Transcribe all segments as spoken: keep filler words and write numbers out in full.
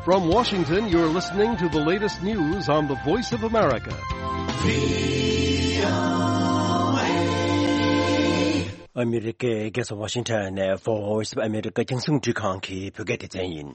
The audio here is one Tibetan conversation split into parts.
From Washington, you're listening to the latest news on the Voice of America. ཨ་མི་རི་ཀའི་རྒྱལ་ས་ཝ་ཤིང་ཊོན་ནས་Voice of America རྒྱང་སྲིང་རླུང་འཕྲིན་ཁང་གི་བོད་སྐད་སྡེ་ཚན་ཡིན།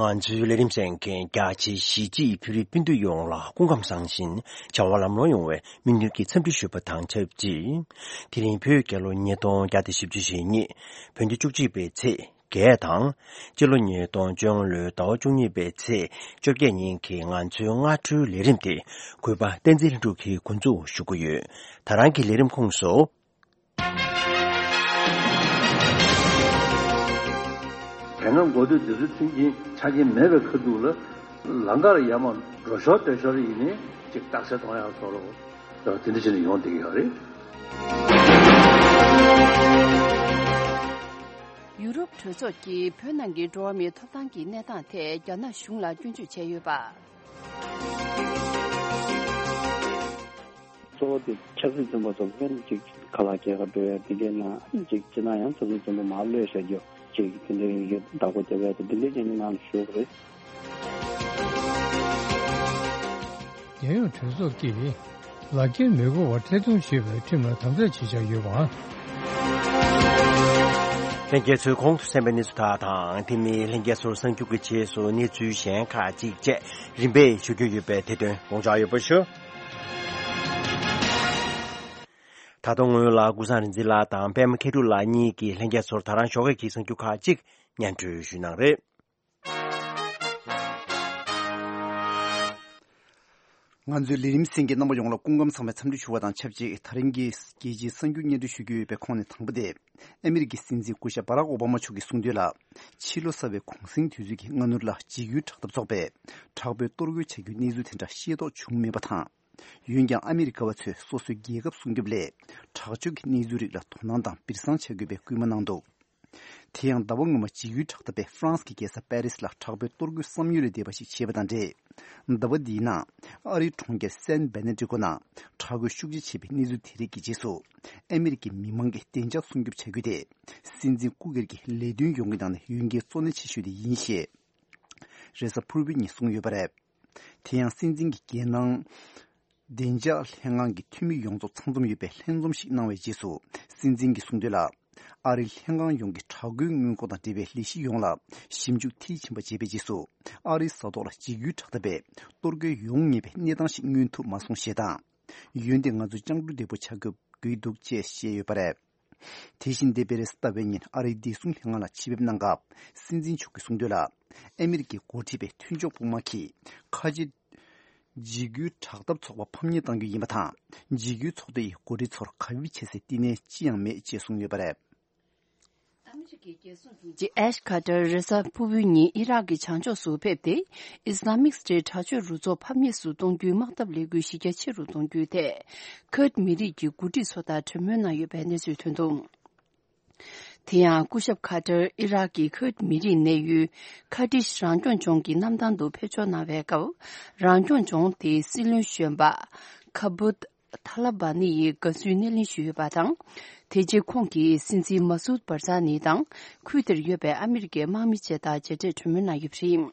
ང་ཚོའི་ལས་རིམ་གསན་མཁན་རྒྱ་ཆེའི་གཞིས་བྱེས་བོད་རིགས་སྤུན་ཟླ་ཡོངས་ལ་སྐུ་ཁམས་བཟང་ཞིང་བྱ་བ་ལམ་ལྷོང་ཡོང་བའི་སྨོན་འདུན་གྱི་འཚམས་འདྲི་ཞུ་བ་དང་ཆབས་ཅིག་དེ་རིང་བོད་རྒྱལ་ལོ་ཉིས་སྟོང་བརྒྱ་དང་བཞི་བཅུ་ཞེ་གཉིས། བོད་ཟླ་བཅུ་གཅིག་པའི་ཚེས་བརྒྱད་དང་། སྤྱི་ལོ་ཉིས་སྟོང་བཅོ་ལྔ་ལོའི་ཟླ་བ་བཅུ་གཉིས་པའི་ཚེས་བཅོ་བརྒྱད་ཉིན་གྱི་ང་ཚོའི་སྔ་དྲོའི་ལས་རིམ་དེ་གུས་པ་བསྟན་འཛིན་ལྷུན་གྲུབ་ཀྱིས་འགོ་འཛུགས་ཞུ་གི་ཡོད། ད་རང་གི་ལས་རིམ་ཁོངས་སུ། དེ་སྔ་འགོ་སྟོད་སྡེ་ཚོའི་མཐུན་རྐྱེན་ཆ་རྐྱེན་མེད་པའི་ཁ་ཐུག་ལ་ལམ་ཁར་ཡར་མར་འགྲོ་ཞོར་སྡོད་ཞོར་ཡིན་ནའི་ཅིག་རྟགས་གསལ་གཏོང་ཡག་བཟོ་འདྲ་དེ་འདྲ་བྱས་ནས་ཡོང་བསྡད་ཀྱི་ཡོད་རེད། ཡུ་རོབ་གྲོས་ཚོགས་ཀྱིས་བོད་ནང་གི་འགྲོ་བ་མིའི་ཐོབ་ཐང་གི་གནས་སྟངས་ཐད་རྒྱ་ནག་གཞུང་ལ་སྐྱོན་བརྗོད་བྱས་ཡོད་པ། གཙོ་བོ་དེ་ཆབ་སྲིད་བཙོན་པ་ཚོ་ཕན་ཅིག་ཁ་ལག་སྐྱེལ་ག་འགྲོ་ཡ་དེ་འདྲའི་ནང་ཅིག་སྤྱིར་ན་ཡང་ཆབ་སྲིད་བཙོན་པ་མར་གློད་བཞག་རྒྱུ་ཅིག་དེ་འདྲའི་ཡི་གེ་བདག་པོ་རྒྱབ་ཡ་དེ་འདི་འདྲའི་ཅན་ནང་ཞུགས་རེད། རྒྱལ་ཡོངས་གྲོས་ཚོགས་ཀྱིས་ལག་འཁྱེར་མི་དགོས་པར་ཐད་གཏོང་བྱེད་པའི་ཁྲིམས་ལ་དམ་དྲག་བྱེད་འཆར་ཡོད་པ། ལྷན་རྒྱས་ཚོས་གོང་དུ་གསན་པའི་གནས་ཚུལ་དག་དང་དེ་མིན་ལྷན་རྒྱས་ཚོར་གསར་འགྱུར་གྱི་རྗེས་སུ་གནས་ཚུལ་གཞན་ཁག་ཅིག་བཅས་རིམ་པས་ཞུ་རྒྱུ་ཡོད་པས་དེ་དོན་དགོངས་འཇགས་ཡོད་པ་ཞུ། ད་དུང་ངོས་ལ་ཀུན་བཟང་རིག་འཛིན་ལགས་དང་པད་མ་མཁས་གྲུབ་ལགས་གཉིས་ཀྱིས་ལྷན་རྒྱས་ཚོར་ད་རང་ཞོགས་ཀས་ཀྱི་གསར་འགྱུར་ཁག་ཅིག་སྙན་སྒྲོན་ཞུ་གནང་རེད། ང་ཚོའི་ལས་རིམ་གསན་མཁན་རྣམ་པ་ཡོངས་ལ་སྐུ་ཁམས་བཟང་བའི་འཚམས་འདྲི་ཞུ་བ་དང་ཆབས་ཅིག་ད་རིང་གི་རྒྱལ་སྤྱིའི་གསར་འགྱུར་སྙན་སྒྲོན་ཞུ་རྒྱུ་ཡོད་པའི་ཁོངས་ནས་དང་པོ་དེ། ཨ་མི་རི་ཀའི་སྲིད་འཛིན་སྐུ་ཞབས་བྷ་རག་ཨོ་བྷ་མ་མཆོག་གིས་གསུངས་དོན་ལ། ཕྱི་ལོ་གསར་བའི་གུང་གསེང་དུས་ཚོད་ཀྱི་སྔ་སྣུར་ལ་འཇིགས་སྐུལ་དྲག་འཐབ་ཚོགས་པས་དྲག་པོའི་གཏོར་རྒོལ་བྱ་རྒྱུའི་གནས་ཚུལ་དེ་འདྲ་ཤེས་རྟོགས་བྱུང་མེད་པ་དང་། འོན་ཀྱང་ཨ་མི་རི་ཀ་བ་ཚོས་སོ་སོའི་རྒྱལ་ཁབ་སྲུང་སྐྱོབ་སླད་དྲག་སྤྱོད་ཀྱི་གནས་ཚུལ་རིགས་ལ་དོ་སྣང་དང་སྦིར་སང་བྱ་དགོས་པའི་སྐུལ་མ་གནང་འདུག་དེ་ཡང་ཟླ་བ་སྔོན་མ་འཇིགས་སྐུལ་དྲག་འཐབ་པས་ཧྥ་རན་སི་གི་རྒྱལ་ས་པེ་རི་སི་ལ་དྲག་པོའི་གཏོར་རྒོལ་བསམ་ཡུལ་ལས་འདས་པ་ཞིག་བྱས་པ་དང་འབྲེལ། ཟླ་བ་འདིའི་ནང་ཨ་རིའི་གྲོང་ཁྱེར་སན་བེ་ནེ་ཏྲི་ཀོ་ནང་དྲག་རྒོལ་ཤུགས་ཆེ་བྱས་པའི་གནས་ཚུལ་དེ་རིགས་ཀྱི་རྗེས་སུ། ཨ་མི་རི་ཀའི་མི་མང་གི་བདེ་འཇགས་སྲུང་སྐྱོབ་བྱ་རྒྱུ་དེ་སྲིད་འཛིན་སྐུ་སྒེར་གྱི་ལས་དོན་ཡོང་གི་ནང་ནས་འོས་འགན་གཙོ་གནད་ཆེ་ཤོས་དེ་ཡིན་ཞེས། རེས་གཟའ་ཕུར་བུ་ཉིན་གསུངས་ཡོད་པ་རེད། དེ་ཡང་སྲིད་འཛིན་གྱི་རྒྱལ་ནང་བདེ་འཇགས་ལྷན་ཁང་གི་འཐུས་མི་ཡོངས་རྫོགས་ཚང་འཛོམས་ཡོད་པའི་ལྷན་འཛོམས་ཤིག་གནང་བའི་རྗེས་སུ། སྲིད་འཛིན་གྱིས་གསུངས་དོན་ལ། ཨ་རིའི་ལྷན་ཁང་ཡོངས་ཀྱི་དྲག་རྒོལ་སྔོན་འགོག་དང་འབྲེལ་བའི་ལས་གཞི་ཡོངས་ལ་ཞིབ་འཇུག་མཐིལ་ཕྱིན་པ་བྱས་པའི་རྗེས་སུ། ཨ་རིའི་ས་ཐོག་ལ་འཇིགས་སྐུལ་དྲག་འཐབ་པས་གཏོར་རྒོལ་ཡོང་ངེས་པའི་གནས་སྟངས་ཤིག་མངོན་ཐུབ་མ་སོང་ཞེས་དང་། འོན་ཏེ་ང་ཚོས་སྤྱང་གྲུང་བདེ་པོ་བྱ་དགོས་ཀྱི་འདུག་ཅེས་བཤད་ཡོད་པ་རེད། དེ་བཞིན་འདས་པའི་རེས་གཟའ་ཟླ་བའི་ཉིན་ཨ་རིའི་བདེ་སྲུང་ལྷན་ཁང་ལ་ཆེད་ཕེབས་གནང་སྐབས་སྲིད་འཛིན་མཆོག་གིས་གསུངས་དོན་ལ། ཨ་མི་རི་ཀའི་འགོ་ཁྲིད་པའི་མཐུན་ཕྱོགས་དཔུང་དམག་གིས་ཁ་ཆེ་འཇིགས་སྐུལ་དྲག་འཐབ་ཚོགས་པ་ཕམ་ཉེས་གཏང་རྒྱུ་ཡིན་པ་དང་། འཇིགས་སྐུལ་ཚོགས་སྡེ་ཡི་འགོ་ཁྲིད་ཚོར་གབ་ཡིབ་བྱེད་སའི་བསྟི་གནས་ཅི་ཡང་མེད་ཅེས་གསུངས་ཡོད་པ་རེད། ཨ་མི་རི་ཀའི་རྒྱལ་སྲུང་དྲུང་ཆེ་ཨེཤ་ཁ་ཏར་རེས་གཟའ་ཕུར་བུའི་ཉིན་ཨི་རག་གི་བྱང་ཕྱོགས་སུ་ཕེབས་ཏེ། ཨི་སི་ལ་མིག་སི་ཊའི་དྲག་སྤྱོད་རུ་ཚོགས་ཕམ་ཉེས་སུ་གཏོང་རྒྱུའི་དམག་འཐབ་ལས་འགུལ་གཞི་རྒྱ་ཆེ་རུ་གཏོང་རྒྱུའི་ཐད། ཁུར་ཌི་མི་རིགས་ཀྱི་འགོ་ཁྲིད་ཚོ་དང་གྲོས་མོལ་གནང་ཡོད་པའི་གནས་ཚུལ་ཐོན་འདུག་དེ་ཡང་སྐུ་ཞབས་ཁ་ཏར་ཨི་རག་གི་ཁུར་ཌི་མི་རིགས་གནས་ཡུལ་ཁ་ཏིཤ་རང་སྐྱོང་ལྗོངས་ཀྱི་གནམ་ཐང་དུ་ཕེབས་འབྱོར་གནང་བའི་སྐབས། རང་སྐྱོང་ལྗོངས་དེའི་སྲིད་བློན་གཞོན་པ་ཁ་བུད་ཐ་ལ་བ་ནི་ཡིས་དགའ་བསུའི་སྣེ་ལེན་ཞུས་ཡོད་པ་དང་། དེ་རྗེས་ཁོང་གིས་སྲིད་འཛིན་མ་སུད་བར་ཛ་ནི་དང་ཁུལ་དེར་ཡོད་པའི་ཨ་མི་རི་ཀའི་དམག་མི་བཅས་དང་མཇལ་འཕྲད་གྲོས་མོལ་གནང་ཡོད་པ་རེད།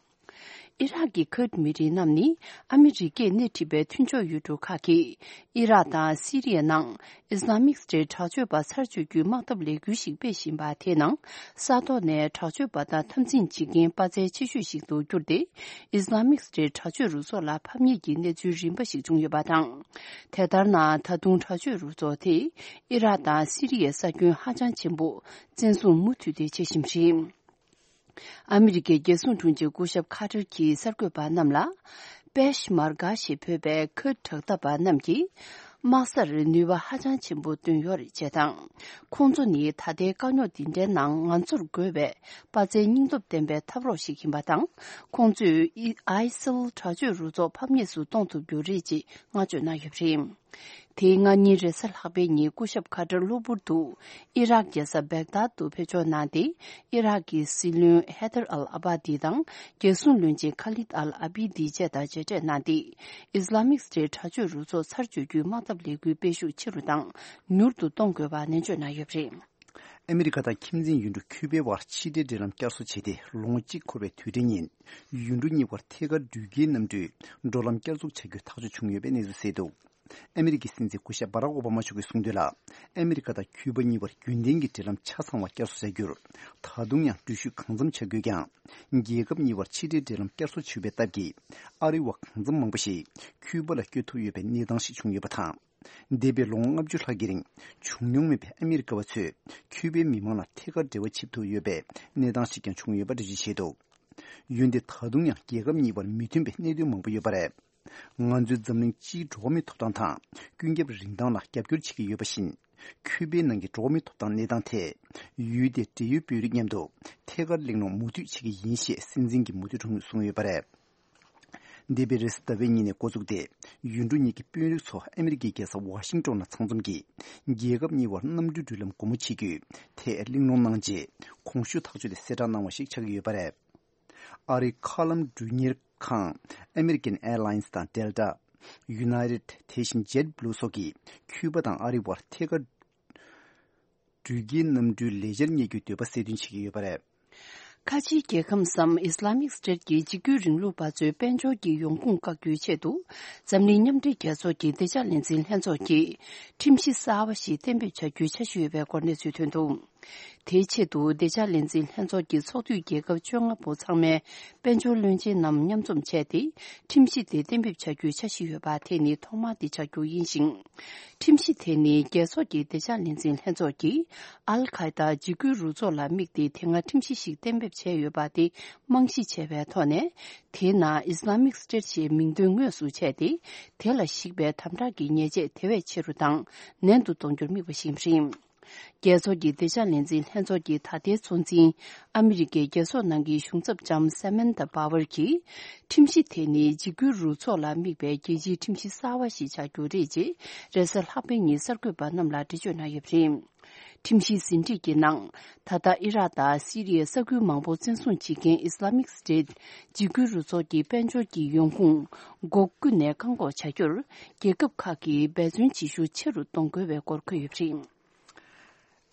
ཨི་རག་གི་ཁུར་ཌི་མི་རིགས་རྣམས་ནི་ཨ་མི་རི་ཀས་སྣེ་ཁྲིད་པའི་མཐུན་ཕྱོགས་ཡུལ་གྲུ་ཁག་གིས་ཨི་རག་དང་སི་རི་ཡའི་ནང་ཨི་སི་ལ་མིག་སི་ཊའི་དྲག་སྤྱོད་པ་ཚར་གཅོད་རྒྱུའི་དམག་འཐབ་ལས་འགུལ་ཞིག་སྤེལ་བཞིན་པ་དེའི་ནང་ས་ཐོག་ནས་དྲག་སྤྱོད་པ་དང་འཐབ་འཛིང་བྱེད་མཁན་དཔའ་རྩལ་ཆེ་ཤོས་ཤིག་ཏུ་གྱུར་ཏེ། ཨི་སི་ལ་མིག་སི་ཊའི་དྲག་སྤྱོད་རུ་ཚོགས་ལ་ཕམ་ཉེས་ཀྱི་གནས་ཚུལ་རིམ་པ་ཞིག་བྱུང་ཡོད་པ་དང་། དེ་ལྟར་ན་ད་དུང་དྲག་སྤྱོད་རུ་ཚོགས་དེས་ཨི་རག་དང་སི་རི་ཡའི་ས་ཁྱོན་ཧ་ཅང་ཆེན་པོ་བཙན་བཟུང་མུ་མཐུད་དེ་བྱེད་བཞིན་པ་རེད། ཨ་མི་རི་ཀའི་རྒྱལ་སྲུང་དྲུང་ཆེ་སྐུ་ཞབས་ཁ་ཏར་གྱིས་གསར་འགོད་པ་རྣམས་ལ། པེཤ་མར་གྷ་ཞེས་འབོད་པའི་ཁུར་དྲག་འཐབ་པ་རྣམས་ཀྱིས། དམག་སར་ནུས་པ་ཧ་ཅང་ཆེན་པོ་བཏོན་ཡོད་རེད་ཅེས་དང་། ཁོང་ཚོ་ནི་ད་ལྟའི་དཀའ་རྙོག་འདི་འདྲའི་ནང་ང་ཚོར་དགོས་པའི་དཔའ་རྩལ་སྙིང་སྟོབས་ལྡན་པའི་འཐབ་རོགས་ཤིག་ཡིན་པ་དང་། ཁོང་ཚོས་ཨི་ཨའི་སིལ་དྲག་སྤྱོད་རུ་ཚོགས་ཕམ་ཉེས་སུ་གཏོང་ཐུབ་རྒྱུ་རེད་ཅེས་བསྔགས་བརྗོད་གནང་ཡོད་པ་རེད། དེའི་སྔ་ཉིན་རེས་གཟའ་ལྷག་པའི་ཉིན་སྐུ་ཞབས་ཁ་ཏར་གློ་བུར་དུ་ཨི་རག་རྒྱལ་ས་བེག་དཱད་དུ་ཕེབས་འབྱོར་གནང་སྟེ། ཨི་རག་གི་སྲིད་བློན་ཧེ་དར་ཨལ་ཨ་བྷ་དི་དང་རྒྱལ་སྲུང་བློན་ཆེན་ཁ་ལིད་ཨལ་ཨ་བྷི་དི་བཅས་དང་མཇལ་འཕྲད་གནང་སྟེ། ཨི་སི་ལ་མིག་སི་ཊའི་དྲག་སྤྱོད་རུ་ཚོགས་ཚར་གཅོད་རྒྱུའི་དམག་འཐབ་ལས་འགུལ་སྤེལ་ཤུགས་ཆེ་རུ་དང་མྱུར་དུ་གཏོང་དགོས་པ་ནན་བརྗོད་གནང་ཡོད་པ་རེད། ཨ་མི་རི་ཀ་དང་ཁྱིམ་མཚེས་ཡུལ་གྲུ་ཁྱུ་པའི་བར་ཕྱི་འབྲེལ་འབྲེལ་ལམ་བསྐྱར་གསོ་བྱས་ཏེ་ལོ་ངོ་གཅིག་འཁོར་བའི་དུས་དྲན་ཉིན། ཡུལ་གྲུ་གཉིས་བར་ཐད་ཀར་འགྲུལ་སྐྱེལ་གནམ་གྲུའི་འགྲོ་ལམ་བསྐྱར་འཛུགས་བྱ་རྒྱུའི་ཐག་གཅོད་བྱུང་ཡོད་པའི་གནས་ཚུལ་གསལ་འདུག་ཨ་མི་རི་ཀའི་སྲིད་འཛིན་སྐུ་ཞབས་སྦ་རག་ཨོ་བྷ་མ་མཆོག་གིས་གསུངས་དོན་ལ། ཨ་མི་རི་ཀ་དང་ཁྱུ་པ་གཉིས་བར་རྒྱུན་ལྡན་གྱི་འབྲེལ་ལམ་ཆ་ཚང་བ་བསྐྱར་གསོ་བྱ་རྒྱུར། ད་དུང་ཡང་འགྲུལ་བཞུད་གང་འཚམ་བྱ་དགོས་ཀྱང་། རྒྱལ་ཁབ་གཉིས་བར་ཕྱི་འབྲེལ་འབྲེལ་ལམ་བསྐྱར་གསོ་བྱས་པའི་སྟབས་ཀྱིས། ཨ་རི་བ་གང་འཚམ་མང་པོ་ཞིག་ཁྱུ་པ་ལ་བསྐྱོད་ཐུབ་ཡོད་པའི་གནས་སྟངས་ཤིག་བྱུང་ཡོད་པ་དང་། འདས་པའི་ལོ་ངོ་ལྔ་བཅུ་ལྷག་གི་རིང་བྱུང་མྱོང་མེད་པའི་ཨ་མི་རི་ཀ་བ་ཚོས་ཁྱུ་པའི་མི་མང་ལ་ཐད་ཀར་འབྲེལ་བ་བྱེད་ཐུབ་ཡོད་པའི་གནས་སྟངས་ཤིག་ཀྱང་བྱུང་ཡོད་པ་འགྲེལ་བརྗོད་བྱས་འདུག་ཡུལ་འདི་ད་དུང་ཡང་རྒྱལ་ཁབ་གཉིས་བར་མི་མཐུན་པའི་གནད་དོན་མང་པོ་ཡོད་པ་རེད། ང་ཚོའི་འཛམ་གླིང་སྤྱིའི་འགྲོ་བ་མིའི་ཐོབ་ཐང་དང་ཀུན་ཁྱབ་རིན་ཐང་ལ་རྒྱབ་སྐྱོར་བྱེད་ཀྱི་ཡོད་པ་བཞིན། ཁྱུ་པའི་ནང་གི་འགྲོ་བ་མིའི་ཐོབ་ཐང་གནས་སྟངས་ཐད། ཡུལ་དེའི་འབྲེལ་ཡོད་དཔོན་རིགས་མཉམ་དུ་ཐད་ཀར་གླེང་སློང་མུ་མཐུད་བྱེད་ཀྱི་ཡིན་ཞེས་སྲིད་འཛིན་གྱིས་མུ་མཐུད་གསུངས་ཡོད་པ་རེད། འདས་པའི་རེས་གཟའ་ཟླ་བའི་ཉིན་ནས་འགོ་བཙུགས་ཏེ། ཡུལ་གྲུ་གཉིས་ཀྱི་དཔོན་རིགས་ཚོ་ཨ་མི་རི་ཀའི་རྒྱལ་ས་ཝ་ཤིང་ཏོན་ལ་ཚང་འཛོམས་ཀྱིས། རྒྱལ་ཁབ་གཉིས་བར་གནམ་གྲུའི་འགྲུལ་ལམ་སྒོ་མོ་ཕྱེ་རྒྱུའི་ཐད་གླེང་སློང་གནང་རྗེས། གོང་ཞུས་ཐག་གཅོད་དེ་གསལ་བསྒྲགས་གནང་བ་ཞིག་ཆགས་ཀྱི་ཡོད་པ་རེད། ཨ་རིའི་མཁའ་ལམ་འགྲུལ་གཉེར་ཁང་American Airlines དང་Delta། United དེ་བཞིན་JetBlue སོགས་ཀྱིས་ཁྱུ་པ་དང་ཨ་རི་བར་ཐད་ཀར་འགྲུལ་སྐྱེལ་གནམ་གྲུའི་ལས་འཆར་གཉེར་རྒྱུའི་འདོད་པ་གསལ་སྟོན་བྱེད་ཀྱི་ཡོད་པ་རེད། ཁ་ཆེའི་རྒྱལ་ཁམས་སམ་Islamic State གྱི་འཇིགས་སྐུལ་རིང་ལུགས་པ་ཚོའི་དཔལ་འབྱོར་གྱི་ཡོང་ཁུངས་བཀག་རྒྱུའི་ཆེད་དུ། འཛམ་གླིང་མཉམ་འབྲེལ་རྒྱལ་ཚོགས་ཀྱི་བདེ་འཇགས་ལས་འཛིན་ལྷན་ཚོགས་ཀྱིས་ཁྲིམས་གཞི་གསར་བ་ཞིག་གཏན་འབེབས་བྱ་རྒྱུའི་འཆར་གཞི་ཡོད་པའི་སྐོར་གནས་ཚུལ་ཐོན་འདུག་དེའི་ཆེད་དུ་བདེ་འཇགས་ལས་འཛིན་ལྷན་ཚོགས་ཀྱི་ཚོགས་འཐུས་རྒྱལ་ཁབ་བཅོ་ལྔ་པོ་ཚང་མའི་དཔལ་འབྱོར་བློན་ཆེན་རྣམས་མཉམ་འཛོམས་བྱས་ཏེ། ཁྲིམས་གཞི་དེ་གཏན་འབེབས་བྱ་རྒྱུའི་འཆར་གཞི་ཡོད་པ་དེ་ནི་ཐོག་མ་དེ་ཆགས་རྒྱུ་ཡིན་ཞིང་། ཁྲིམས་གཞི་དེ་ནི་རྒྱལ་ཚོགས་ཀྱི་བདེ་འཇགས་ལས་འཛིན་ལྷན་ཚོགས་ཀྱིས་ཨལ་ཁ་ཡེ་ད་འཇིགས་སྐུལ་རུ་ཚོགས་ལ་དམིགས་ཏེ་དེ་སྔ་ཁྲིམས་གཞི་ཞིག་གཏན་འབེབས་བྱས་ཡོད་པ་དེ་རྨང་གཞི་བྱས་པའི་ཐོག་ནས། དེའི་ནང་Islamic State ཞེས་མིང་དོན་དངོས་སུ་བྱས་ཏེ། དེ་ལ་གཞིགས་པའི་དམ་དྲག་གི་ཉེས་ཆད་དེ་བས་ཆེ་རུ་དང་ནན་དུ་གཏོང་རྒྱུར་དམིགས་པ་ཞིག་ཡིན་པ་རེད། རྒྱལ་ཚོགས་ཀྱི་བདེ་འཇགས་ལས་འཛིན་ལྷན་ཚོགས་ཀྱི་ད་ལྟའི་གཙོ་འཛིན་ཨ་མི་རི་ཀའི་རྒྱལ་ཚོགས་ནང་གི་གཞུང་ཚབ་ལྕམ་Samantha Power གྱིས། ཁྲིམས་གཞི་དེ་ནི་འཇིགས་སྐུལ་རུ་ཚོགས་ལ་དམིགས་པའི་རྒྱལ་སྤྱིའི་ཁྲིམས་གཞི་གསར་བ་ཞིག་ཆགས་རྒྱུ་རེད་ཅེས་རེས་གཟའ་ལྷག་པའི་ཉིན་གསར་འགོད་པ་རྣམས་ལ་འགྲེལ་བརྗོད་གནང་ཡོད་པ་རེད། ཁྲིམས་གཞིའི་ཟིན་བྲིས་ཀྱི་ནང་། ད་ལྟ་ཨི་རག་དང་སི་རི་ཡའི་ས་ཁུལ་མང་པོ་བཙན་བཟུང་བྱེད་མཁན་Islamic State འཇིགས་སྐུལ་རུ་ཚོགས་ཀྱི་དཔལ་འབྱོར་གྱི་ཡོང་ཁུངས་སྒོ་ཀུན་ནས་བཀག་འགོག་བྱ་རྒྱུར་རྒྱལ་ཁབ་ཁག་གིས་འབད་བརྩོན་བྱེད་ཤུགས་ཆེ་རུ་གཏོང་དགོས་པའི་སྐོར་འཁོད་ཡོད་པ་རེད།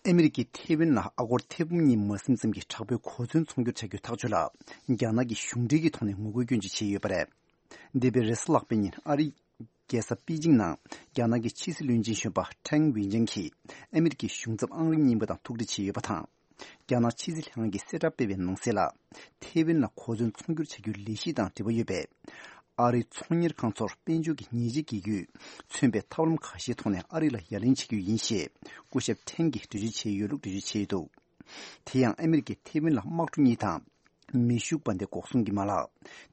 ཨ་མི་རི་ཀས་ཐེ་ཝན་ལ་ཨ་སྒོར་ཐེར་འབུམ་གཉིས་མ་ཟིན་ཙམ་གྱི་དྲག་པོའི་གོ་མཚོན་ཚོང་སྒྱུར་བྱ་རྒྱུའི་ཐག་གཅོད་ལ། རྒྱ་ནག་གིས་གཞུང་འབྲེལ་གྱི་ཐོག་ནས་ངོ་རྒོལ་སྐྱོན་བརྗོད་བྱས་ཡོད་པ་རེད། འདས་པའི་རེས་གཟའ་ལྷག་པའི་ཉིན་ཨ་རིའི་རྒྱལ་ས་པེ་ཅིང་ནང་རྒྱ་ནག་གི་ཕྱི་སྲིད་བློན་ཆེན་གཞོན་པ་ཀྲེང་ཝེ་ཅན་གྱིས་ཨ་མི་རི་ཀའི་གཞུང་ཚབ་ཨང་རིམ་གཉིས་པ་དང་ཐུག་འཕྲད་བྱས་ཡོད་པ་དང་། རྒྱ་ནག་ཕྱི་སྲིད་ལྷན་ཁང་གིས་གསལ་བསྒྲགས་སྤེལ་བའི་ནང་གསལ་ལ། ཐེ་ཝན་ལ་གོ་མཚོན་ཚོང་སྒྱུར་བྱ་རྒྱུའི་ལས་གཞི་དང་འབྲེལ་བ་ཡོད་པའི། ཨ་རིའི་ཚོང་གཉེར་ཁང་ཚོར་དཔལ་འབྱོར་གྱི་ཉེས་ཆད་འགེལ་རྒྱུས་མཚོན་པའི་ཐབས་ལམ་ཁ་ཤས་ཐོག་ནས་ཨ་རི་ལ་ཡ་ལན་བྱེད་རྒྱུ་ཡིན་ཞེས་སྐུ་ཞབས་ཁྲེན་གྱིས་འགྲེལ་བརྗོད་བྱས་ཡོད་ལུགས་འགྲེལ་བརྗོད་བྱས་ཡོད་འདུག་དེ་ཡང་ཨ་མི་རི་ཀས་ཐེ་ཝན་ལ་དམག་གྲུ་གཉིས་དང་། མེ་ཤུགས་འབར་མདེལ་འགོག་སྲུང་གི་མ་ལག་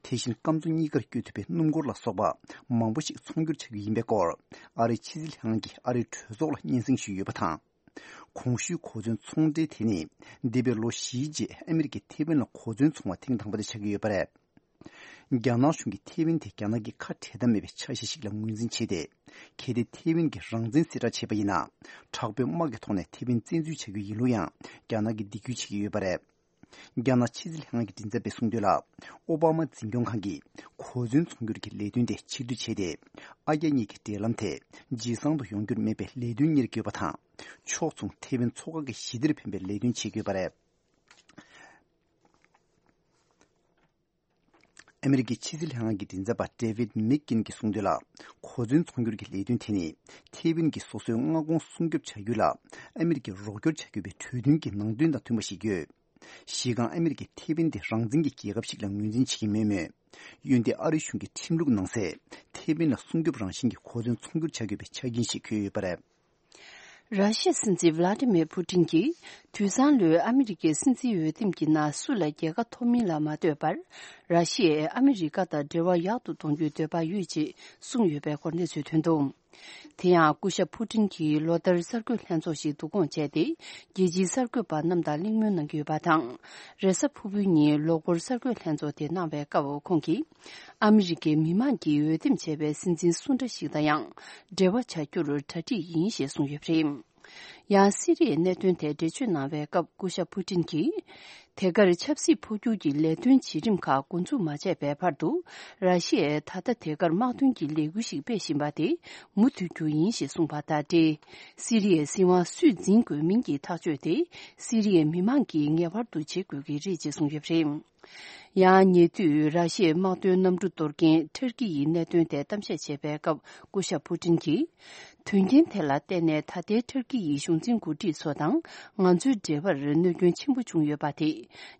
དེ་བཞིན་སྐམ་མཚོ་གཉིས་ཀར་བསྐྱོད་ཐུབ་པའི་སྣུམ་འཁོར་ལ་སོགས་པ་མང་པོ་ཞིག་ཚོང་སྒྱུར་བྱ་རྒྱུ་ཡིན་པའི་སྐོར། ཨ་རིའི་ཕྱི་སྲིད་ལྷན་ཁང་གིས་ཨ་རིའི་གྲོས་ཚོགས་ལ་སྙན་སེང་ཞུས་ཡོད་པ་དང་། གོང་ཞུས་གོ་མཚོན་ཚོང་འབྲེལ་དེ་ནི། འདས་པའི་ལོ་བཞིའི་རྗེས་ཨ་མི་རི་ཀས་ཐེ་ཝན་ལ་གོ་མཚོན་བཙོང་བ་ཐེངས་དང་པོ་དེ་ཆགས་ཀྱི་ཡོད་པ་རེད། རྒྱ་ནག་གཞུང་གིས་ཐེ་ཝན་དེ་རྒྱ་ནག་གི་ཁ་བྲལ་ཐབས་མེད་པའི་ཆ་ཤས་ཤིག་ལ་ངོས་འཛིན་བྱས་ཏེ། གལ་ཏེ་ཐེ་ཝན་གྱིས་རང་བཙན་གསལ་བསྒྲགས་བྱས་པ་ཡིན་ན། དྲག་པོའི་དམག་གི་ཐོག་ནས་ཐེ་ཝན་བཙན་འཛུལ་བྱ་རྒྱུ་ཡིན་ལུགས་ཡང་རྒྱ་ནག་གིས་འདེགས་སྐྱོར་བྱེད་ཀྱི་ཡོད་པ་རེད། རྒྱ་ནག་ཕྱི་སྲིད་ལྷན་ཁང་གི་མགྲིན་ཚབ་པས་གསུངས་དོན་ལ། ཨོ་བྷ་མ་འཛིན་སྐྱོང་ཁང་གིས་གོ་མཚོན་ཚོང་སྒྱུར་གྱི་ལས་དོན་དེ་ཕྱིར་བསྡུ་བྱས་ཏེ། ཨ་རྒྱ་གཉིས་ཀྱི་འབྲེལ་ལམ་དེ་ཇེ་བཟང་དུ་ཡོང་རྒྱུར་དམིགས་པའི་ལས་དོན་གཉེར་དགོས་པ་དང་། ཕྱོགས་མཚུངས་ཐེ་ཝན་མཚོ་ཁ་གི་ཞི་བདེར་ཕན་པའི་ལས་དོན་བྱེད་དགོས་པ་རེད། ཨ་མི་རི་ཀའི་ཕྱི་སྲིད་ལྷན་ཁང་གི་མགྲིན་ཚབ་པ་David Meekin གྱིས་གསུངས་དོན་ལ། གོ་མཚོན་ཚོང་སྒྱུར་གྱི་ལས་དོན་དེ་ནི་ཐེ་ཝན་གྱི་སོ་སོའི་མངའ་ཁོངས་སྲུང་སྐྱོབ་བྱ་རྒྱུ་ལ་ཨ་མི་རི་ཀས་རོགས་སྐྱོར་བྱ་དགོས་པའི་གྲོས་མཐུན་གྱི་ནང་དོན་དང་མཐུན་པ་ཞིག་ཡོད། གཞི་རྐང་ཨ་མི་རི་ཀས་ཐེ་ཝན་དེ་རང་བཙན་གྱི་རྒྱལ་ཁབ་ཞིག་ལ་ངོས་འཛིན་བྱེད་ཀྱི་མེད་མོད། འོན་ཏེ་ཨ་རི་གཞུང་གི་ཁྲིམས་ལུགས་ནང་གསལ་ཐེ་ཝན་ལ་སྲུང་སྐྱོབ་རང་བཞིན་གྱི་གོ་མཚོན་ཚོང་སྒྱུར་བྱ་དགོས་པའི་ཆ་རྐྱེན་ཞིག་འཁོད་ཡོད་པ་རེད། ར་ཤི་ཡའི་སྲིད་འཛིན་ཝ་ལ་ཏི་མིར་ཕུ་ཏིན་གྱིས་དུས་སང་ལོའི་ཨ་མི་རི་ཀའི་སྲིད་འཛིན་འོས་འདེམས་ཀྱི་ནང་སུ་ལ་རྒྱལ་ཁ་ཐོབ་མིན་ལ་མ་ལྟོས་པར། ར་ཤི་ཡས་ཨ་མི་རི་ཀ་དང་འབྲེལ་བ་ཡག་ཏུ་གཏོང་རྒྱུའི་འདོད་པ་ཡོད་ཅེས་གསུངས་ཡོད་པའི་སྐོར་གནས་ཚུལ་ཐོན་འདུག་དེ་ཡང་སྐུ་ཞབས་ཕུ་ཏིན་གྱིས་ལོ་ལྟར་གསར་འགོད་ལྷན་ཚོགས་ཤིག་བསྡུ་སྐོང་བྱས་ཏེ། རྒྱལ་སྤྱིའི་གསར་འགོད་པ་རྣམས་དང་གླེང་མོལ་གནང་གི་ཡོད་པ་དང་། རེས་གཟའ་ཕུར་བུའི་ཉིན་ལོ་འཁོར་གསར་འགོད་ལྷན་ཚོགས་དེ་གནང་བའི་སྐབས་ཁོང་གིས། ཨ་མི་རི་ཀའི་མི་མང་གིས་འོས་འདེམས་བྱས་པའི་སྲིད་འཛིན་སུ་འདྲ་ཞིག་དང་ཡང་འབྲེལ་བ་བྱ་རྒྱུར་གྲ་སྒྲིག་ཡིན་ཞེས་གསུངས་ཡོད་པ་རེད། ཡང་སི་རི་ཡའི་གནད་དོན་ཐད་འགྲེལ་བརྗོད་གནང་བའི་སྐབས་སྐུ་ཞབས་ཕུ་ཏིན་གྱིས། དེ་གར་ཆབ་སྲིད་འཕོ་འགྱུར་གྱི་ལས་དོན་བྱེད་རིམ་ཁག་འགོ་འཛུགས་མ་བྱས་པའི་བར་དུ། ར་ཤི་ཡས་ད་ལྟ་དེ་གར་དམག་དོན་གྱི་ལས་འགུལ་ཞིག་སྤེལ་བཞིན་པ་དེ་མུ་མཐུད་རྒྱུ་ཡིན་ཞེས་གསུངས་པ་དང་འབྲེལ། སི་རི་ཡའི་སྲིད་དབང་སུས་འཛིན་དགོས་མིན་གྱི་ཐག་གཅོད་དེ་སི་རི་ཡའི་མི་མང་གིས་ངེས་པར་དུ་བྱེད་དགོས་ཀྱི་རེད་ཅེས་གསུངས་ཡོད་པ་རེད། ཡང་ཉེ་དུས་ར་ཤི་ཡའི་དམག་དོན་གནམ་གྲུ་གཏོར་མཁན་ཐུར་ཀི་ཡི་གནད་དོན་ཐད་གཏམ་བཤད་བྱས་པའི་སྐབས་སྐུ་ཞབས་ཕུ་ཏིན་གྱིས། དོན་རྐྱེན་དེ་ལ་བརྟེན་ནས་ད་ལྟའི་ཐུར་ཀི་ཡི་གཞུང་འཛིན་འགོ་ཁྲིད་ཚོ་དང་ང་ཚོའི་འབྲེལ་བར་གནོད་སྐྱོན་ཆེན་པོ་བྱུང་ཡོད་པ་དེ་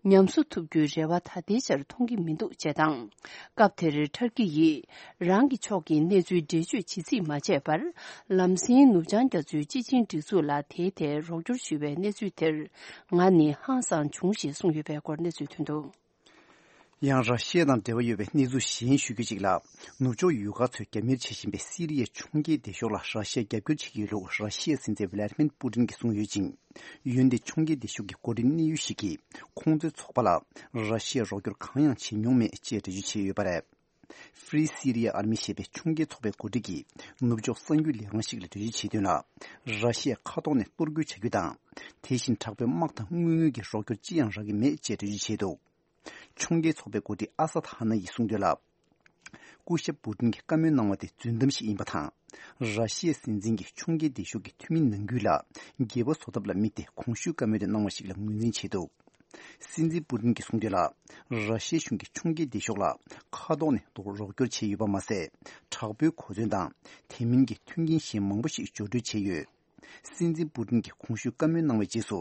ཉམས་གསོ་ཐུབ་རྒྱུའི་རེ་བ་ད་ལྟའི་ཆར་མཐོང་གི་མི་འདུག་ཅེས་དང་། སྐབས་དེར་ཐུར་ཀི་ཡིས་རང་གི་ཕྱོགས་ཀྱི་གནས་ཚུལ་འགྲེལ་བརྗོད་ཇི་སྲིད་མ་བྱས་པར། ལམ་སེང་ནུབ་བྱང་རྒྱ་མཚོའི་སྤྱི་ཆིངས་སྒྲིག་འཛུགས་ལ་དེའི་ཐད་རོགས་སྐྱོར་ཞུ་བའི་གནས་ཚུལ་དེར་ང་ནི་ཧང་སངས་བྱུང་ཞེས་གསུངས་ཡོད་པའི་སྐོར་གནས་ཚུལ་ཐོན་འདུག། ཡང་། ར་ཤི་ཡ་དང་འབྲེལ་བ་ཡོད་པའི་གནས་ཚུལ་གཞན་ཞུ་རྒྱུ་ཅིག་ལ། ནུབ་ཕྱོགས་ཡུལ་ཁག་ཚོས་རྒྱབ་གཉེར་བྱེད་བཞིན་པའི་སི་རི་ཡའི་ཕྱོགས་འགལ་སྡེ་ཤོག་ལ་ར་ཤི་ཡས་རྒྱབ་སྐྱོར་བྱེད་ཀྱི་ཡོད་ལུགས་ར་ཤི་ཡའི་སྲིད་འཛིན་ཝི་ལ་ཏི་མིར་པུ་ཏིན་གྱིས་གསུངས་ཡོད་ཅིང་། འོན་ཏེ་ཕྱོགས་འགལ་སྡེ་ཤོག་གི་འགོ་ཁྲིད་གནད་ཡོད་ཞིག་གིས་ཁོང་ཚོའི་ཚོགས་པ་ལ་ར་ཤི་ཡས་རོགས་སྐྱོར་གང་ཡང་བྱེད་མྱོང་མེད་ཅེས་འགྲེལ་བརྗོད་བྱས་ཡོད་པ་རེད། Free Syria Army ཞེས་པའི་ཕྱོགས་འགལ་ཚོགས་པའི་འགོ་ཁྲིད་ཀྱིས་ནུབ་ཕྱོགས་གསར་འགྱུར་ལས་ཁང་ཞིག་ལ་འགྲེལ་བརྗོད་བྱས་དོན་ལ། ར་ཤི་ཡས་མཁའ་ཐོག་ནས་གཏོར་རྒོལ་བྱ་རྒྱུ་དང་། དེ་བཞིན་དྲག་པོའི་དམག་དང་དངུལ་དངོས་ཀྱི་རོགས་སྐྱོར་ཅི་ཡང་རག་གི་མེད་ཅེས་འགྲེལ་བརྗོད་བྱས་འདུག། ཕྱོགས་འགལ་ཚོགས་པའི་འགོ་ཁྲིད་ཨ་སད་ཧ་ན་ཡིས་གསུངས་དོན་ལ། སྐུ་ཞབས་པུ་ཏིན་གྱིས་བཀའ་མོལ་གནང་བ་དེ་རྫུན་གཏམ་ཞིག་ཡིན་པ་དང་། ར་ཤི་ཡའི་སྲིད་འཛིན་གྱིས་ཕྱོགས་འགལ་སྡེ་ཤོག་གི་འཐུས་མི་ནང་ཁུལ་ལ་འགྱེལ་བ་བཟོ་ཐབས་ལ་དམིགས་ཏེ་གོང་ཞུས་བཀའ་མོལ་དེ་གནང་བ་ཞིག་ལ་ངོས་འཛིན་བྱས་འདུག། སྲིད་འཛིན་པུ་ཏིན་གྱིས་གསུངས་དོན་ལ། ར་ཤི་ཡའི་གཞུང་གིས་ཕྱོགས་འགལ་སྡེ་ཤོག་ལ་མཁའ་ཐོག་ནས་རོགས་སྐྱོར་བྱས་ཡོད་པ་མ་ཟད། དྲག་པོའི་གོ་མཚོན་དང་དེ་མིན་གྱི་མཐུན་རྐྱེན་གཞན་མང་པོ་ཞིག་སྦྱོར་སྤྲོད་བྱས་ཡོད། སྲིད་འཛིན་པུ་ཏིན་གྱིས་གོང་ཞུས་བཀའ་མོལ་གནང་བའི་རྗེས་སུ།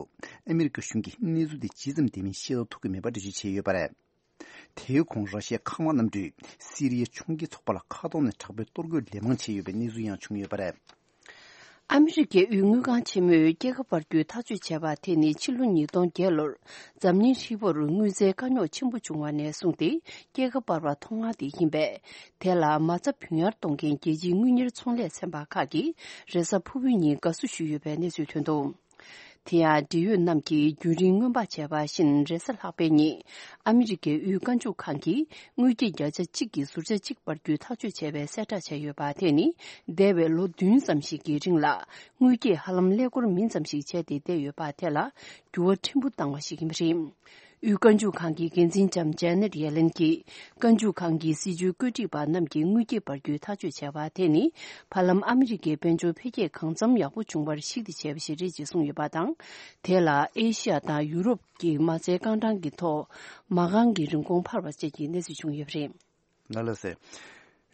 ཨ་མི་རི་ཀ་གཞུང་གིས་གནས་ཚུལ་དེ་ཇི་ཙམ་བདེན་མིན་ཤེས་རྟོགས་ཐུབ་ཀྱི་མེད་པ་འགྲེལ་བརྗོད་བྱས་ཡོད་པ་རེད། དེའི་གོང་ར་ཤི་ཡའི་མཁའ་དམག་གནམ་གྲུས་སི་རི་ཡའི་ཕྱོགས་འགལ་ཚོགས་པ་ལ་མཁའ་ཐོག་ནས་དྲག་པོའི་གཏོར་རྒོལ་ལན་མང་བྱས་ཡོད་པའི་གནས་ཚུལ་ཡང་བྱུང་ཡོད་པ་རེད། ཨ་མི་རི་ཀའི་དབུས་དངུལ་ཁང་ཆེན་མོས་སྐྱེད་ཀ་སྤར་རྒྱུའི་ཐག་གཅོད་བྱས་པ་དེ་ནི་ཕྱི་ལོ་ཉིས་སྟོང་བརྒྱད་ལོར་འཛམ་གླིང་ཧྲིལ་པོར་དངུལ་རྩའི་དཀའ་རྙོག་ཆེན་པོ་བྱུང་བ་ནས་བཟུང་སྟེ་སྐྱེད་ཀ་སྤར་བ་ཐོག་མ་དེ་ཡིན་པས། དེ་ལ་མ་རྩ་བུད་ཉར་གཏོང་མཁན་རྒྱལ་སྤྱིའི་དངུལ་གཉེར་ཚོང་ལས་ཚན་པ་ཁག་གིས་རེས་གཟའ་ཕུར་བུའི་ཉིན་དགའ་བསུ་ཞུས་ཡོད་པའི་གནས་ཚུལ་ཐོན་འདུག། དེ་ཡང་འབྲེལ་ཡོད་རྣམས་ཀྱིས་རྒྱུན་རིང་སྔོན་དཔག་བྱས་པ་བཞིན་རེས་གཟའ་ལྷག་པའི་ཉིན། ཨ་མི་རི་ཀའི་དབུས་རྒྱལ་འཇུག་ཁང་གིས་དངུལ་སྐྱེད་བརྒྱ་ཆ་གཅིག་གི་ཟུར་ཆ་གཅིག་སྤར་རྒྱུའི་ཐག་གཅོད་བྱས་པའི་གསལ་བསྒྲགས་བྱས་ཡོད་པ་དེ་ནི། འདས་པའི་ལོ་བདུན་ཙམ་ཞིག་གི་རིང་ལ་དངུལ་སྐྱེད་ཧ་ལམ་ཀླད་ཀོར་མིན་ཙམ་ཞིག་བྱས་ཏེ་བསྡད་ཡོད་པ་དེ་ལ་འགྱུར་བ་ཕྲན་བུ་བཏང་བ་ཞིག་ཡིན་པ་རེད། དབུས་རྒྱལ་འཇུག་ཁང་གི་འགན་འཛིན་ལྕམ་ཇེ་ནེད་ཡེ་ལེན་གྱིས། རྒྱལ་འཇུག་ཁང་གི་སྲིད་བྱུས་བཀོད་སྒྲིག་པ་རྣམས་ཀྱིས་དངུལ་སྐྱེད་སྤར་རྒྱུའི་ཐག་གཅོད་བྱས་པ་དེ་ནི། བར་ལམ་ཨ་མི་རི་ཀའི་དཔལ་འབྱོར་འཕེལ་རྒྱས་གང་འཚམ་ཡག་པོ་བྱུང་བར་གཞིགས་ཏེ་བྱས་པ་ཞིག་རེད་ཅེས་གསུངས་ཡོད་པ་དང་། དེ་ལ་ཨེ་ཤི་ཡ་དང་ཡུ་རོབ་ཀྱི་མ་རྩའི་རྐང་གྲངས་ཀྱི་ཐོག་མ་རྐང་གི་རིན་གོང་འཕར་བ་བཅས་ཀྱི་གནས་ཚུལ་བྱུང་ཡོད་པ་རེད། ན་ལགས་སེ།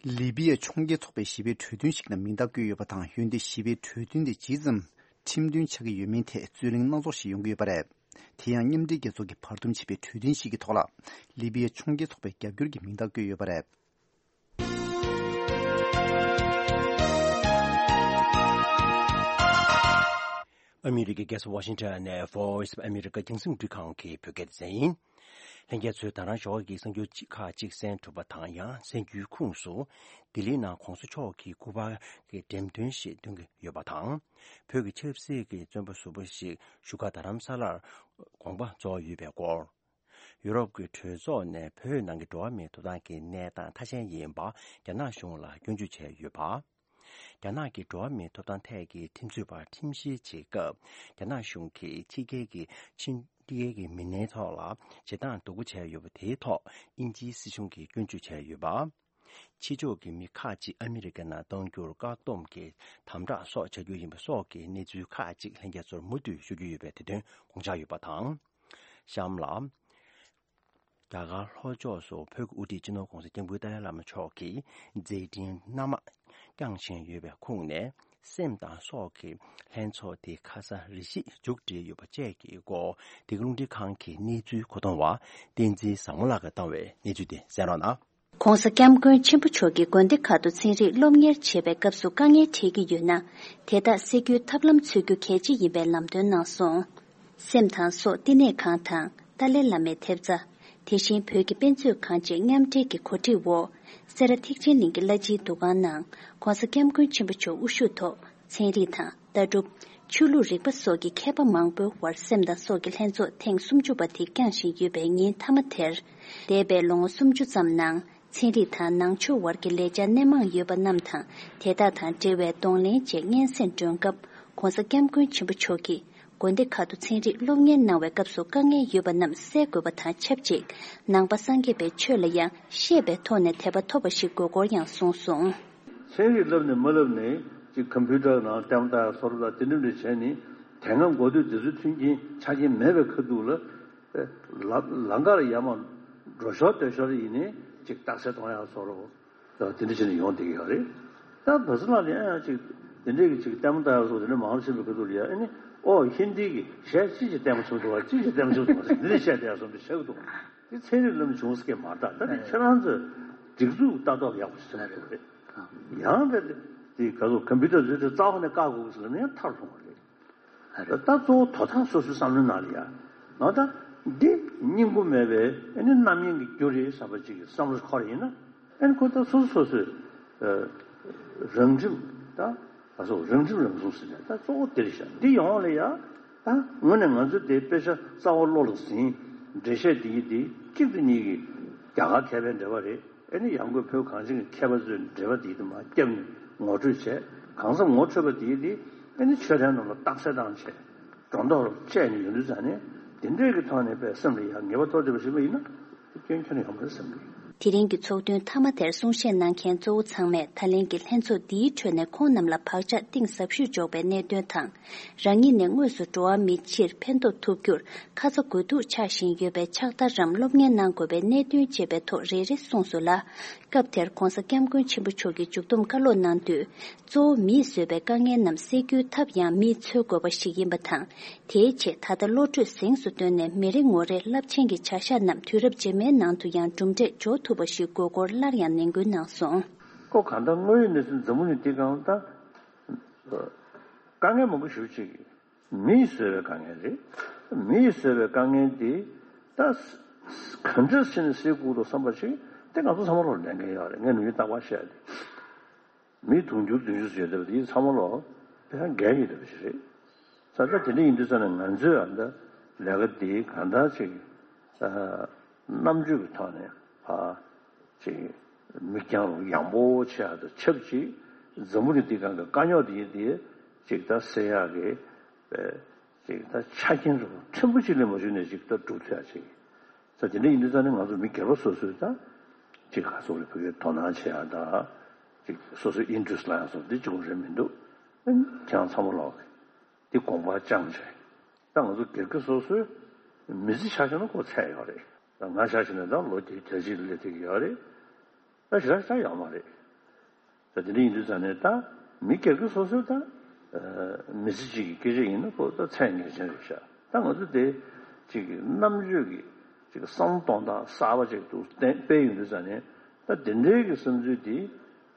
ལི་པི་ཡའི་ཕྱོགས་འགལ་ཚོགས་པས་ཞི་བའི་གྲོས་མཐུན་ཞིག་ལ་མིང་རྟགས་བཀོད་ཡོད་པ་དང་། འོན་ཏེ་ཞི་བའི་གྲོས་མཐུན་དེ་ཇི་ཙམ་ཁྲིམས་མཐུན་ཆགས་ཀྱི་ཡོད་མིན་ཐད་རྩོད་གླེང་སྣ་ཚོགས་ཤིག་ཡོང་གི་ཡོད་པ་རེད། དེ་ཡང་མཉམ་འབྲེལ་རྒྱལ་ཚོགས་ཀྱིས་བར་འདུམ་བྱས་པའི་གྲོས་མཐུན་ཞིག་གི་ཐོག་ལ་ལི་པི་ཡའི་ཕྱོགས་འགལ་ཚོགས་པའི་རྒྱབ་སྐྱོར་གྱི་མིང་རྟགས་བཀོད་ཡོད་པ་རེད། ཨ་མི་རི་ཀའི་རྒྱལ་ས་ཝ་ཤིང་ཊོན་ནས་Voice of America རྒྱང་སྲིང་རླུང་འཕྲིན་ཁང་གི་བོད་སྐད་སྡེ་ཚན་ཡིན། ལྷན་རྒྱས་ཚོས་ད་རང་ཞོགས་ཀྱི་གསར་འགྱུར་ཁག་ཅིག་གསན་ཐུབ་པ་དང་། ཡང་གསར་འགྱུར་ཁུངས་སུ་ལྡི་ལིའི་ནང་གོང་ས་མཆོག་གི་སྐུ་པར་གྱི་འགྲེམས་སྟོན་ཞིག་སྟོན་གྱི་ཡོད་པ་དང་། བོད་ཀྱི་ཆབ་སྲིད་ཀྱི་བཙོན་པ་ཟུར་པ་ཞིག་བཞུགས་སྒར་རྡ་རམ་ས་ལར་དགོངས་པ་རྫོགས་ཡོད་པའི་སྐོར། ཡུ་རོབ་ཀྱི་གྲོས་ཚོགས་ནས་བོད་ནང་གི་འགྲོ་བ་མིའི་ཐོབ་ཐང་གི་གནས་སྟངས་ཐ་ཞན་ཡིན་པ་རྒྱ་ནག་གཞུང་ལ་སྐྱོན་བརྗོད་བྱས་ཡོད་པ། རྒྱ་ནག་གི་འགྲོ་བ་མིའི་ཐོབ་ཐང་ཐད་ཀྱི་ཁྲིམས་རྩོད་པར་ཁྲིམས་བཤེར་བྱེད་སྐབས། རྒྱ་ནག་གཞུང་གིས་ཕྱི་རྒྱལ་གྱི་ཕྱི་རྒྱལ་གྱི་མི་སྣའི་ཐོག་ལ་བྱེད་སྟངས་སྡུག་པོ་བྱས་ཡོད་པ་དེའི་ཐོག་དབྱིན་ཇིའི་སྲིད་གཞུང་གིས་སྐྱོན་བརྗོད་བྱས་ཡོད་པ། ཕྱི་ཕྱོགས་ཀྱི་མི་ཁག་ཅིག་ཨ་མི་རི་ཀའི་ནང་གཏོང་རྒྱུར་བཀག་སྡོམ་གྱི་དམ་དྲག་སོགས་བྱ་རྒྱུ་ཡིན་པ་སོགས་ཀྱི་གནས་ཚུལ་ཁག་ཅིག་ལྷན་རྒྱས་ཚོར་མུ་མཐུད་ཞུ་རྒྱུ་ཡོད་པའི་དེ་དོན་དགོངས་འཇགས་ཡོད་པ་དང་། གཤམ་ལ། རྒྱ་གར་ལྷོ་ཕྱོགས་སུ་བོད་ཀྱི་དབུ་ཁྲིད་སྤྱི་ནོར་༸གོང་ས་༸སྐྱབས་མགོན་ཏཱ་ལའི་བླ་མ་མཆོག་གིས་མཛད་འཕྲིན་སྣ་མང་བསྐྱངས་བཞིན་ཡོད་པའི་ཁུངས་ནས། སེམས་དང་སྲོག་གི་ལྷན་ཚོགས་དེ་ཁ་སང་རེ་ཞིག་མཇུག་སྒྲིལ་ཡོད་པ་བཅས་ཀྱི་སྐོར། འདི་ག་རླུང་འཕྲིན་ཁང་གི་གནས་ཚུལ་མཁོ་གཏོང་བ་བསྟན་འཛིན་བཟང་མོ་ལགས་ཀྱིས་བཏང་བའི་གནས་ཚུལ་དེ་གསན་རོགས་གནང་། ༸གོང་ས་༸སྐྱབས་མགོན་ཆེན་པོ་མཆོག་གིས་དགོན་སྡེ་ཁག་ཏུ་ཚན་རིག་སློབ་གཉེར་བྱེད་པའི་སྐབས་སུ་དཀའ་ངལ་འཕྲད་ཀྱི་ཡོད་ན། དེ་དག་སེལ་རྒྱུའི་ཐབས་ལམ་འཚོལ་རྒྱུ་གལ་ཆེ་ཡིན་པའི་ལམ་སྟོན་གནང་སོང་། སེམས་དང་སྲོག་བསྟི་གནས་ཁང་དང་ཏཱ་ལའི་བླ་མའི་ཐེབས་རྩ། དེ་བཞིན་བོད་ཀྱི་དཔེ་མཛོད་ཁང་བཅས་མཉམ་འབྲེལ་གྱི་གོ་སྒྲིག་འོག་སེ་ར་ཐེག་ཆེན་གླིང་གི་བླ་སྤྱིའི་འདུ་ཁང་ནང་༸གོང་ས་༸སྐྱབས་མགོན་ཆེན་པོ་མཆོག་དབུ་བཞུགས་ཐོག་ཚན་རིག་དང་ལྟ་གྲུབ། ཆོས་ལུགས་རིག་པ་སོགས་ཀྱི་མཁས་པ་མང་པོའི་དབར་སེམས་དང་སྲོག་གི་ལྷན་ཚོགས་ཐེངས་སུམ་ཅུ་པ་དེ་བསྐྱངས་བཞིན་ཡོད་པའི་ཉིན་མཐའ་མ་དེར། འདས་པའི་ལོ་ངོ་སུམ་ཅུ་ཙམ་ནང་ཚན་རིག་དང་ནང་ཆོས་དབར་གྱི་ལས་འཆར་སྣེ་མང་ཡོད་པ་རྣམས་དང་དེ་དག་དང་འབྲེལ་བའི་གདོང་ལེན་བཅས་སྙན་སེང་སྒྲོན་སྐབས་ ༧གོང་ས་༧སྐྱབས་མགོན་ཆེན་པོ་མཆོག་གིས་དགོན་སྡེ་ཁག་ཏུ་ཚན་རིག་སློབ་གཉེར་གནང་བའི་སྐབས་སུ་དཀའ་ངལ་ཡོད་པ་རྣམས་སེལ་དགོས་པ་དང་ཆབས་ཅིག་ནང་པ་སངས་རྒྱས་པའི་ཆོས་ལ་ཡང་ཤེས་པའི་ཐོག་ནས་དད་པ་ཐོབ་པ་ཞིག་དགོས་སྐོར་ཡང་གསུངས་སོང་། ཚན་རིག་བསླབ་ནས་མ་བསླབ་ནས་ཅིག་ཀམ་པུ་ཊར་ནང་ལྟད་མོ་ལྟ་ཡ་བཟོ་འདྲ་དེ་འདྲ་འདྲ་བྱས་ནས་དེ་སྔ་འགོ་སྟོད་དེ་ཚོའི་མཐུན་རྐྱེན་ཆ་རྐྱེན་མེད་པའི་ཁ་ཐུག་ལ་ལ་ལམ་ཁ་ལ་ཡར་མར་འགྲོ་ཞོར་སྡོད་ཞོར་ཡིན་ནའི་ཅིག་རྟགས་གསལ་གཏོང་ཡ་བཟོ་འདྲ། ད་དེ་འདྲ་བྱས་ནས་ཡོང་བསྡད་ཀྱི་ཡོད་རེད། ད་བོད་ས་ལ་ལ་ཡང་ཅིག་དེ་འདྲའི་གི་ཅིག་ལྟད་མོ་ལྟ་ཡག་སོགས་དེ་འདྲ་མང་པོ་ཕྱིན་པའི་ཁ་ཐུག་ལ་ཡ་ཨ་ནི་ཨོ་ཧིན་དི་གི་གཞས་ཅི་ཞིག་ལྟད་མོ་བྱུང་འདུག་བ། ཅི་ཞིག་ལྟད་མོ་བྱུང་འདུག་བ་འདི་འདྲ་བཤད་བསྡད་ཡག་སོགས་འདི་བཤད་ཀྱི་འདུག་དེ་ཚན་རིག་ལམ་བྱུང་སྐད་མ་རེད། ད་དེ་ཁྱེད་རང་ཚོས་སྒྲིག་འཛུགས་ལྟ་རྟོག་ཡག་པོ་ཞིག་བྱེད་དགོས་རེད། ཡང་དེ་དེ་ག་ཚོད་ཀམ་པུ་ཊར་བཟོས་ཏེ་རྩ་བ་ནས་བཀག་དགོས་ཟེར་ན་ཡང་མཐར་ལྷུང་བ་རེད། ད་གཙོ་བོ་དོ་བདག་སོ་སོའི་བསམ་བློའི་ནང་ལ་ཡ། ང་ད་འདི་སྙིང་པོ་མེད་པའི་ཨ་ནི་རྣམ་གཡེང་གི་རྒྱུ་རེད་བསམ་པ་ཅིག་གི་བསམ་བློ་འཁོར་ཡིན་ན། ཨ་ནི་ཁོ་ད་སོ་སོ་སོ་སོའི་ཨ་རང་ཁྲིམས་ད་ད་སོ་རང་ཁྲིམས་རང་སྲུང་ཟེར་ནས་ད་གཙོ་བོ་འདི་རེད་ཤག་འདི་ཡོང་བ་ལ་ཡ། ད་དངོས་གནས་ང་ཚོས་དེ་དཔེ་ཆ་གསར་པ་བློ་ལ་ཟིན། འགྲེལ་བཤད་འདི་ཡིན་འདི་གཅིག་ཏུ་གཉིས་ཀྱི་རྒྱ་གར་མཁས་པའི་འགྲེལ་པ་རེད། ཨེ་ནི་ཡང་སྒོས་བོད་གངས་ཅན་གྱི་མཁས་པ་ཚོས་འགྲེལ་པ་དེའི་དུ་མ་བརྒྱབ་ནས་ངོ་སྤྲོད་བྱས། གང་ཟག་ངོ་འཕྲོད་པ་དེའི་དེ་ཨེ་ནི་ཆོས་ལྡན་རྣམས་ལ་རྟགས་གསལ་བཏང་བྱས། སྒྲོ་འདོགས་བཅད་ནས་ཡོང་དུས་ཙང་ནས་དེ་འདྲའི་གི་ཐོག་ནས་པའི་སེམས་ལ་ཡང་ངེས་པ་ཐོག་བསྡད་པ་ཞིག་མ་ཡིན་ན་དེ་སྐྱོན་ཁྱོན་ནས་ཡོང་མ་རེད་བསམ་གི། དེ་རིང་གི་ཚོགས་ཐུན་མཐའ་མ་དེར་གསུང་བཤད་གནང་མཁན་གཙོ་བོ་ཚང་མས་ད་ལན་གྱི་ལྷན་ཚོགས་འདིའི་ཁྲོད་ནས་ཁོང་རྣམས་ལ་བག་ཆགས་གཏིང་ཟབ་ཤོས་འཇོག་པའི་གནད་དོན་དང་། རང་ཉིད་ནས་དངོས་སུ་འགྲོ་བ་མིའི་ཕྱིར་ཕན་ཐོགས་ཐུབ་རྒྱུར་ཁ་ཚ་དགོས་གཏུགས་ཆགས་བཞིན་ཡོད་པའི་ཕྱག་བསྟར་རམ་སློབ་གཉེར་གནང་དགོས་པའི་གནད་དོན་བཅས་པའི་ཐོག་རེ་རེ་གསུངས་སོང་ལ། སྐབས་དེར་༧གོང་ས་༧སྐྱབས་མགོན་ཆེན་པོ་མཆོག་གིས་མཇུག་བསྡོམས་བཀའ་སློབ་གནང་དུས། གཙོ་བོ་མིས་བཟོས་པའི་དཀའ་ངལ་རྣམས་སེལ་རྒྱུའི་ཐབས་ཡང་མིས་འཚོལ་དགོས་པ་ཞིག་ཡིན་པ་དང་། དེའི་ཆེད་ད་ལྟ་བློ་གྲོས་གཟེངས་སུ་བཏོན་ནས་མི་རེ་ངོ་རེར་རླབས་ཆེན་གྱི་བྱ་གཞག་རྣམས་དུས་རབས་རྗེས་མའི་ནང་དུ་ཡང་གྲུབ་འབྲས་འཇོག་ཐུབ་པ་ཞིག་དགོས་སྐོར་སླར་ཡང་ནན་སྐུལ་གནང་སོང་། ཁོ་གང་ལྟར་དངོས་ཡོད་གནས་ཚུལ་འཛམ་བུ་གླིང་འདི་སྒང་ད་དཀའ་ངལ་མང་པོ་ཞེ་པོ་ཅིག་མིས་བཟོས་པའི་དཀའ་ངལ་རེད། མིས་བཟོས་པའི་དཀའ་ངལ་འདི་ད་ག་འདྲ་བྱས་ནས་སེལ་དགོས་འདུག་བསམ་པ་ཞིག་དེ་ང་ཚོ་ཚང་མ་ལོག་ལས་འགན་ཡོད་རེད། ངས་ནམ་རྒྱུན་རྟག་པར་བཤད་དེ། མི་དུང་ཕྱུར་བདུན་ཅུ་ཙམ་ཡོད་བསྡད་པ་དེ་ཚང་མ་ལོག་དེ་ཡང་འགན་ཡོད་བསྡད་པ་ཞིག་རེད། ས་ཆ་དེ་འདྲ་ཡིན་དུས་ཙང་ནས་ང་ཚོས་ཨ་ད་ལས་ཀ་འདི་གང་ལྟར་ཅིག་ཨ་རྣམ་དཔྱོད་ཀྱི་ཐོག་ནས་ཨ་ཅིག་མིག་རྒྱང་རིང་ཡངས་པོ་ཆེ་ཡ་དང་ཆབས་ཅིག་འཛམ་བུ་གླིང་འདི་སྒང་གི་དཀའ་རྙོག་འདི་འདི་ཅིག་ད་སེལ་ཡག་གི་པའི་ཅིག་ད་ཆ་རྐྱེན་རུ་ཕྲན་བུ་ཅིག་ལས་མ་བྱུང་ནས་ཅིག་ད་འགྲུབ་ཐུབ་ཡ་ཅིག་ས་དེ་འདྲ་ཡིན་དུས་ཙང་ནས་ང་ཚོ་མི་སྒེར་པ་སོ་སོས་ད་ཅིག་ག་ཚོད་ལ་བོད་སྐད་དོ་སྣང་བྱེད་ཡ་ད་ཅིག་སོ་སོའི་ཨིན་ཊི་རེ་སི་ལ་ཡ་སོགས་འདི་ཅིག་རེད་མི་འདུག་ཨ་ནི་ཁྱེད་རང་ཚང་མ་ལོག་འདི་དགོངས་པ་བཅངས་བྱས་ད་ང་ཚོ་སྒེར་གྱི་སོ་སོའི་མི་ཚེ་ཆ་བཞག་ན་ཁོ་ཚད་ཡོད་རེད། ད་ང་ཆ་བཞག་ན་ད་ལོ་བརྒྱད་ཅུ་གྱ་གཅིག་ལ་སླེབས་ཐུབ་ཀྱི་ཡོད་རེད། ད་ཞེ་དྲག་ཆགས་ཡོད་མ་རེད། ད་དེ་འདྲ་ཡིན་དུས་ཙང་ནས་ད་མི་སྒེར་གྱི་སོ་སོའི་ད་མི་ཚེ་གཅིག་གི་སྐད་ཆ་ཡིན་ན་ཁོ་ད་ཚད་ངེས་ཅན་རེད་ཤག་ད་ང་ཚོ་དེ་གཅིག་གི་རྣམ་དཔྱོད་ཀྱི་གཅིག་གི་བསམ་བློ་གཏོང་སྟངས་གསར་པ་ཅིག་ཏུ་བསྟན་སྤེལ་ཡོང་དུས་ཙང་ནས་ད་དེ་འདྲའི་གི་བསམ་ཚུལ་དེ་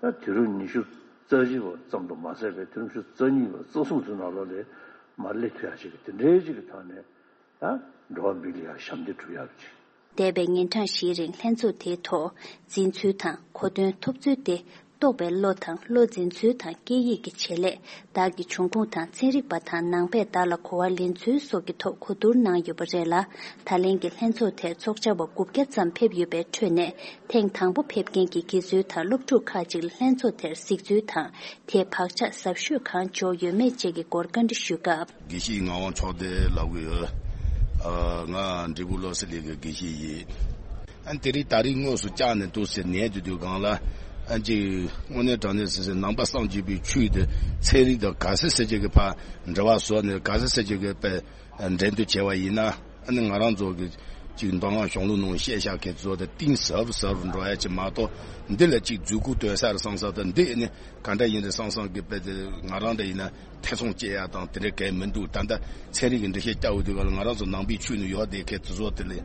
ད་དུས་རབས་ཉི་ཤུ་རྩ་གཅིག་པ་ཙམ་དུ་མ་ཟད་པའི་དུས་རབས་ཉི་ཤུ་རྩ་གཉིས་པ་རྩ་གསུམ་ཚོའི་ནང་ལོགས་ལ་མར་སླེབས་ཐུབ་ཡག་ཅིག་གི་དེ་འདྲའི་ཅིག་གི་ཐོག་ནས། ད་འགྲོ་བ་མི་ལ་ཡང་ཞབས་འདེགས་སྒྲུབ་ཡག་ཅིག་འདས་པའི་ཉིན་གྲངས་བཞིའི་རིང་ལྷན་ཚོགས་དེའི་ཐོག་འཛིན་ཚུལ་དང་གོ་དོན་ཐོབ་ཚུལ་ཏེ། རྟོགས་པའི་བློ་དང་བློ་འཛིན་ཚུལ་དང་སྐད་ཡིག་གི་བྱེད་ལས། བདག་གི་འབྱུང་ཁུངས་དང་ཚན་རིག་པ་དང་ནང་པས་བདག་ལ་གོ་བ་ལེན་ཚུལ་སོགས་ཀྱི་ཐོག་གོ་བསྡུར་གནང་ཡོད་པ་རེད་ལ། ད་ལན་གྱི་ལྷན་ཚོགས་དེར་ཚོགས་བཅར་བ་དགུ་བརྒྱ་ཙམ་ཕེབས་ཡོད་པའི་ཁྲོད་ནས་ཐེངས་དང་པོ་ཕེབས་མཁན་གྱི་དགེ་ཚུལ་དང་སློབ་ཕྲུག་ཁག་ཅིག་ལ་ལྷན་ཚོགས་དེར་གཟིགས་ཚུལ་དང་། དེས་བག་ཆགས་ཟབ་ཤོས་གང་འཇོག་ཡོད་མེད་བཅས་ཀྱི་སྐོར་བཀའ་འདྲི་ཞུས་སྐབས། དགེ་བཤེས་ངག་དབང་ཕྱོགས་སྡེ་ལབ་གི་ཡོད། ཨ། ང་འབྲས་སྤུངས་བློ་གསལ་གླིང་གི་དགེ་བཤེས་ཡིན། ཨ། དེ་རིང་ད་རིང་དངོས་སུ་བཅར་ནས་འདུག་ཟེར་ནས་དུས་དུས་སྒང་ལ། ཨ། ཅིག་དངོས་གནས་དྲང་གནས་ཟེར་ཟེར་ནང་པ་སངས་རྒྱས་པའི་ཆོས་དེ་ཚན་རིག་དང་ག་ཚད་ཟེར་བྱེད་ཀྱི་ཕར་འབྲེལ་བ་བཟོ་ནས་ག་ཚད་ཟེར་བྱེད་ཀྱི་པའི་འགྲན་བསྡུར་བྱས་པ་ཡིན་ན། ཨ་ནི་ང་རང་ཚོ་གི་ཅིག་མདོ་སྔགས་གཞུང་ལུགས་ནང་བཤད་བཞག་མཁན་ཚོ་དེ་གཏིང་ཟབ་ཟབ་རུ་འགྲོ་ཡ་ཅིག་མ་གཏོགས། འདི་ལ་ཅིག་མཛུབ་གུ་སྟོན་ས་རེད་བསམ་བསམ་དང་། འདི་ནི་ག་འདྲ་ཡིན་རེད་བསམ་བསམ་གི་དཔེ་དེ་ང་རང་འདྲ་ཡིན་ན་ཐེ་ཚོམ་སྐྱེ་ཡ་དང་དེ་འདྲ་གང་མི་འདུག་ད་ལྟ་ཚན་རིག་གི་འགྲེལ་བཤད་རྒྱག་འོས་དུས་ག་ལ་ང་རང་ཚོ་ནང་པའི་ཆོས་ནང་ཡོད་བསྡད་མཁན་དེ་ཚོ་དེ་ལས་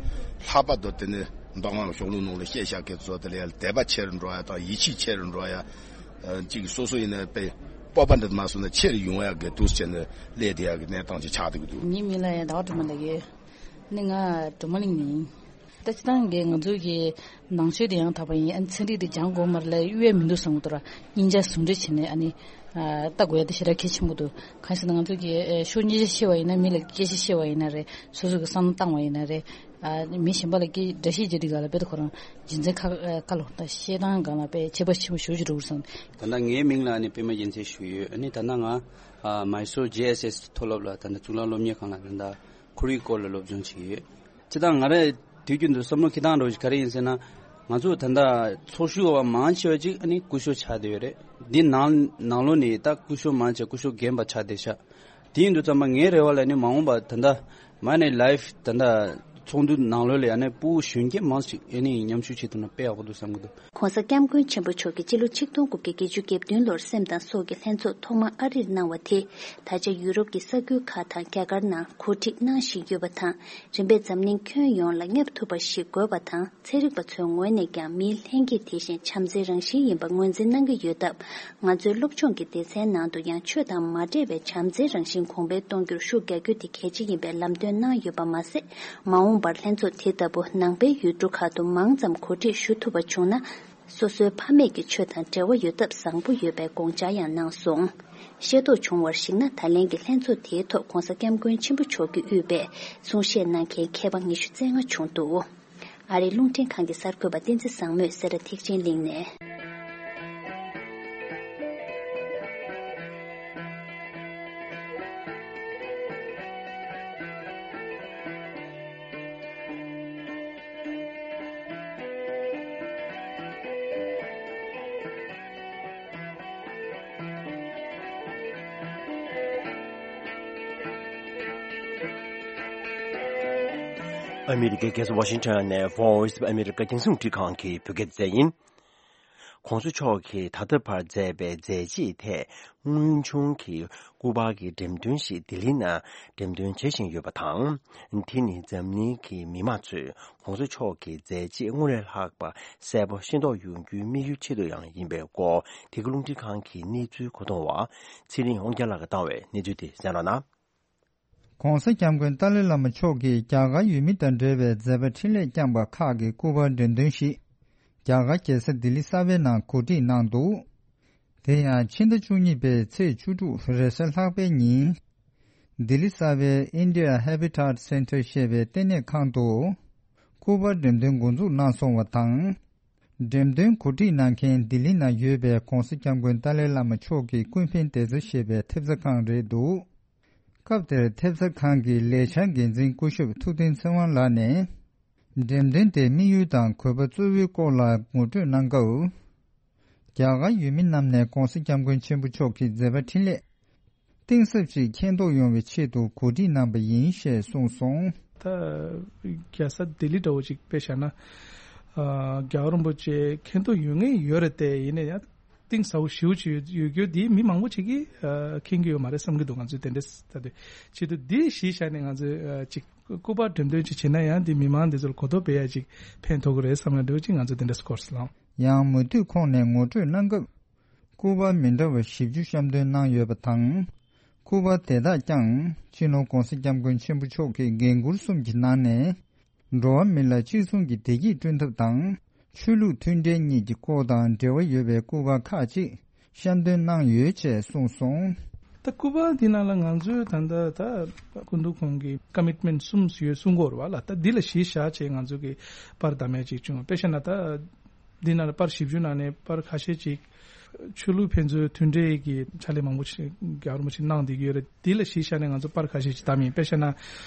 ལྷག་པར་དུ་དེ་ནི་མདོ་སྔགས་གཞུང་ལུགས་ནང་ལ་བཤད་བཞག་མཁན་ཚོ་དེ་ལ་ཡ་དད་པ་ཆེ་རུ་འགྲོ་ཡ་དང་ཡིད་ཆེས་ཆེ་རུ་འགྲོ་ཡ། ཅིག་སོ་སོ་ཡིན་ན་དཔེ་སྤོབས་པ་འདྲ་མ་སོང་ན་ཆེ་རུ་ཡོང་ཡ་གི་འདུག་ཟེར་ནས་སླེབས་བསྡད་ཡ་གི་གནས་སྟངས་ཅིག་ཆགས་བསྡད་ཀྱི་འདུག་ངའི་མིང་ལ་ཡ་ཟླ་བ་སྒྲོལ་མ་ལབ་ཀྱི་ཡོད། ནི་ང་གྲོ་མ་གླིང་ནས་ཡིན། ད་སྤྱིར་བཏང་གི་ང་ཚོའི་གི་ནང་ཆོས་དེ་ཡང་དག་པ་ཡིན། ཨ་ནི་ཚན་རིག་དེ་སྦྱང་དགོས་མ་རེད་ལབ་ཡ་དབྱེ་བ་མི་འདུག་བསམ་གྱི་འདུག་ར། སྙིང་རྗེ་ཟུང་འབྲེལ་བྱས་ནས་ཨ་ནི་ཨ་ལྟ་དགོས་ཡ་དེ་ཞེ་དྲག་གལ་ཆེན་པོ་འདུག་གང་ཞེ་ན་ང་ཚོ་གི་ཨ་ཤོག་སྙིང་རྗེ་ཤེས་པ་ཡིན་ན། མི་ལ་སྐད་ཆ་བཤད་པ་ཡིན་ན་རེད། སོ་སོ་གི་བསམ་བློ་བཏང་བ་ཡིན་ན་རེད། ཨ་མི་གཞན་པ་ལ་སྐད་འདྲ་བཤད་བྱེད་དུས་སྒང་ལ་དཔེ་དེ་ཁོ་རང་རྒྱུ་མཚན་ཁ་ཁ་ལོ་ད་བཤད་སྟངས་སྒང་ལ་དཔེ་ཁྱད་པར་ཆེན་པོ་ཞེ་པོ་ཅིག་འགྲོ་གི་རེད་བསམ། ད་ལྟ་ངའི་མིང་ལ་ནི་པད་མ་རྒྱལ་མཚན་ཞུ་ཡོད། ཨ་ནི་ད་ལྟ་ང་ཨ་མའི་སོར་ཇེ་ཨེས་ཨེས་མཐོ་སློབ་ལ་ད་ལྟ་གཙུག་ལག་སློབ་གཉེར་ཁང་ལ་ད་ལྟ་ཁོར་ཡུག་སྐོར་ལ་སློབ་སྦྱོང་བྱེད་ཀྱི་ཡོད། སྤྱིར་བཏང་ང་རང་དུས་རྒྱུན་དུ་བསམ་བློ་འཁྱེར་སྟངས་འདྲ་བོ་ཞིག་ག་རེ་ཡིན་ཟེར་ན། ང་ཚོ་ད་ལྟ་ཚོགས་ཞུགས་པ་མང་ཆེ་བ་ཅིག་ཨ་ནི་སྐུ་ཞབས་ཆགས་བསྡད་ཡོད་རེད། འདི་ནང་ནང་ལོགས་ནས་ད་སྐུ་ཞབས་མང་ཆེ་སྐུ་ཞབས་རྒན་པ་ཆགས་བསྡད་ཤག་དེ་ཡིན་དུས་ཙམ་པ་ངའི་རེ་བ་ལ་ནི་མ་འོངས་པ་ད་ལྟ་མ་ནི་ལའིབ་ད་ལྟ་ཚོགས་འདུ་ནང་ལོགས་ལ་ཡང་ནི་སྤུ་གུ་གཞོན་སྐྱེས་མང་ཞིག་ཨ་ནི་མཉམ་ཞུགས་བྱེད་ཐུབ་ན་དཔེ་ཡག་པོ་འདུག་བསམ་གྱི་འདུག། ྋགོང་ས་ྋསྐྱབས་མགོན་ཆེན་པོ་མཆོག་གིས་སྤྱི་ལོ་ཆིག་སྟོང་དགུ་བརྒྱ་བརྒྱད་ཅུ་གྱ་བདུན་ལོར་སེམས་དང་སྲོག་གི་ལྷན་ཚོགས་ཐོག་མ་ཨ་རིར་གནང་བ་དེ། ད་ཆ་ཡུ་རོབ་ཀྱི་ས་ཁུལ་ཁག་དང་རྒྱ་གར་ནང་གོ་སྒྲིག་གནང་བཞིན་ཡོད་པ་དང་། རིམ་པས་འཛམ་གླིང་ཁྱོན་ཡོངས་ལ་བསྙབ་ཐུབ་པ་ཞིག་དགོས་པ་དང་། ཚན་རིག་པ་ཚོའི་ངོས་ནས་ཀྱང་མིའི་ལྷན་སྐྱེས་དེ་བཞིན་བྱམས་བརྩེའི་རང་བཞིན་ཡིན་པ་ངོས་འཛིན་གནང་གི་ཡོད་སྟབས། ང་ཚོའི་སློབ་སྦྱོང་གི་སྡེ་ཚན་ནང་དུ་ཡང་ཆོས་དང་མ་འདྲེས་པའི་བྱམས་བརྩེའི་རང་བཞིན་གོང་འཕེལ་གཏོང་རྒྱུར་ཤུགས་རྒྱག་རྒྱུ་དེ་གལ་ཆེ་ཡིན་པའི་ལམ་སྟོན་གནང་ཡོད་པ་མ་ཟད། མ་འོངས་པར་ལྷན་ཚོགས་དེ་ལྟ་བུ་ནང་པའི་ཡུལ་གྲུ་ཁག་ཏུ་མང་ཙམ་གོ་སྒྲིག་ཞུ་ཐུབ་པ་བྱུང་ན། སོ་སོའི་ཕ་མེས་ཀྱི་ཆོས་དང་འབྲེལ་བ་ཡོད་སྟབས་བཟང་པོ་ཡོད་པའི་དགོངས་འཆར་ཡང་གནང་སོང་། ཤེས་རྟོགས་བྱུང་བར་གཞིགས་ན། ད་ལན་གྱི་ལྷན་ཚོགས་དེའི་ཐོག་ྋགོང་ས་ྋསྐྱབས་མགོན་ཆེན་པོ་མཆོག་གིས་དབུས་པའི་གསུང་བཤད་གནང་མཁན་མཁས་པ་ཉི་ཤུ་རྩ་ལྔ་བྱུང་འདུག། ཨ་རིའི་རླུང་འཕྲིན་ཁང་གི་གསར་འགོད་པ་བསྟན་འཛིན་བཟང་མོས་སེ་ར་ཐེག་ཆེན་གླིང་ནས། ཨ་མི་རི་ཀའི་རྒྱལ་ས་ཝ་ཤིང་ཊོན་ནས་Voice of America རྒྱང་སྲིང་རླུང་འཕྲིན་ཁང་གི་བོད་སྐད་སྡེ་ཚན་ཡིན། ྋགོང་ས་མཆོག་གིས་ད་ལྟ་བར་མཛད་པའི་མཛད་རྗེས་ཐད་དངོས་བྱུང་གི་སྐུ་པར་གྱི་འགྲེམས་སྟོན་ཞིག་ལྡི་ལི་ནང་འགྲེམས་སྟོན་བྱེད་བཞིན་ཡོད་པ་དང་། དེ་ནི་འཛམ་གླིང་གི་མི་མང་ཚོས་ྋགོང་ས་མཆོག་གི་མཛད་རྗེས་སྔར་ལས་ལྷག་པ་གསལ་པོ་ཤེས་རྟོགས་ཡོང་རྒྱུའི་དམིགས་ཡུལ་ཆེད་དུ་ཡང་ཡིན་པའི་སྐོར། དེ་གའི་རླུང་འཕྲིན་ཁང་གི་གནས་ཚུལ་གོ་བསྡུར་བ་ཚེ་རིང་དབང་རྒྱལ་ལགས་ཀྱིས་བཏང་བའི་གནས་ཚུལ་དེ་གསན་རོགས་གནང་། ྋགོང་ས་ྋསྐྱབས་མགོན་ཏཱ་ལའི་བླ་མ་མཆོག་གིས་རྒྱ་གར་ཡུལ་མི་དང་འབྲེལ་བའི་མཛད་པ་འཕྲིན་ལས་བསྐྱངས་པ་ཁག་གི་སྐུ་པར་འགྲེམས་སྟོན་ཞིག་རྒྱ་གར་རྒྱལ་ས་ལྡི་ལི་གསར་པའི་ནང་གོ་སྒྲིག་གནང་འདུག། དེ་ཡང་ཕྱི་ཟླ་བཅུ་གཉིས་པའི་ཚེས་བཅུ་དྲུག་རེས་གཟའ་ལྷག་པའི་ཉིན། ལྡི་ལི་གསར་པའི་India Habitat Centre ཞེས་པའི་ལྟེ་གནས་ཁང་དུ་སྐུ་པར་འགྲེམས་སྟོན་འགོ་འཛུགས་གནང་སོང་བ་དང་། འགྲེམས་སྟོན་གོ་སྒྲིག་གནང་མཁན་ལྡི་ལི་ནང་ཡོད་པའི་ྋགོང་ས་ྋསྐྱབས་མགོན་ཏཱ་ལའི་བླ་མ་མཆོག་གི་ཀུན་ཕན་བདེ་རྩ་ཞེས་པའི་ཐེབས་རྩ་ཁང་རེད་འདུག། སྐབས་དེར་ཐེབས་རྩ་ཁང་གི་ལས་འཆར་འགན་འཛིན་སྐུ་ཞབས་ཐུབ་བསྟན་ཚེ་དབང་ལགས་ནས། འགྲེམས་སྟོན་དེའི་དམིགས་ཡུལ་དང་དགོས་པ་གཙོ་བོའི་སྐོར་ལ་ངོ་སྤྲོད་གནང་སྐབས། རྒྱ་གར་ཡུལ་མི་རྣམས་ནས་ྋགོང་ས་ྋསྐྱབས་མགོན་ཆེན་པོ་མཆོག་གི་མཛད་པ་འཕྲིན་ལས་གཏིང་ཟབ་ཅིག་མཁྱེན་རྟོགས་ཡོང་བའི་ཆེད་དུ་གོ་སྒྲིག་གནང་པ་ཡིན་ཞེས་གསུངས་སོང་། ད་རྒྱལ་ས་ལྡི་ལི་འདྲ་བོ་ཅིག་དཔེ་བཞག་ན། ཨ་རྒྱལ་བ་རིན་པོ་ཆེ་མཁྱེན་རྟོགས་ཡོད་ངེས་ཡོད་རེད་དེ། ཡིན་ན་ཡང་གཏིང་ཟབ་པོ་ཞེ་པོ་ཅིག་ཡོད་ཡོད་རྒྱུ་འདི་མི་མང་པོ་ཅིག་གིས་ཨ་མཁྱེན་གྱི་ཡོད་མ་རེད་བསམ་གྱི་འདུག། ང་ཚོས་དེ་འདྲས་ད་དུས་ཆེད་དུ་འདི་གཞི་བཞག་ནས་ང་ཚོས་ཨ་ཅིག་སྐུ་པར་འགྲེམས་སྟོན་ཅིག་བྱེད་ན་ཡང་འདི་མི་མང་འདི་ཚོ་ལ་གོ་རྟོགས་སྤེལ་ཡ་ཅིག་ཕན་ཐོགས་ཀྱི་རེད་བསམ་ཡ་འདྲ་བོ་ཅིག་ང་ཚོས་དེ་འདྲས་སྐོར་སློང་། ཡང་མུ་མཐུད་ཁོང་ནས་ངོ་སྤྲོད་གནང་སྐབས། སྐུ་པར་མི་འདྲ་བ་བཞི་བཅུ་བཤམས་སྟོན་གནང་ཡོད་པ་དང་། སྐུ་པར་དེ་དག་ཀྱང་སྤྱི་ནོར་ྋགོང་ས་ྋསྐྱབས་མགོན་ཆེན་པོ་མཆོག་གི་འགན་འཁུར་གསུམ་གྱི་ནང་ནས། འགྲོ་བ་མི་ལ་གཅིག་མཚུངས་ཀྱི་བདེ་སྐྱིད་བསྐྲུན་ཐབས་དང་། ཆོས་ལུགས་མཐུན་འབྲེལ་གཉིས་ཀྱི་སྐོར་དང་འབྲེལ་བ་ཡོད་པའི་སྐུ་པར་ཁག་ཅིག་བཤམས་སྟོན་གནང་ཡོད་ཅེས་གསུངས་སོང་། ད་སྐུ་པར་འདི་ནང་ལ་ང་ཚོས་ད་ལྟ་ད་སྐུ་མདུན་ཁོང་གི་ཀོ་མིཊ་མེནཊ་གསུམ་ཡོད་གསུང་གི་ཡོད་རེད་བ་ལ། ད་འདི་ལ་གཞི་བཞག་བྱས་ང་ཚོ་གི་པར་བདམས་ཡ་ཅིག་བྱུང་། དཔེ་བཞག་ན་ད། འདི་ནང་ལ་པར་བཞི་བཅུ་ནང་ནས་པར་ཁ་ཤས་ཅིག་ཆོས་ལུགས་ཕན་ཚུན་མཐུན་འབྲེལ་གྱི་ཕྱག་ལས་མང་པོ་ཞིག་རྒྱལ་བ་རིན་པོ་ཆེ་གནང་བསྡད་ཀྱི་ཡོད་རེད། འདི་ལ་གཞི་བཞག་ནས་ང་ཚོ་པར་ཁ་ཤས་ཅིག་བདམས་ཡིན། དཔེ་བཞག་ན།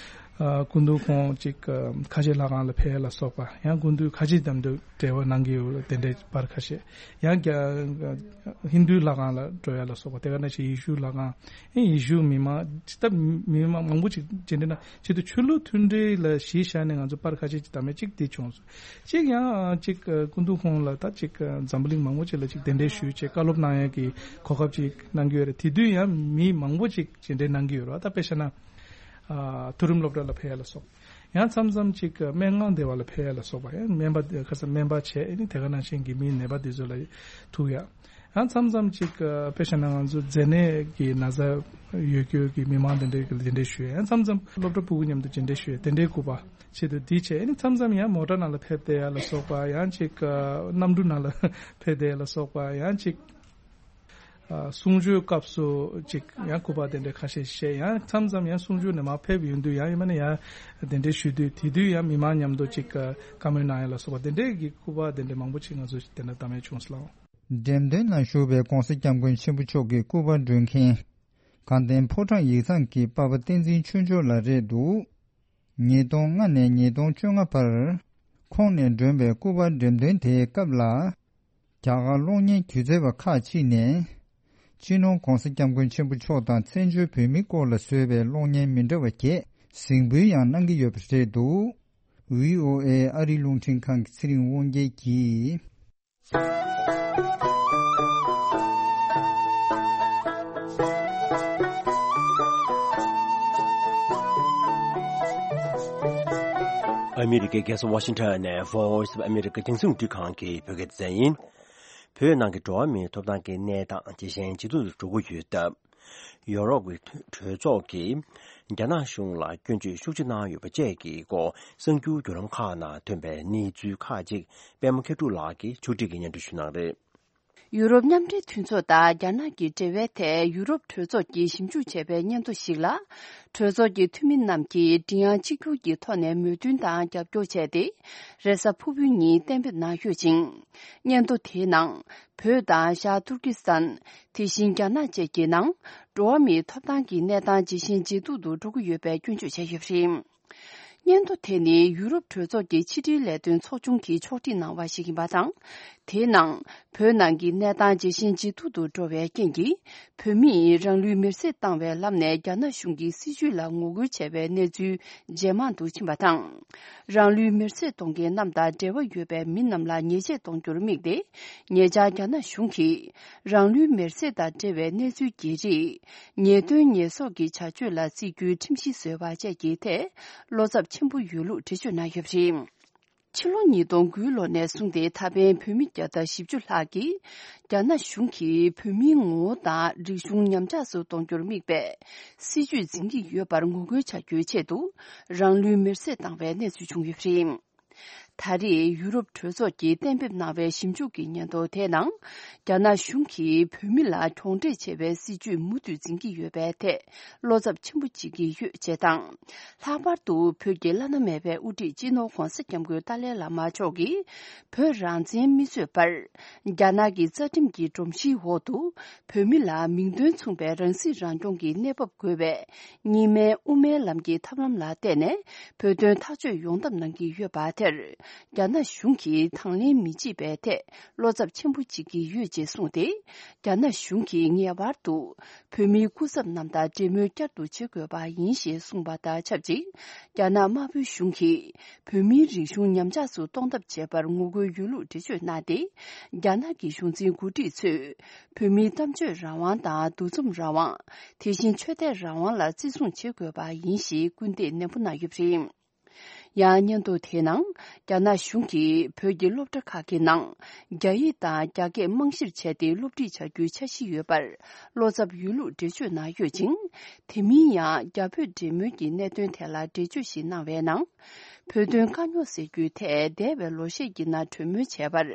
ཨ་སྐུ་མདུན་ཁོང་ཅིག་ཨ་ཁ་ཆེ་ལྷ་ཁང་ལ་ཕེབས་ཡ་ལ་སོགས་པ། ཡང་སྐུ་མདུན་ཁ་ཆེ་དམ་དུ་འབྲེལ་བ་གནང་གི་ཡོད་རེད། དེ་འདྲའི་པར་ཁ་ཤས། ཡང་རྒྱ་ཧིན་དུའི་ལྷ་ཁང་ལ་འགྲོ་ཡ་ལ་སོགས་པ། དེ་ག་ནང་བཞིན་ཡེ་ཤུའི་ལྷ་ཁང་། ཡེ་ཤུ་མི་མང་ད་མི་མང་མང་པོ་ཅིག་མཇལ་འཕྲད་གནང་། ཆེད་དུ་ཆོས་ལུགས་མཐུན་འབྲེལ་ལ་གཞི་བཞག་ནས་ང་ཚོ་པར་ཁ་ཤས་ཅིག་བདམས་ཡ་ཅིག་དེ་བྱུང་སོང་། ཅིག་ཡང་ཅིག་སྐུ་མདུན་ཁོང་ལ་ད་ཅིག་འཛམ་བུ་གླིང་མང་པོ་ཅིག་ལ་ཅིག་གདན་འདྲེན་ཞུས་བྱས་བཀའ་སློབ་གནང་ཡ་གི་གོ་སྐབས་ཅིག་གནང་གི་ཡོད་རེད། དེ་དུས་ཡང་མི་མང་པོ་ཅིག་མཇལ་འཕྲད་གནང་གི་ཡོད་རེད། ད་དཔེ་བཞག་ན་ཨ་མཐོ་རིམ་སློབ་གྲྭ་ལ་ཕེབས་ཡ་ལ་སོགས། ཡང་མཚམས་མཚམས་ཅིག་སྨན་ཁང་སྡེ་བ་ལ་ཕེབས་ཡ་ལ་སོགས་པ། ཡང་སྨན་པ་ཁ་སང་སྨན་པ་བྱས། ཨ་ནི་དེ་ག་ནང་བཞིན་གྱི་མིའི་ནད་པ་དེ་ཚོ་ལ་ཐུག་ཡ། ཡང་མཚམས་མཚམས་ཅིག་དཔེ་བཞག་ན་ང་ཚོ་མཛེ་ནད་ཀྱི་ན་ཚ་ཡོད་རྒྱུ་གི་མི་མང་དེ་འདྲའི་གི་དེ་འདྲའི་ཞུ་ཡ། ཡང་མཚམས་མཚམས་སློབ་གྲྭ་ཕྲུ་གུ་མཉམ་དུ་དེ་འདྲའི་ཞུ་ཡ། དེ་འདྲའི་སྐུད་པ་ཆེད་དུ་དེ་བྱས། ཨ་ནི་མཚམས་མཚམས་ཡང་མོ་ཊ་ནང་ལ་ཕེབས་བསྡད་ཡ་ལ་སོགས་པ། ཡང་ཅིག་གནམ་གྲུ་ནང་ལ་ཕེབས་བསྡད་ཡ་ལ་སོགས་པ། ཡང་ཅིག་གསུང་ཆོས་སྐབས་སུ་ཅིག་ཡང་སྐུད་པ་དེ་འདྲའི་ཁ་ཤས་བཤད། ཡང་མཚམས་མཚམས་ཡང་གསུང་ཆོས་ནས་མར་ཕེབས་ཡོང་དུས་ཡང་ཡིན་ན་ཡང་དེ་འདྲའི་ཞུ་དུས། དེ་དུས་ཡང་མི་མང་མཉམ་དུ་ཅིག་བཀའ་མོལ་གནང་ཡ་ལ་སོགས་པ་དེ་འདྲའི་གི་སྐུད་པ་དེ་འདྲའི་མང་པོ་ཅིག་ང་ཚོ་དེ་འདྲ་བཏང་ཡ་བྱུང་སོང་། འགྲེམས་སྟོན་ནང་ཞུགས་པའི་༧གོང་ས་༧སྐྱབས་མགོན་ཆེན་པོ་མཆོག་གི་སྐུ་པར་སྒྲོན་མཁན་དགའ་ལྡན་ཕོ་བྲང་ཡིག་ཚང་གི་པ་ཕ་བསྟན་འཛིན་ཆོས་འབྱོར་ལགས་རེད་འདུག་ཉིས་སྟོང་ལྔ་ནས་ཉིས་སྟོང་བཅོ་ལྔ་བར། ཁོང་ནས་བསྒྲོན་པའི་སྐུ་པར་འགྲེམས་སྟོན་དེའི་སྐབས་ལ། རྒྱ་གར་གློག་བརྙན་སྒྱུ་རྩལ་བ་ཁག་ཅིག་ནས། སྤྱི་ནོར་༧གོང་ས་༧སྐྱབས་མགོན་ཆེན་པོ་མཆོག་དང་བཙན་བྱོལ་བོད་མིའི་སྐོར་ལ་བཟོས་པའི་གློག་བརྙན་མི་འདྲ་བ་བརྒྱད་གཟིགས་འབུལ་ཡང་གནང་གི་ཡོད་པ་རེད་འདུག་ཝི་ཨོ་ཨེ་ཨ་རིའི་རླུང་འཕྲིན་ཁང་གི་ཚེ་རིང་དབང་རྒྱལ་གྱིས། ཨ་མི་རི་ཀའི་རྒྱལ་ས་ཝ་ཤིང་ཊོན་ནས་Voice of America རྒྱང་སྲིང་རླུང་འཕྲིན་ཁང་གི་བོད་སྐད་སྡེ་ཚན་ཡིན། བོད་ནང་གི་འགྲོ་བ་མིའི་ཐོབ་ཐང་གི་གནས་སྟངས་ཇེ་ཞན་ཇེ་སྡུག་ཏུ་འགྲོ་གི་ཡོད་སྟབས། ཡོ་རོབ་ཀྱི་གྲོས་ཚོགས་ཀྱིས་རྒྱ་ནག་གཞུང་ལ་སྐྱོན་བརྗོད་ཤུགས་ཆེ་གནང་ཡོད་པ་བཅས་ཀྱི་སྐོར་གསར་འགྱུར་བརྒྱུད་ལམ་ཁག་ནང་ཐོན་པའི་གནས་ཚུལ་ཁག་ཅིག་པད་མ་མཁས་གྲུབ་ལགས་ཀྱིས་ཕྱོགས་སྒྲིག་གིས་སྙན་སྒྲོན་ཞུ་གནང་རེད། ཡུ་རོབ་མཉམ་འབྲེལ་མཐུན་ཚོགས་དང་རྒྱ་ནག་གི་འབྲེལ་བའི་ཐད་ཡུ་རོབ་གྲོས་ཚོགས་ཀྱིས་ཞིབ་འཇུག་བྱས་པའི་སྙན་ཐོ་ཞིག་ལ། གྲོས་ཚོགས་ཀྱི་འཐུས་མི་རྣམས་ཀྱིས་མགྲིན་དབྱངས་གཅིག་གྱུར་གྱི་ཐོག་ནས་མོས་མཐུན་དང་རྒྱབ་སྐྱོར་བྱས་ཏེ། རེས་གཟའ་ཕུར་བུ་ཉིན་གཏན་འབེབས་གནང་ཡོད་ཅིང་། སྙན་ཐོ་དེའི་ནང་། བོད་དང་ཤར་ཏུར་ཀི་སི་ཐན། དེ་བཞིན་རྒྱ་ནག་བཅས་ཀྱི་ནང་། འགྲོ་བ་མིའི་ཐོབ་ཐང་གི་གནས་སྟངས་ཇེ་ཞན་ཇེ་སྡུག་ཏུ་འགྲོ་གི་ཡོད་པའི་སྐྱོན་བརྗོད་བྱས་ཡོད་པ་རེད། སྙན་ཐོ་དེ་ནི་ཡུ་རོབ་གྲོས་ཚོགས་ཀྱི་ཕྱི་དྲིལ་ལས་དོན་ཚོགས་ཆུང་གིས་ཕྱོགས་སྒྲིག་གནང་བ་ཞིག་ཡིན་པ་དང་། དེའི་ནང་། བོད་ནང་གི་གནས་སྟངས་ཇེ་ཞན་ཇེ་སྡུག་ཏུ་འགྲོ་བའི་རྐྱེན་གྱིས། བོད་མིས་རང་ལུས་མེར་སྲེག་བཏང་བའི་ལམ་ནས་རྒྱ་ནག་གཞུང་གི་སྲིད་བྱུས་ལ་ངོ་རྒོལ་བྱས་པའི་གནས་ཚུལ་ཇེ་མང་དུ་ཕྱིན་པ་དང་། རང་ལུས་མེར་སྲེག་གཏོང་མཁན་རྣམས་དང་འབྲེལ་བ་ཡོད་པའི་མི་རྣམས་ལ་ཉེས་ཆད་གཏོང་རྒྱུར་དམིགས་ཏེ། ཉེ་ཆར་རྒྱ་ནག་གཞུང་གིས། རང་ལུས་མེར་སྲེག་དང་འབྲེལ་བའི་གནས་ཚུལ་གྱི་རིགས། ཉེས་དོན་ཉེས་གསོག་གི་བྱ་སྤྱོད་ལ་བརྩི་རྒྱུའི་ཁྲིམས་གཞི་བཟོས་པ་བཅས་ཀྱི་ཐད། བློ་འཚབ་ཆེན་པོ་ཡོད་ལུགས་འགྲེལ་བརྗོད་གནང་ཡོད་པ་རེད། ཕྱི་ལོ་ཉིས་སྟོང་དགུའི་ལོ་ནས་བཟུང་སྟེ་ད་ཕན་བོད་མི་བརྒྱ་དང་བཞི་བཅུ་ལྷག་གིས། རྒྱ་ནག་གཞུང་གིས་བོད་མིའི་ངོ་བོ་དང་རིག་གཞུང་ཉམས་ཆག་སུ་གཏོང་རྒྱུར་དམིགས་པའི་སྲིད་བྱུས་འཛིན་གྱི་ཡོད་པར་ངོ་རྒོལ་བྱ་རྒྱུའི་ཆེད་དུ། རང་ལུས་མེར་སྲེག་བཏང་བའི་གནས་ཚུལ་བྱུང་ཡོད་པ་རེད། ད་རེས་ཡུ་རོབ་གྲོས་ཚོགས་ཀྱིས་གཏན་འབེབས་གནང་བའི་ཞིབ་འཇུག་གི་སྙན་ཐོ་དེའི་ནང་། རྒྱ་ནག་གཞུང་གིས་བོད་མི་ལ་གྱོང་འབྲེལ་ཆེ་བའི་སྲིད་བྱུས་མུ་མཐུད་འཛིན་གྱི་ཡོད་པའི་ཐད། བློ་འཚབ་ཆེན་པོ་བྱེད་ཀྱི་ཡོད་ཅེས་དང་། ལྷག་པར་དུ་བོད་ཀྱི་བླ་ན་མེད་པའི་དབུ་ཁྲིད་སྤྱི་ནོར་༧གོང་ས་༧སྐྱབས་མགོན་ཏཱ་ལའི་བླ་མ་མཆོག་གིས། བོད་རང་བཙན་མི་རྩོད་པར། རྒྱ་ནག་གི་རྩ་ཁྲིམས་ཀྱི་སྒྲོམ་གཞིའི་འོག་ཏུ། བོད་མི་ལ་མིང་དོན་མཚུངས་པའི་རང་སྲིད་རང་སྐྱོང་གི་གནས་བབ་དགོས་པའི། གཉིས་སྨན་དབུ་མའི་ལམ་གྱི་ཐབས་ལམ་ལ་བརྟེན་ནས། བོད་དོན་ཐག་གཅོད་ཡོང་ཐབས་གནང་གི་ཡོད་པ་དེར། རྒྱ་ནག་གཞུང་གིས་དང་ལེན་མི་བྱེད་པའི་ཐད། བློ་འཚབ་ཆེན་པོ་བྱེད་ཀྱི་ཡོད་ཅེས་གསུངས་ཏེ། རྒྱ་ནག་གཞུང་གིས་ངེས་པར་དུ། བོད་མིའི་སྐུ་ཚབ་རྣམས་དང་འབྲེལ་མོལ་བསྐྱར་དུ་བྱེད་དགོས་པ་ཡིན་ཞེས་གསུངས་པ་དང་ཆབས་ཅིག་རྒྱ་ནག་དམར་པོའི་གཞུང་གིས། བོད་མིའི་རིག་གཞུང་ཉམས་ཆག་སུ་གཏོང་ཐབས་བྱས་པར་ངོ་རྒོལ་ཡོད་ལུགས་འགྲེལ་བརྗོད་གནང་སྟེ། རྒྱ་ནག་གི་གཞུང་འཛིན་འགོ་ཁྲིད་ཚོས། བོད་མིའི་གཏམ་བརྗོད་རང་དབང་དང་འདུ་འཛོམས་རང་དབང་། དེ་བཞིན་ཆོས་དད་རང་དབང་ལ་བརྩི་སྲུང་བྱེད་དགོས་པ་ཡིན་ཞེས་སྐུལ་འདེད་ནན་པོ་གནང་ཡོད་པ་རེད། ཡང་སྙན་ཐོ་དེའི་ནང་། རྒྱ་ནག་གཞུང་གིས་བོད་ཀྱི་སློབ་གྲྭ་ཁག་གི་ནང་། རྒྱ་ཡིག་དང་རྒྱ་སྐད་རྨང་གཞིར་བྱས་ཏེ་སློབ་ཁྲིད་བྱ་རྒྱུའི་འཆར་གཞི་ཡོད་པར། བློ་འཚབ་ཡོད་ལུགས་འགྲེལ་བརྗོད་གནང་ཡོད་ཅིང་། དེ་མིན་ཡང་རྒྱ་བོད་འབྲེལ་མོལ་གྱི་གནད་དོན་ཐད་ལ་འགྲེལ་བརྗོད་ཞིག་གནང་བའི་ནང་། བོད་དོན་དཀའ་རྙོག་སེལ་རྒྱུའི་ཐད་འདས་པའི་ལོ་ཤས་ཀྱི་ནང་གྲོས་མོལ་བྱས་པར།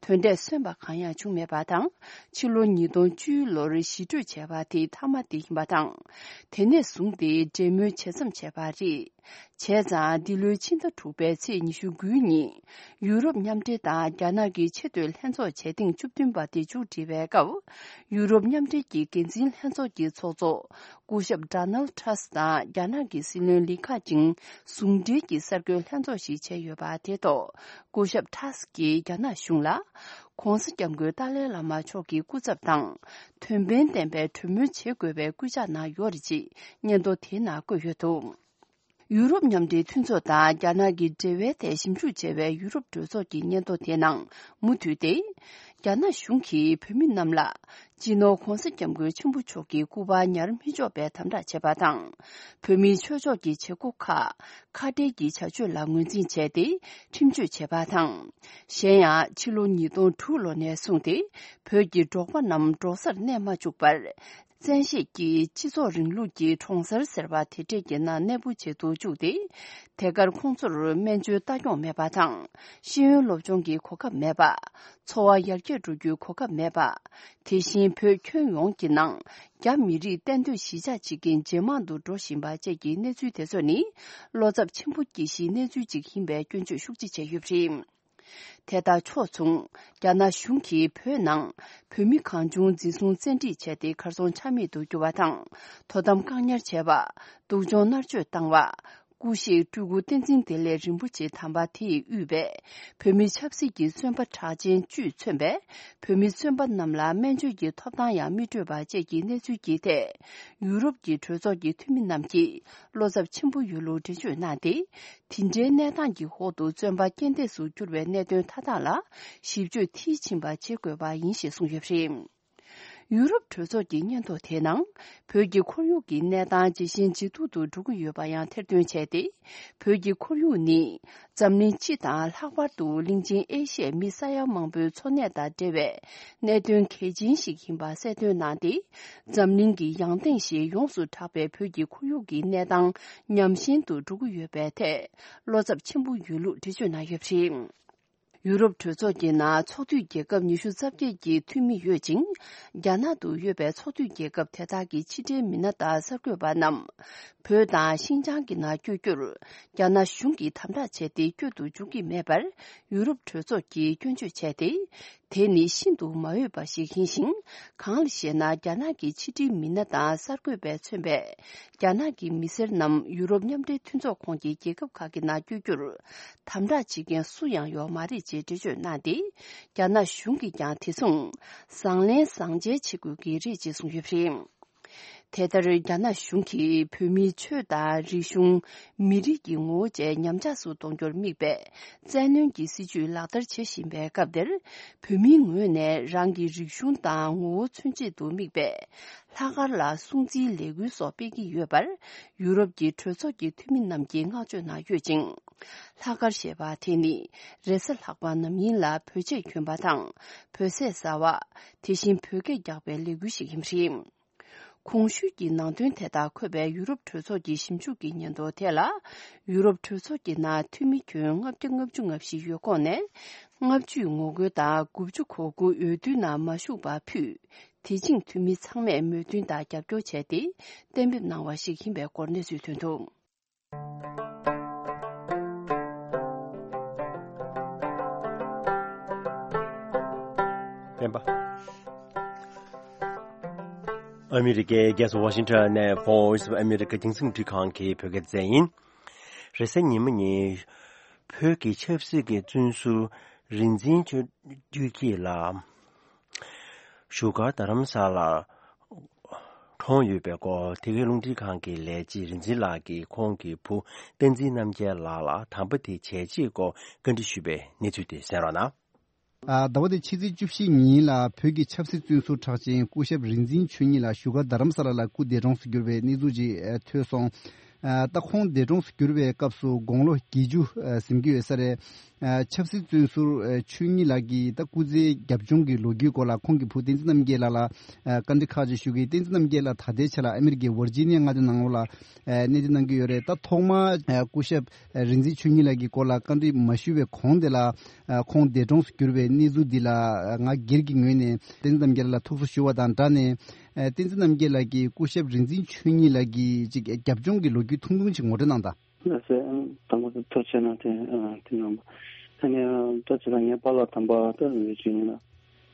དོན་འབྲས་སོན་པ་གང་ཡང་བྱུང་མེད་པ་དང་། ཕྱི་ལོ་ཉིས་སྟོང་བཅུའི་ལོར་ཞི་གྲོས་བྱས་པ་དེ་མཐའ་མ་དེ་ཡིན་པ་དང་། དེ་ནས་བཟུང་སྟེ་འབྲེལ་མོལ་ཇེ་མཚམས་ཆད་པ་རེད། བྱས་ཙང་། འདི་ལོའི་ཕྱི་ཟླ་དྲུག་པའི་ཚེས་ཉི་ཤུ་དགུའི་ཉིན། ཡུ་རོབ་མཉམ་འབྲེལ་དང་རྒྱ་ནག་གི་ཆེས་མཐོའི་ལྷན་ཚོགས་བྱེད་ཐེངས་བཅུ་བདུན་པ་དེ་མཇུག་སྒྲིལ་བའི་སྐབས། ཡུ་རོབ་མཉམ་འབྲེལ་གྱི་འགན་འཛིན་ལྷན་ཚོགས་ཀྱི་ཚོགས་གཙོ། སྐུ་ཞབས་ཌོ་ནལ་ཊྲམ་སི་དང་རྒྱ་ནག་གི་སྲིད་བློན་ལི་ཁ་ཆིང་ཟུང་འབྲེལ་གྱིས་གསར་འགོད་ལྷན་ཚོགས་ཤིག་བྱས་ཡོད་པ་དེ་ཐོག་སྐུ་ཞབས་ཊྲམ་སི་གིས་རྒྱ་ནག་གཞུང་ལ། ྋགོང་ས་ྋསྐྱབས་མགོན་ཏཱ་ལའི་བླ་མ་མཆོག་གི་སྐུ་ཚབ་དང་། དོན་ཕན་ལྡན་པའི་གྲོས་མོལ་བྱེད་དགོས་པའི་སྐུལ་ལྕག་གནང་ཡོད་རེད་ཅེས་སྙན་ཐོ་དེའི་ནང་བཀོད་ཡོད་འདུག་ཡུ་རོབ་མཉམ་འབྲེལ་མཐུན་ཚོགས་དང་རྒྱ་ནག་གི་འབྲེལ་བའི་ཐད་ཞིབ་འཇུག་བྱས་པའི་ཡུ་རོབ་གྲོས་ཚོགས་ཀྱི་སྙན་ཐོ་དེའི་ནང་མུ་མཐུད་དེ། རྒྱ་ནག་གཞུང་གིས་བོད་མི་རྣམས་ལ་སྤྱི་ནོར་༧གོང་ས་༧སྐྱབས་མགོན་ཆེན་པོ་མཆོག་གི་སྐུ་པར་ཉར་མི་ཆོག་པའི་དམ་དྲག་བྱས་པ་དང་། བོད་མིའི་ཆོས་ཕྱོགས་ཀྱི་བྱེད་སྒོ་ཁག་ཁ་བྲལ་གྱི་བྱ་སྤྱོད་ལ་ངོས་འཛིན་བྱས་ཏེ་ཁྲིམས་གཅོད་བྱས་པ་དང་། གཞན་ཡང་ཕྱི་ལོ་ཉིས་སྟོང་དྲུག་ལོ་ནས་བཟུང་སྟེ་བོད་ཀྱི་འབྲོག་པ་རྣམས་འབྲོག་སར་གནས་མ་བཅུག་པར། བཙན་ཤེད་ཀྱིས་སྤྱི་ཚོགས་རིང་ལུགས་ཀྱི་གྲོང་གསར་ཟེར་བ་དེ་འདྲས་ཀྱི་ནང་གནས་སྤོ་བྱེད་དུ་བཅུག་སྟེ། དེ་གར་ཁོང་ཚོར་སྨན་བཅོས་ལྟ་སྐྱོང་མེད་པ་དང་། ཤེས་ཡོན་སློབ་སྦྱོང་གི་གོ་སྐབས་མེད་པ། འཚོ་བ་ཡར་རྒྱས་འགྲོ་རྒྱུའི་གོ་སྐབས་མེད་པ། དེ་བཞིན་བོད་ཁྱོན་ཡོངས་ཀྱི་ནང་རྒྱ་མི་རིགས་གཏན་སྡོད་གཞིས་ཆགས་བྱེད་མཁན་ཇེ་མང་དུ་འགྲོ་བཞིན་པ་བཅས་ཀྱི་གནས་ཚུལ་དེ་ཚོ་ནི་བློ་འཚབ་ཆེན་པོ་སྐྱེ་གཞིའི་གནས་ཚུལ་ཅིག་ཡིན་པའི་སྐྱོན་བརྗོད་ཤུགས་ཆེ་བྱས་ཡོད་པ་རེད། དེ་དང་ཕྱོགས་མཚུངས། རྒྱ་ནག་གཞུང་གིས་བོད་ནང་བོད་མི་གང་བྱུང་འཛིན་བཟུང་བཙན་ཁྲིད་བྱས་ཏེ་གར་སོང་ཆ་མེད་དུ་གྱུར་བ་དང་། དོ་དམ་བཀག་ཉར་བྱས་པ། སྡུག་སྦྱོང་མནར་གཅོད་བཏང་བ། སྐུ་གཤེགས་སྤྲུལ་སྐུ་བསྟན་འཛིན་བདེ་ལེགས་རིན་པོ་ཆེ་དམ་པ་དེས་དབུས་པའི་བོད་མི་ཆབ་སྲིད་ཀྱི་བཙོན་པ་གྲགས་ཅན་བཅུས་མཚོན་པའི་བོད་མི་བཙོན་པ་རྣམས་ལ་སྨན་བཅོས་ཀྱི་ཐོབ་ཐང་ཡང་མི་སྤྲོད་པ་བཅས་ཀྱི་གནས་ཚུལ་གྱི་ཐད། ཡུ་རོབ་ཀྱི་གྲོས་ཚོགས་ཀྱི་འཐུས་མི་རྣམས་ཀྱིས་བློ་འཚབ་ཆེན་པོ་ཡོད་ལུགས་འགྲེལ་བརྗོད་གནང་སྟེ། དེ་འདྲའི་གནས་སྟངས་ཀྱི་འོག་ཏུ་བཙོན་པ་རྐྱེན་འདས་སུ་གྱུར་བའི་གནད་དོན་མཐའ་དག་ལ་ཞིབ་དཔྱོད་མཐིལ་ཕྱིན་པ་བྱེད་དགོས་པ་ཡིན་ཞེས་གསུངས་ཡོད་པ་རེད། ཡུ་རོབ་གྲོས་ཚོགས་ཀྱི་སྙན་ཐོ་དེའི་ནང་། བོད་ཀྱི་ཁོར་ཡུག་གི་གནས་སྟངས་ཇེ་ཞན་ཇེ་སྡུག་ཏུ་འགྲོ་གི་ཡོད་པ་ཡང་ཐེར་འདོན་བྱས་ཏེ། བོད་ཀྱི་ཁོར་ཡུག་ནི། འཛམ་གླིང་སྤྱི་དང་ལྷག་པར་དུ་གླིང་ཆེན་ཨེ་ཤི་ཡའི་མི་ས་ཡ་མང་པོའི་འཚོ་གནས་དང་འབྲེལ་བའི་གནད་དོན་གལ་ཆེན་ཞིག་ཡིན་པ་གསལ་སྟོན་གནང་སྟེ། འཛམ་གླིང་གི་ཡང་སྟེང་ཞེས་ཡོངས་སུ་གྲགས་པའི་བོད་ཀྱི་ཁོར་ཡུག་གི་གནས་སྟངས་ཉམས་ཞན་དུ་འགྲོ་གི་ཡོད་པའི་ཐད། བློ་འཚབ་ཆེན་པོ་ཡོད་ལུགས་འགྲེལ་བརྗོད་གནང་ཡོད་པ་རེད། ཡུ་རོབ་གྲོས་ཚོགས་ཀྱི་ནང་ཚོགས་འཐུས་རྒྱལ་ཁབ་ཉི་ཤུ་རྩ་བརྒྱད་ཀྱི་འཐུས་མི་ཡོད་ཅིང་། རྒྱ་ནག་ཏུ་ཡོད་པའི་ཚོགས་འཐུས་རྒྱལ་ཁབ་དེ་དག་གི་ཕྱི་འབྲེལ་མི་སྣ་དང་གསར་འགོད་པ་རྣམས། བོད་དང་ཤིན་ཅང་གི་ནང་བསྐྱོད་རྒྱུར། རྒྱ་ནག་གཞུང་གིས་དམ་དྲག་བྱས་ཏེ་བསྐྱོད་དུ་འཇུག་གི་མེད་པར། ཡུ་རོབ་གྲོས་ཚོགས་ཀྱིས་སྐྱོན་བརྗོད་བྱས་ཏེ། དེ་ནི་ཤིན་ཏུ་མ་འོས་པ་ཞིག་ཡིན་ཞིང་། གང་ལ་ཞེ་ན། རྒྱ་ནག་གི་ཕྱི་འབྲེལ་མི་སྣ་དང་གསར་འགོད་པས་མཚོན་པའི་རྒྱ་ནག་གི་མི་སེར་རྣམས་ཡུ་རོབ་མཉམ་འབྲེལ་མཐུན་ཚོགས་ཁོངས་ཀྱི་རྒྱལ་ཁབ་ཁག་གི་ནང་བསྐྱོད་རྒྱུར། དམ་དྲག་བྱེད་མཁན་སུ་ཡང་ཡོད་མ་རེད་ཅེས་འགྲེལ་བརྗོད་གནང་སྟེ། རྒྱ་ནག་གཞུང་གིས་ཀྱང་དེ་མཚུངས། བཟང་ལན་བཟང་འཇལ་བྱེད་དགོས་ཀྱི་རེད་ཅེས་གསུངས་ཡོད་པ་རེད། དེ་ལྟར། རྒྱ་ནག་གཞུང་གིས་བོད་མིའི་ཆོས་དང་རིག་གཞུང་། མི་རིགས་ཀྱི་ངོ་བོ་བཅས་ཉམས་ཆག་སུ་གཏོང་རྒྱུར་དམིགས་པའི་བཙན་གནོན་གྱི་སྲིད་བྱུས་ལག་བསྟར་བྱེད་བཞིན་པའི་སྐབས་འདིར། བོད་མིའི་ངོས་ནས་རང་གི་རིག་གཞུང་དང་ངོ་བོ་མཚོན་བྱེད་དུ་དམིགས་པའི་ལྷག་དཀར་ལ་སྲུང་བརྩིའི་ལས་འགུལ་སོགས་སྤེལ་གྱི་ཡོད་པར། ཡུ་རོབ་ཀྱི་གྲོས་ཚོགས་ཀྱི་འཐུས་མི་རྣམས་ཀྱིས་བསྔགས་བརྗོད་གནང་ཡོད་ཅིང་། ལྷག་དཀར་ཞེས་པ་དེ་ནི་རེས་གཟའ་ལྷག་པ་ནམ་ཡིན་ལ་བོད་ཆས་གྱོན་པ་དང་། བོད་ཟས་ཟ་བ། དེ་བཞིན་བོད་སྐད་རྒྱག་པའི་ལས་འགུལ་ཞིག་ཡིན་པ་རེད། གོང་ཞུས་ཀྱི་ནང་དོན་དེ་དག་འཁོད་པའི་ཡུ་རོབ་གྲོས་ཚོགས་ཀྱི་ཞིབ་འཇུག་གི་སྙན་ཐོ་དེ་ལ། ཡུ་རོབ་གྲོས་ཚོགས་ཀྱི་ནང་འཐུས་མི་ཁྱོན་ལྔ་བརྒྱ་ལྔ་བཅུ་ང་བཞི་ཡོད་ཁོངས་ནས། ལྔ་བཅུས་ངོ་རྒོལ་དང་དགུ་བཅུ་གོ་དགུ་འོས་བསྡུའི་ནང་མ་ཞུགས་པ་ཕུད། དེ་བཞིན་འཐུས་མི་ཚང་མས་མོས་མཐུན་དང་རྒྱབ་སྐྱོར་བྱས་ཏེ་གཏན་འབེབས་གནང་བ་ཞིག་ཡིན་པའི་སྐོར་གནས་ཚུལ་ཐོན་འདུག། སྤེན་པ། ཨ་མི་རི་ཀའི་རྒྱལ་ས་ཝ་ཤིང་ཊོན་ནས་Voice of America རྒྱང་སྲིང་འཕྲིན་ཁང་གི་བོད་སྐད་སྡེ་ཚན་ཡིན། རེས་གཟའ་ཉི་མ་ཉིན། བོད་ཀྱི་ཆབ་སྲིད་ཀྱི་བཙོན་ཟུར་རིག་འཛིན་ཆོས་ཆོས་སྐྱིད་ལགས། བཞུགས་སྒར་རྡ་རམ་ས་ལར་གྲོངས་ཡོད་པའི་སྐོར། དེ་གའི་རླུང་འཕྲིན་ཁང་གི་ལས་བྱེད་རིག་འཛིན་ལགས་ཀྱིས་ཁོང་གི་བུ་བསྟན་འཛིན་རྣམ་རྒྱལ་ལགས་ལ་དམ་པ་དེ་བྱས་རྗེས་སྐོར་བཀའ་འདྲི་ཞུས་པའི་གནས་ཚུལ་དེ་གསན་རོགས་གནང་། ཨ། ཟླ་བ་འདིའི་ཕྱི་ཚེས་བཅུ་བཞི་ཉིན་ལ་བོད་ཀྱི་ཆབ་སྲིད་བཙོན་ཟུར་གྲགས་ཅན་སྐུ་ཞབས་རིག་འཛིན་ཆོས་ཉིད་ལགས་བཞུགས་སྒར་རྡ་རམ་ས་ལ་ལ་སྐུ་འདས་གྲོངས་སུ་གྱུར་བའི་གནས་ཚུལ་ཅིག་ཨ། ཐོས་སོང་། ཨ། ད་ཁོང་འདས་གྲོངས་སུ་གྱུར་བའི་སྐབས་སུ་དགུང་ལོ་བརྒྱད་ཅུ་ཨ། ཟིན་གྱི་ཡོད་ས་རེད། ཨ། ཆབ་སྲིད་བཙོན་ཟུར་ཨ། ཆོས་ཉིད་ལགས་ཀྱི་ད་སྐུ་ཚེའི་རྒྱབ་ལྗོངས་ཀྱི་ལོ་རྒྱུས་སྐོར་ལ་ཁོང་གི་བུ་བསྟན་འཛིན་རྣམ་རྒྱལ་ལགས་ལ་ཨ། བཀའ་འདྲི་ཁག་ཅིག་ཞུ་གི། བསྟན་འཛིན་རྣམ་རྒྱལ་ལགས་ད་ལྟའི་ཆ་ལ་ཨ་མི་རི་ཀའི་ཝར་ཇི་ནི་ཡ་མངའ་སྡེ་ནང་ལོགས་ལ་ཨ། གནས་སྡོད་གནང་གི་ཡོད་རེད། ད་ཐོག་མར་ཨ། སྐུ་ཞབས་ཨ། རིག་འཛིན་ཆོས་ཉིད་ལགས་ཀྱི་སྐོར་ལ་བཀའ་འདྲི་མ་ཞུས་པའི་གོང་དེ་ལ། ཨ། ཁོང་འདས་གྲོངས་སུ་གྱུར་བའི་གནས་ཚུལ་འདི་ལ་ང་སྒེར་གྱི་ངོས་ནས་བསྟན་འཛིན་རྣམ་རྒྱལ་ལགས་ལ་ཐུགས་གསོ་ཞུ་བ་དང་སྦྲགས་ནས། ཨ། བསྟན་འཛིན་རྣམ་རྒྱལ་ལགས་ཀྱིས་སྐུ་ཞབས་རིག་འཛིན་ཆོས་ཉིད་ལགས་ཀྱི་ཅིག་རྒྱབ་ལྗོངས་ཀྱི་ལོ་རྒྱུས་ཐུང་ཐུང་ཅིག་ངོ་སྤྲོད་གནང་དང་། ལགས་སོ། དང་པོ་ཐུགས་རྗེ་ཆེ་གནང་། དེ་དེ་གནང་བ། ཨ་ནི་ད་ཅི་ལ་ངའི་པཱ་ལགས་དམ་པ་ད་རིག་འཛིན་ཆོས་ཉིད་ལགས་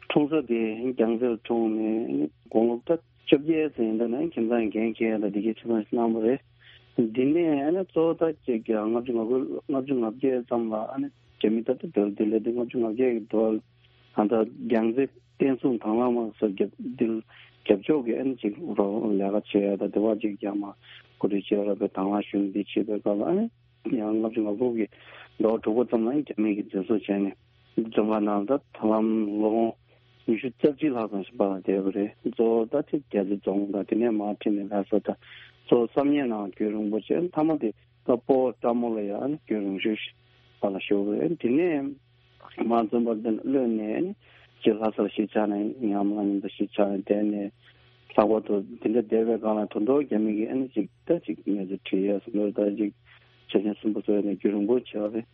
འཁྲུངས་ས་དེ་རྒྱལ་རྩེར་འཁྲུངས་ནས་དགུང་ལོ་ད་བཅོ་བརྒྱད་ཙམ་ཡིན་དུས་ནས་ཁྱིམ་ཚང་འགན་འཁྱེར་དང་དེ་གའི་ཆེད་དོན་གནང་བ་རེད། འདི་ནས་ཨ་ནི་གཙོ་བོ་ད་ཅིག་ལྔ་བཅུ་ང་དགུ་ལྔ་བཅུ་ང་བརྒྱད་ཙམ་ལ་ཨ་ནི་རྒྱ་མི་ད་ལྟ་བོད་དེ་ལས་དེ་ལྔ་བཅུ་ང་བརྒྱད་ཀྱི་དུས་ད་ལྟ་རྒྱལ་རྩེ་བསྟན་སྲུང་དང་བླངས་དམག་སོགས་རྒྱབ་འདི་རྒྱབ་ཕྱོགས་ཀྱི་ཨ་ནི་ཅིག་རོགས་ལས་ཀ་བྱེད་ཡ་ད་དེ་བ་ཅིག་ཡང་མ་ གོ་སྒྲིག་བྱས་ར་པའི་དང་བླངས་ཞུ་ནས་འདི་བྱེད་པའི་སྐབས་ལ་ཨ་ནི་ཡང་ལྔ་བཅུ་ང་དགུ་གི་ཟླ་བ་དྲུག་པ་ཙམ་ལ་རྒྱ་མི་གིས་འཛིན་བཟུང་བྱས་ནས་བཙོན་ཁང་ནང་ད་ད་ལམ་ལོ་ངོ་ཉི་ཤུ་རྩ་གཅིག་ལྷག་ཙམ་ཞིག་བར་ལ་བསྡད་པ་རེད། གཙོ་བོ་ད་ཐེངས་རྒྱ་རྩེ་རྫོང་དང་དེ་ནས་མར་ཁྲིད་ནས་ལྷ་ས་དང་གཙོ་བོ་བསམ་ཡས་ནང་རྒྱུན་རིང་པོ་བྱས། མཐའ་མ་དེ་ད་སྤོ་བོ་བཀྲ་མོ་ལ་ཡང་རྒྱུན་རིང་ཤོས་ཤིག་བར་ལ་བཞུགས་པ་རེད། དེ་ནས་མར་བཙོན་པ་དེ་གློད་ནས་ཅིག་ལྷ་སར་གཞིས་ཆགས་ནས་ཉམས་ལ་ཉམས་པ་གཞིས་ཆགས་ནས་བསྡད་ནས། ལྷག་པར་དུ་དེ་འདྲ་བསྡད་པའི་སྒང་ལ་དོན་དུ་རྒྱ་མི་གིས་ཨ་ནི་ཅིག་ད་ཅིག་གནས་ཚུལ་དྲི་ཡས་སུ་ལོར་ད་ཅིག་ཆ་རྐྱེན་གསུམ་པོ་ཚོ་ཡོད་ནས་རྒྱུན་རིང་པོ་བྱས་པ་རེད།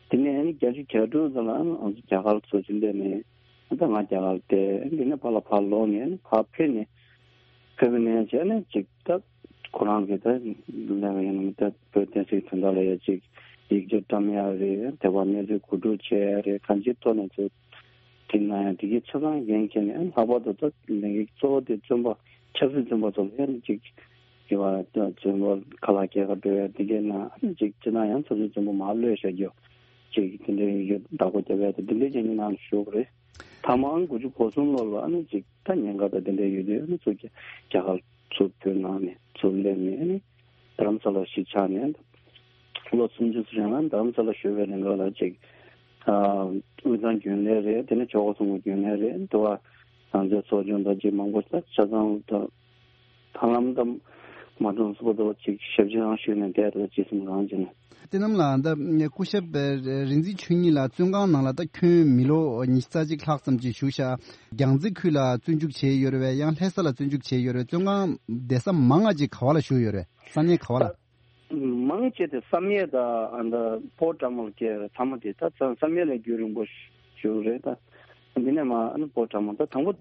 དེ་ནས་ཨ་ནི་བརྒྱད་ཅུ་གྱ་དྲུག་ཙམ་ལ་ཨ་ནི་ང་ཚོ་རྒྱ་གར་ཚུར་ཕྱིན་བསྡད་ནས་ད་ང་རྒྱ་གར་བསྡད། དེ་ནས་ཕར་ལ་ཕར་ལོག་ནས་ཨ་ནི་ཕར་ཕེབས་ནས་ཕེབས་པ་ནས་བྱས་ནས་ཅིག་ད་ཁོ་རང་གིས་ད་ལས་ཀ་ཡིན་ན་ད་བོད་བསྟན་སྲིད་དོན་དག་ལ་ཡ་ཅིག་ཡིག་ཆ་བཀྲམ་ཡ་རེད། དེ་བར་གནས་ཚུལ་གོ་སྒྲིག་བྱེད་ཡ་རེད། གང་ཅིའི་ཐོག་ནས་ཚུར་དེ་ན་ཡང་དེ་གའི་ཆ་ཚང་འགན་འཁྱེར་ནས་ལྷག་པར་དུ་ད་ལས་འགན་གཙོ་བོ་དེ་བཙོན་པ་ཆབ་སྲིད་བཙོན་པ་ཚོ་ལ་ཡང་ཅིག་དེ་བ་ད་བཙོན་པ་ཁ་ལག་སྐྱེལ་ག་འགྲོ་ཡ་དེ་གའི་ནང་ཅིག་སྤྱིར་ན་ཡང་ཆབ་སྲིད་བཙོན་པ་མར་གློད་བཞག་རྒྱུ་ཅིག་དེ་འདྲའི་ཡོད་བདག་པོ་རྒྱབ་ཡ་དེ་དེ་འདྲའི་ཅིག་ནང་ཞུགས་རེད། ཐ་མ་ཨང་དགུ་བཅུ་གོ་གསུམ་ལོ་ལ་ཨ་ནི་ཅིག་ད་ཉེན་ཁ་དང་དེ་འདྲ་ཡོད་དུས་ཨ་ནི་ཚུར་རྒྱ་རྒྱ་གར་ཚུར་བོད་ནང་ནས་ཚུར་སླེབས་ནས་ཨ་ནི་རྡ་རམ་ས་ལ་གཞིས་ཆགས་ནས་ལོ་སུམ་ཅུ་ཙམ་རིང་ལ་རྡ་རམ་ས་ལ་བཞུགས་པའི་རིང་ག་ལ་ཅིག་ཨ་དབུས་གཙང་རྒྱུན་ལས་རེད། དེ་ནས་ཇོ་ཁོ་གསུམ་གྱི་རྒྱུན་ལས་རེད། འདི་བ་རང་བཙན་ཚོགས་ཆུང་དང་ཅིག་མང་པོ་ད་ཆ་ཚང་ད་ཧ་ལམ་ད་མ་གྲངས་སུ་པ་ད་ཅིག་ཞབས་ཕྱི་རང་ཞུས་ནས་བསྡད་ད་ཅི་སེམས་རང་བྱས་ནས། བསྟན་ནམ་ལགས། ད་སྐུ་ཞབས་རིག་འཛིན་ཆོས་ཉིད་ལགས་བཙོན་ཁང་ནང་ལ་ད་ཁྱོན་མི་ལོ་ཉི་ཤུ་རྩ་གཅིག་ལྷག་ཙམ་ཅིག་བཞུགས་ཤག་རྒྱལ་རྩེ་ཁུལ་ལ་བཙོན་འཇུག་བྱས་ཡོད་རེད་པས། ཡང་ལྷ་ས་ལ་བཙོན་འཇུག་བྱས་ཡོད་རེད། བཙོན་ཁང་བསྡད་ས་མང་ང་ཅིག་ག་བ་ལ་བཞུགས་ཡོད་རེད། ས་གནས་ག་བ་ལ། མང་ཆེ་དེ་བསམ་ཡས་དང་ཨ་ད་སྤོ་བོ་བཀྲ་མོ་ལ་སྐྱེལ་རེད། ཚང་མ་དེ་ད་བསམ་ཡས་ལ་རྒྱུན་རིང་པོ་བཞུགས་རེད། ད་འདི་ནས་མ་ཨ་ནི་སྤོ་བོ་བཀྲ་མོ་ད་དང་པོ་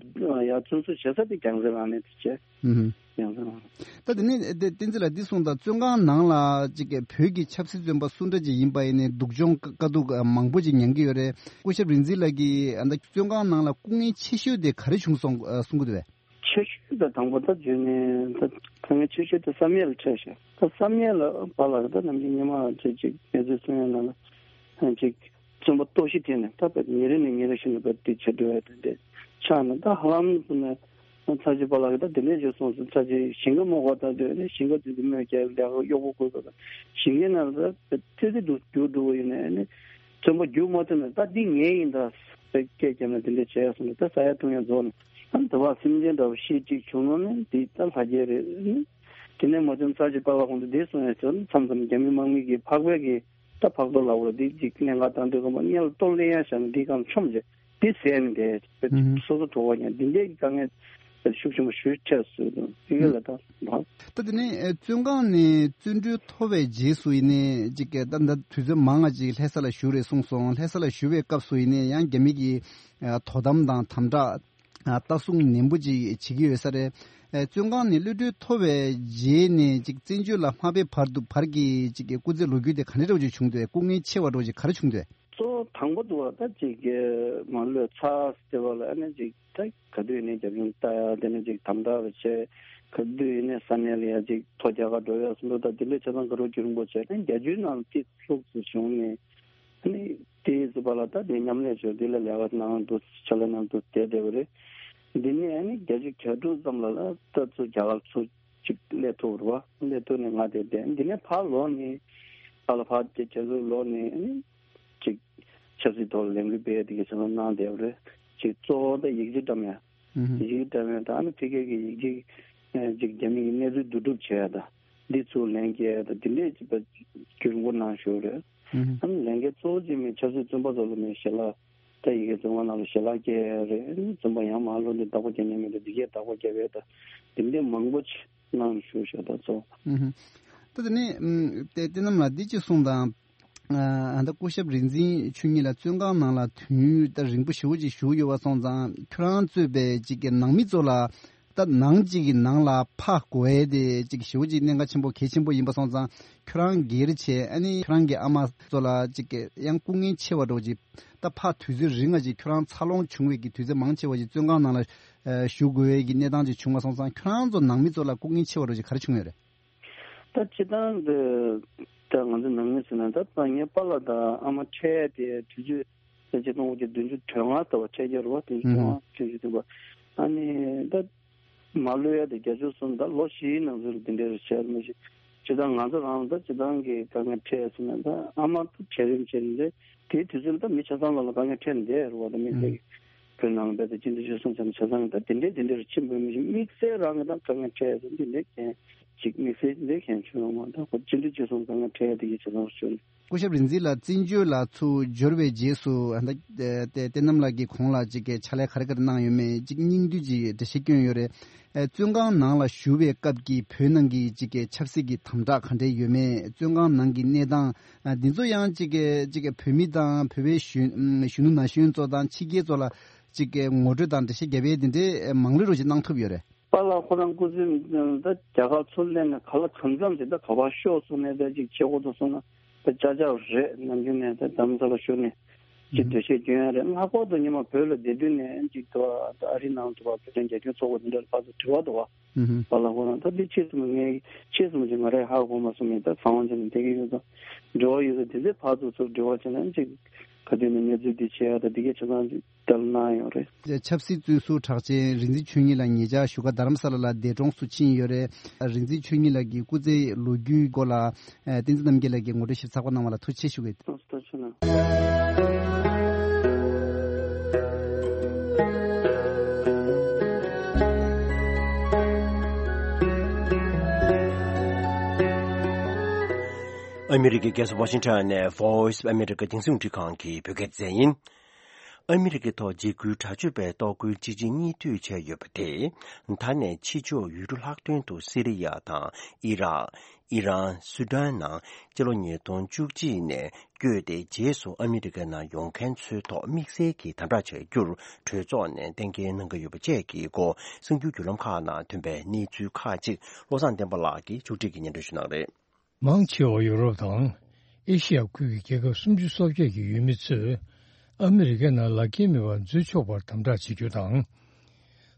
ཡར་བཙོན་འཇུག་བྱེད་ས་དེ་རྒྱལ་རྩེ་ལ་ནས་དེ་བྱས། ཨུ་ཧུ། ཡང་ཟེར་ན། ད་དེ་ནས་དེ་བསྟན་འཛིན་ལགས་འདི་གསུངས་དང་། བཙོན་ཁང་ནང་ལ་ཅིག་བོད་ཀྱི་ཆབ་སྲིད་བཙོན་པ་སུ་འདྲ་ཅིག་ཡིན་པ་ཡིན་ནའི་སྡུག་སྦྱོང་དཀའ་སྡུག་མང་པོ་ཅིག་མྱངས་ཀྱི་ཡོད་རེད། སྐུ་ཞབས་རིག་འཛིན་ལགས་ཀྱིས་ཨ་ད་བཙོན་ཁང་ནང་ལ་སྐུ་ངལ་ཆེ་ཤོས་དེ་ག་རེ་བྱུང་སོང་གསུང་གི་འདུག་བས། ཆེ་ཤོས་དང་དང་པོ་ད་བརྗོད་ནས་ད་དཀའ་ངལ་ཆེ་ཤོས་དེ་བསམ་ཡས་ལ་འཕྲད་ཤག་ད་བསམ་ཡས་ལ་བ་ལ་ད་ནམ་རྒྱུན་ཉི་མ་ཅིག་ཅིག་གནས་ཚུལ་གསུང་ཡས་ནང་ལ་ཅིག་བཙོན་པ་ལྟོགས་ཤི་ཐེབས་ནས་ད་བར་ཉིན་རེ་ནས་ཉིན་རེ་བཞིན་དུ་བར་དེ་བྱེད་འགྲོ་ཡ་དེ་འདྲ་ཆགས་ནས། ད་ཧ་ལམ་ཚུ་ནས་ཚར་གཅིག་པ་ལགས་ཀྱིས་ད་དེ་འདྲས་བརྗོད་སོང་ཟེར། ཚར་གཅིག་ཞིང་ཁ་རྨོ་ག་ད་སྡོད་ནས་ཞིང་ཁ་དེ་དུ་མོས་ཀྱང་ལས་ཀ་གཡོག་པོ་དགོས་པ་དང་ཞིང་ཁའི་ནང་ད་ཙི་ཙི་འདུག་རྒྱུག་འགྲོ་བ་ཡིན་ནས་ནི་བཙོན་པ་རྒྱུག་མ་ཐུབ་ནས་ད་འདི་ངའི་ཡིན་ད་ཟེར་སྐད་བརྒྱབ་ནས་དེ་འདྲས་བྱས་སོང་ནས་ད་ཟ་ཡ་འཐུང་ཡ་རྫོགས་ནས་ཨ་ནི་དུ་བ་སེམས་ཅན་འདྲ་བ་ཤི་གཅིག་བྱུང་ནོ་ནི་འདི་ད་ལྷ་རྒྱལ་རེད། དེ་ནས་མ་བྱུང་ཚར་གཅིག་པ་ལགས་ཁོང་ཚོ་འདི་གསུང་ཡ་ཟེར་མཚམས་མཚམས་རྒྱ་མི་དམག་མི་གིས་ཕག་པའི་གི་ད་ཕག་ཏོ་ལ་འོ་འདི་ཅིག་གནད་འགག་བཏང་དུས་ཙམ་པ་སྔོན་ལ་ལྟོ་ལེན་ཡ་བཞག་ནས་འདི་གང་མཆོམ་བྱས་འདི་ཟས་ནས་བསྡད་ཨུ་ཧུ། སོ་སོ་གྲོད་ཁོག་ཉལ་འདི་འདྲའི་དཀའ་ངལ་ཤུགས་ཆེན་པོ་ཞེ་པོ་འཕྲད་སོང་དུས་དེ་ག་ལ་ད་ད་དེ་ནས་ཨེ་བཙོན་ཁང་ནས་བཙོན་གྲོལ་ཐོབ་པའི་རྗེས་སུ་ཡིན་ནའི་ཅིག་ད་ད་དུས་ཚོད་མང་ང་ཅིག་ལྷ་ས་ལ་བཞུགས་རེད་གསུངས་སོང་། ལྷ་ས་ལ་བཞུགས་པའི་སྐབས་སུ་ཡིན་ནའི་ཡང་རྒྱ་མི་གིས་ཨ་དོ་དམ་དང་དམ་དྲག་ཨ་ལྟ་སྲུང་ནན་པོ་ཅིག་བྱེད་ཀྱི་ཡོད་ས་རེད། ཨེ་བཙོན་ཁང་ནས་གློད་གྲོལ་ཐོབ་པའི་རྗེས་ནས་ཅིག་བཙན་བྱོལ་ལ་མ་ཕེབས་བར་དུ་བར་གྱི་ཅིག་གི་སྐུ་ཚེ་ལོ་རྒྱུས་དེ་ག་འདྲ་འདྲ་བོ་ཅིག་བྱུང་འདུག་སྐུ་ངལ་ཆེ་བ་འདྲ་བོ་ཅིག་ག་རེ་བྱུང་འདུག་གཙོ་བོ་དང་པོ་དུ་བ་ད་ཅིག་གི་མ་གློད་ཚར་ཟེར་བ་ལ་ཨ་ནི་ཅིག་ད་ག་དུས་ཡིན་ནའི་རྒྱབ་ཡུམ་ལྟ་ཡ་དེ་ནས་ཅིག་དམ་དྲག་རེ་བྱས། ག་དུས་ཡིན་ནའི་ས་གནས་ལ་ཡ་ཅིག་ཐོ་རྒྱག་ག་འགྲོ་ཡ་སོགས་ད་དེ་འདྲའི་ཆ་ཚང་ག་རོ་རྒྱུན་རིང་པོ་བྱས་ནས་རྒྱ་ཆུའི་ནང་ཏི་ལྷུག་ཙམ་བྱུང་ནས། ཨ་ནི་དེའི་ཟུར་པ་ལ་ད་དེ་མཉམ་ལས་བྱོས་འདི་ལ་ལས་ཀ་གནང་འདུག་ཕྱག་ལས་གནང་འདུག་བསྡད་བསྡད་པ་རེད། འདི་ནས་ཨ་ནི་བརྒྱད་ཅུ་གྱ་དྲུག་ཙམ་ལ་ལ་ད་ཚུར་རྒྱ་གར་ཚུར་ཅིག་སླེབས་ཐུབ་རེད་བ། སླེབས་ཐུབ་ནས་ང་དེ་བསྡད། འདི་ནས་ཕར་ལོག་ནས་ཕར་ལ་ཕར་དེ་རྒྱ་ཚུར་ལོག་ནས་ཨ་ནི་ཅིག་ཆབ་སྲིད་ཐོག་ལ་ལས་འགུལ་སྤེལ་ཡ་དེ་ག་ཚོད་གནང་བསྡད་པ་རེད། ཅིག་གཙོ་བོ་ད་ཡིག་ཆ་བཀྲམ་ཡ། ཨུ་ཧུ། ཡིག་ཆ་བཀྲམ་ཡ་ད་ཨ་ནི་ཕ་གི་གི་ཡིག་ཆ་ཅིག་རྒྱ་མི་གི་གནས་ཚུལ་བསྡུ་སྒྲུབ་བྱེད་ཡ་ད། འདི་ཚུར་ལན་སྐྱེལ་ཡ་ད་འདི་འདྲས་ཅིག་ད་རྒྱུན་འཁོར་གནང་ཞུ་རེད། ཨུ་ཧུ། ཨ་ནི་ལན་སྐྱེལ་གཙོ་བོ་ཅིག་མིན་ཆབ་སྲིད་བཙོན་པ་ཚོ་ལ་མིན་ཞལ་ལག་ད་ཡི་གེ་བཙོན་ཁང་ནང་ལ་ཞལ་ལག་སྐྱེལ་ཡ་རེད། བཙོན་པ་ཡང་མ་ལོག་འདི་བདག་པོ་རྒྱག་མཁན་མི་འདུག་འདི་གས་བདག་པོ་རྒྱབ་ཡ་ད་འདི་འདྲས་མང་པོ་ཅིག་གནང་ཞུ་ཞུ་ད་ཚོ། ཨུ་ཧུ། ད་དེ་ནས་ཨུམ་དེ་བསྟན་ནམ་ལགས་འདི་ཅིག་གསུངས་དང་། ཨ་ད་སྐུ་ཞབས་རིག་འཛིན་ཆོས་ཉིད་ལགས་བཙོན་ཁང་ནང་ལ་དུས་ཡུན་ད་རིང་པོ་ཞེ་པོ་ཅིག་བཞུགས་ཡོད་པ་སོང་ཙང་ཁྱོད་རང་གཙོས་པའི་ཅིག་གི་ནང་མི་ཚོ་ལ་ད་ནང་ཅིག་གི་ནང་ལ་ཕར་དགོས་ཡས་དེ་ཅིག་ཞེ་པོ་ཅིག་གནད་འགག་ཆེན་པོ་གལ་ཆེན་པོ་ཡིན་པ་སོང་ཙང་ཁྱོད་རང་སྒེར་བྱས་ཨ་ནི་ཁྱོད་རང་གི་ཨ་མ་ཚོ་ལ་ཅིག་གི་ཡང་སྐུ་ངལ་ཆེ་བ་འདྲ་བོ་ཅིག་ད་ཕར་དུས་ཚོད་རིང་ང་ཅིག་ཁྱོད་རང་འཚར་ལོངས་བྱུང་བའི་གི་དུས་ཚོད་མང་ཆེ་བ་ཅིག་བཙོན་ཁང་ནང་ལ་ཨ་བཞུགས་དགོས་ཡས་ཀྱི་གནས་སྟངས་ཅིག་བྱུང་བ་སོང་ཙང་ཁྱོད་རང་ཚོ་ནང་མི་ཚོ་ལ་སྐུ་ངལ་ཆེ་བ་འདྲ་བོ་ཅིག་ག་རེ་བྱུང་ཡོད་རེད། ད་སྤྱིར་བཏང་འདི་ད་ང་ཚོ་ནང་མི་ཟེར་ན་ད་ད་ངའི་པཱ་ལགས་དང་ཨ་མ་འཕྲད་དེ་དུས་ཚོད་ད་ཆིག་སྟོང་དགུ་བརྒྱ་བདུན་ཅུ་དོན་ལྔ་ལྟ་བུ་འཕྲད་ཀྱི་རེད་བ། དེ་ཨུ་ཧུ། སྟོང་བདུན་ཅུ་དོན་པ་ཨ་ནི་ད་མ་གློད་ཡ་དེ་བརྒྱད་ཅུ་གསུམ་ད་ལོ་བཞིའི་ནང་ཚུད་ལ་དེ་འདྲའི་རེ་བྱས་མ་གཞི་ སྤྱིར་བཏང་ང་ཚོ་རང་ལ་ད་སྤྱིར་བཏང་གི་དཀའ་ངལ་འཕྲད་ཟེར་ན། ད་ཨ་མ་ད་གྲལ་རིམ་བྱས་ནས་དེའི་དུས་ཚོད་ལ་ད་མི་ཆ་ཚང་ལ་ལ་དཀའ་ངལ་འཕྲད་ནས་བསྡད་རེད་བ། ད་དམིགས་བསལ་གྱི་བོད་ནང་ལ་ད་སྤྱི་འཐུས་ཆོལ་གསུམ་ཚང་མ་ཆ་ཚང་གི་ད་དེ་འདྲའི་དེ་འདྲའི་རུ་ཕྱིན་པ་མི་ཤེས། དམིགས་བསལ་རང་གི་ད་དཀའ་ངལ་འཕྲད་ཟེར་འདི་འདྲའི་གན་ཅིག་དམིགས་བསལ་འདི་གན་བྱུང་ཡོད་མ་རེད། ད་ཁོ་སྤྱི་འཐུས་ཆོལ་གསུམ་དཀའ་ངལ་འཕྲད་ཡ་དེ་གི་ཆ་ཚང་རུ་བྱུང་ནས། སྐུ་ཞབས་རིག་འཛིན་ལགས་བཙན་བྱོལ་ལ་ཚུར་འབྱོར་བའི་རྗེས་སུ་ཨ་ད་ཨེ་ཏེ་བསྟན་རྣམ་ལགས་ཀྱིས་གོང་ལ་ཅིག་གི་ཕྱག་ལས་ག་རེ་ག་རེ་གནང་ཡོད་མེད་ཅིག་སྙིང་བསྡུས་ཅིག་འགྲེལ་བཤད་བསྐྱོན་ཡོད་རེད། ཨེ་བཙོན་ཁང་ནང་ལ་བཞུགས་པའི་སྐབས་ཀྱི་བོད་ནང་གི་ཅིག་གི་ཆབ་སྲིད་ཀྱི་དམ་དྲག་ག་འདྲས་ཡོད་མེད། བཙོན་ཁང་ནང་གི་གནས་སྟངས་ཨ་འདི་ཚོ་ཡང་ཅིག་གི་ཅིག་གི་བོད་མི་དང་བོད་པའི་གཞོན་གཞོན་ནུ་ན་གཞོན་ཚོ་དང་ཕྱི་རྒྱལ་ཚོ་ལ་ཅིག་གི་ངོ་སྤྲོད་དང་འགྲེལ་བཤད་རྒྱབ་ཡས་འདི་འདྲས་མང་ལོས་རོགས་ཅིག་གནང་ཐུབ་ཡོད་རེད། པཱ་ལགས་ཁོ་རང་སྐུ་ཚེ་ད་རྒྱ་གར་ཚུར་སླེབས་ནས་ག་ལ་གང་འཚམ་ཞིག་ད་ག་པར་ཤོག་གསུངས་ནས་ད་ཅིག་བྱེད་དགོས་འདུག་གསུངས་ན་ད་ཅག་ཅག་རེད། ནམ་རྒྱུན་ནས་ད་རྡ་རམ་ས་ལ་བཞུགས་ནས་ཅིག་འགྲེལ་བཤད་སྐྱོན་ཡ་རེད། ལྷག་པར་དུ་ཉི་མ་བོད་ལ་བསྡད་དུས་ནས་ཅིག་ད་ད་ཨ་རི་ནང་དུ་བ་བོད་དོན་རྒྱབ་སྐྱོར་ཚོགས་པ་འདི་འདྲ་ལ་ཕར་ཚུར་དྲི་བ་འདུག་བ། ཨུ་ཧུ། པཱ་ལགས་ཁོ་རང་ད་འདི་ཆེད་གསུམ་ངས་ཆེད་གསུམ་ཅིག་ང་རས་ཧ་གོ་མ་སོང་ངས་ད་གསང་བ་བྱས་ནས་བསྡད་ཀྱི་ཡོད་ཙང་། དྲི་བ་ཡོད་ཙང་དེ་ཚོ་ཕར་ཚུར་ཚུར་དྲི་བ་བྱས་ན་ཅིག་ག་དུས་ནས་གནས་ཚུལ་འདི་བྱེད་ཡ་ད་འདི་གའི་ཆ་ཚང་ཅིག་བསྡད་གནང་ཡོད་རེད། ཆབ་སྲིད་བཙོན་ཟུར་གྲགས་ཅན་རིག་འཛིན་ཆོས་ཉིད་ལགས་ཉེ་ཆར་བཞུགས་སྒར་རྡ་རམ་ས་ལ་ལ་འདས་གྲོངས་སུ་ཕྱིན་ཡོད་རེད། རིག་འཛིན་ཆོས་ཉིད་ལགས་ཀྱི་སྐུ་ཚེའི་ལོ་རྒྱུས་སྐོར་ལ་ཨ་བསྟན་འཛིན་རྣམ་རྒྱལ་ལགས་ཀྱིས་ངོ་སྤྲོད་ཞིབ་ཚགས་པོ་གནང་བ་ལ་ཐུགས་རྗེ་ཆེ་ཞུ་གི། ཐུགས་རྗེ་ཆེ་གནང་། ཨ་མི་རི་ཀའི་རྒྱལ་ས་ཝ་ཤིང་ཊོན་ནས་Voice of America་རྒྱང་སྲིང་རླུང་འཕྲིན་ཁང་གི་བོད་སྐད་སྡེ་ཚན་ཡིན། ཨ་མི་རི་ཀའི་ཐོག་འཇིགས་སྐུལ་དྲག་སྤྱོད་པའི་གཏོར་རྒོལ་སྤྱི་ཆིངས་སྙིང་བསྡུས་བྱས་ཡོད་པ་དེས། ད་ནས་ཕྱི་ཕྱོགས་ཡུལ་གྲུ་ལྷག་དོན་དུ་སི་རི་ཡ་དང་ཨི་རག་ཨི་རན། སུ་ཌན་ནང་སྤྱི་ལོ་ཉིས་སྟོང་བཅུ་གཅིག་ནས་བསྐྱོད་དེ། རྗེས་སུ་ཨ་མི་རི་ཀའི་ནང་ཡོང་མཁན་ཚོའི་ཐོག་དམིགས་བསལ་གྱི་དམ་དྲག་བྱ་རྒྱུར་གྲོས་ཚོགས་ནས་གཏན་འཁེལ་གནང་གི་ཡོད་པ་བཅས་ཀྱི་སྐོར་གསར་འགྱུར་བརྒྱུད་ལམ་ཁག་ནང་ཐོན་པའི་གནས་ཚུལ་ཁག་ཅིག་བློ་བཟང་བསྟན་པ་ལགས་ཀྱིས་མཇུག་སྒྲིལ་གྱིས་སྙན་སྒྲོན་ཞུ་གནང་རེད། མང་ཆེ་བ་ཡོ་རོབ་དང་ཨེ་ཤི་ཡ་ཁུལ་གྱི་རྒྱལ་ཁབ་སུམ་ཅུ་སོ་བརྒྱད་ཀྱི་ཡུལ་མི་ཚོས་ཨ་མི་རི་ཀའི་ནང་ལག་འཁྱེར་མེད་པར་འཛུལ་ཆོག་པར་དམ་དྲག་བྱེད་རྒྱུ་དང་།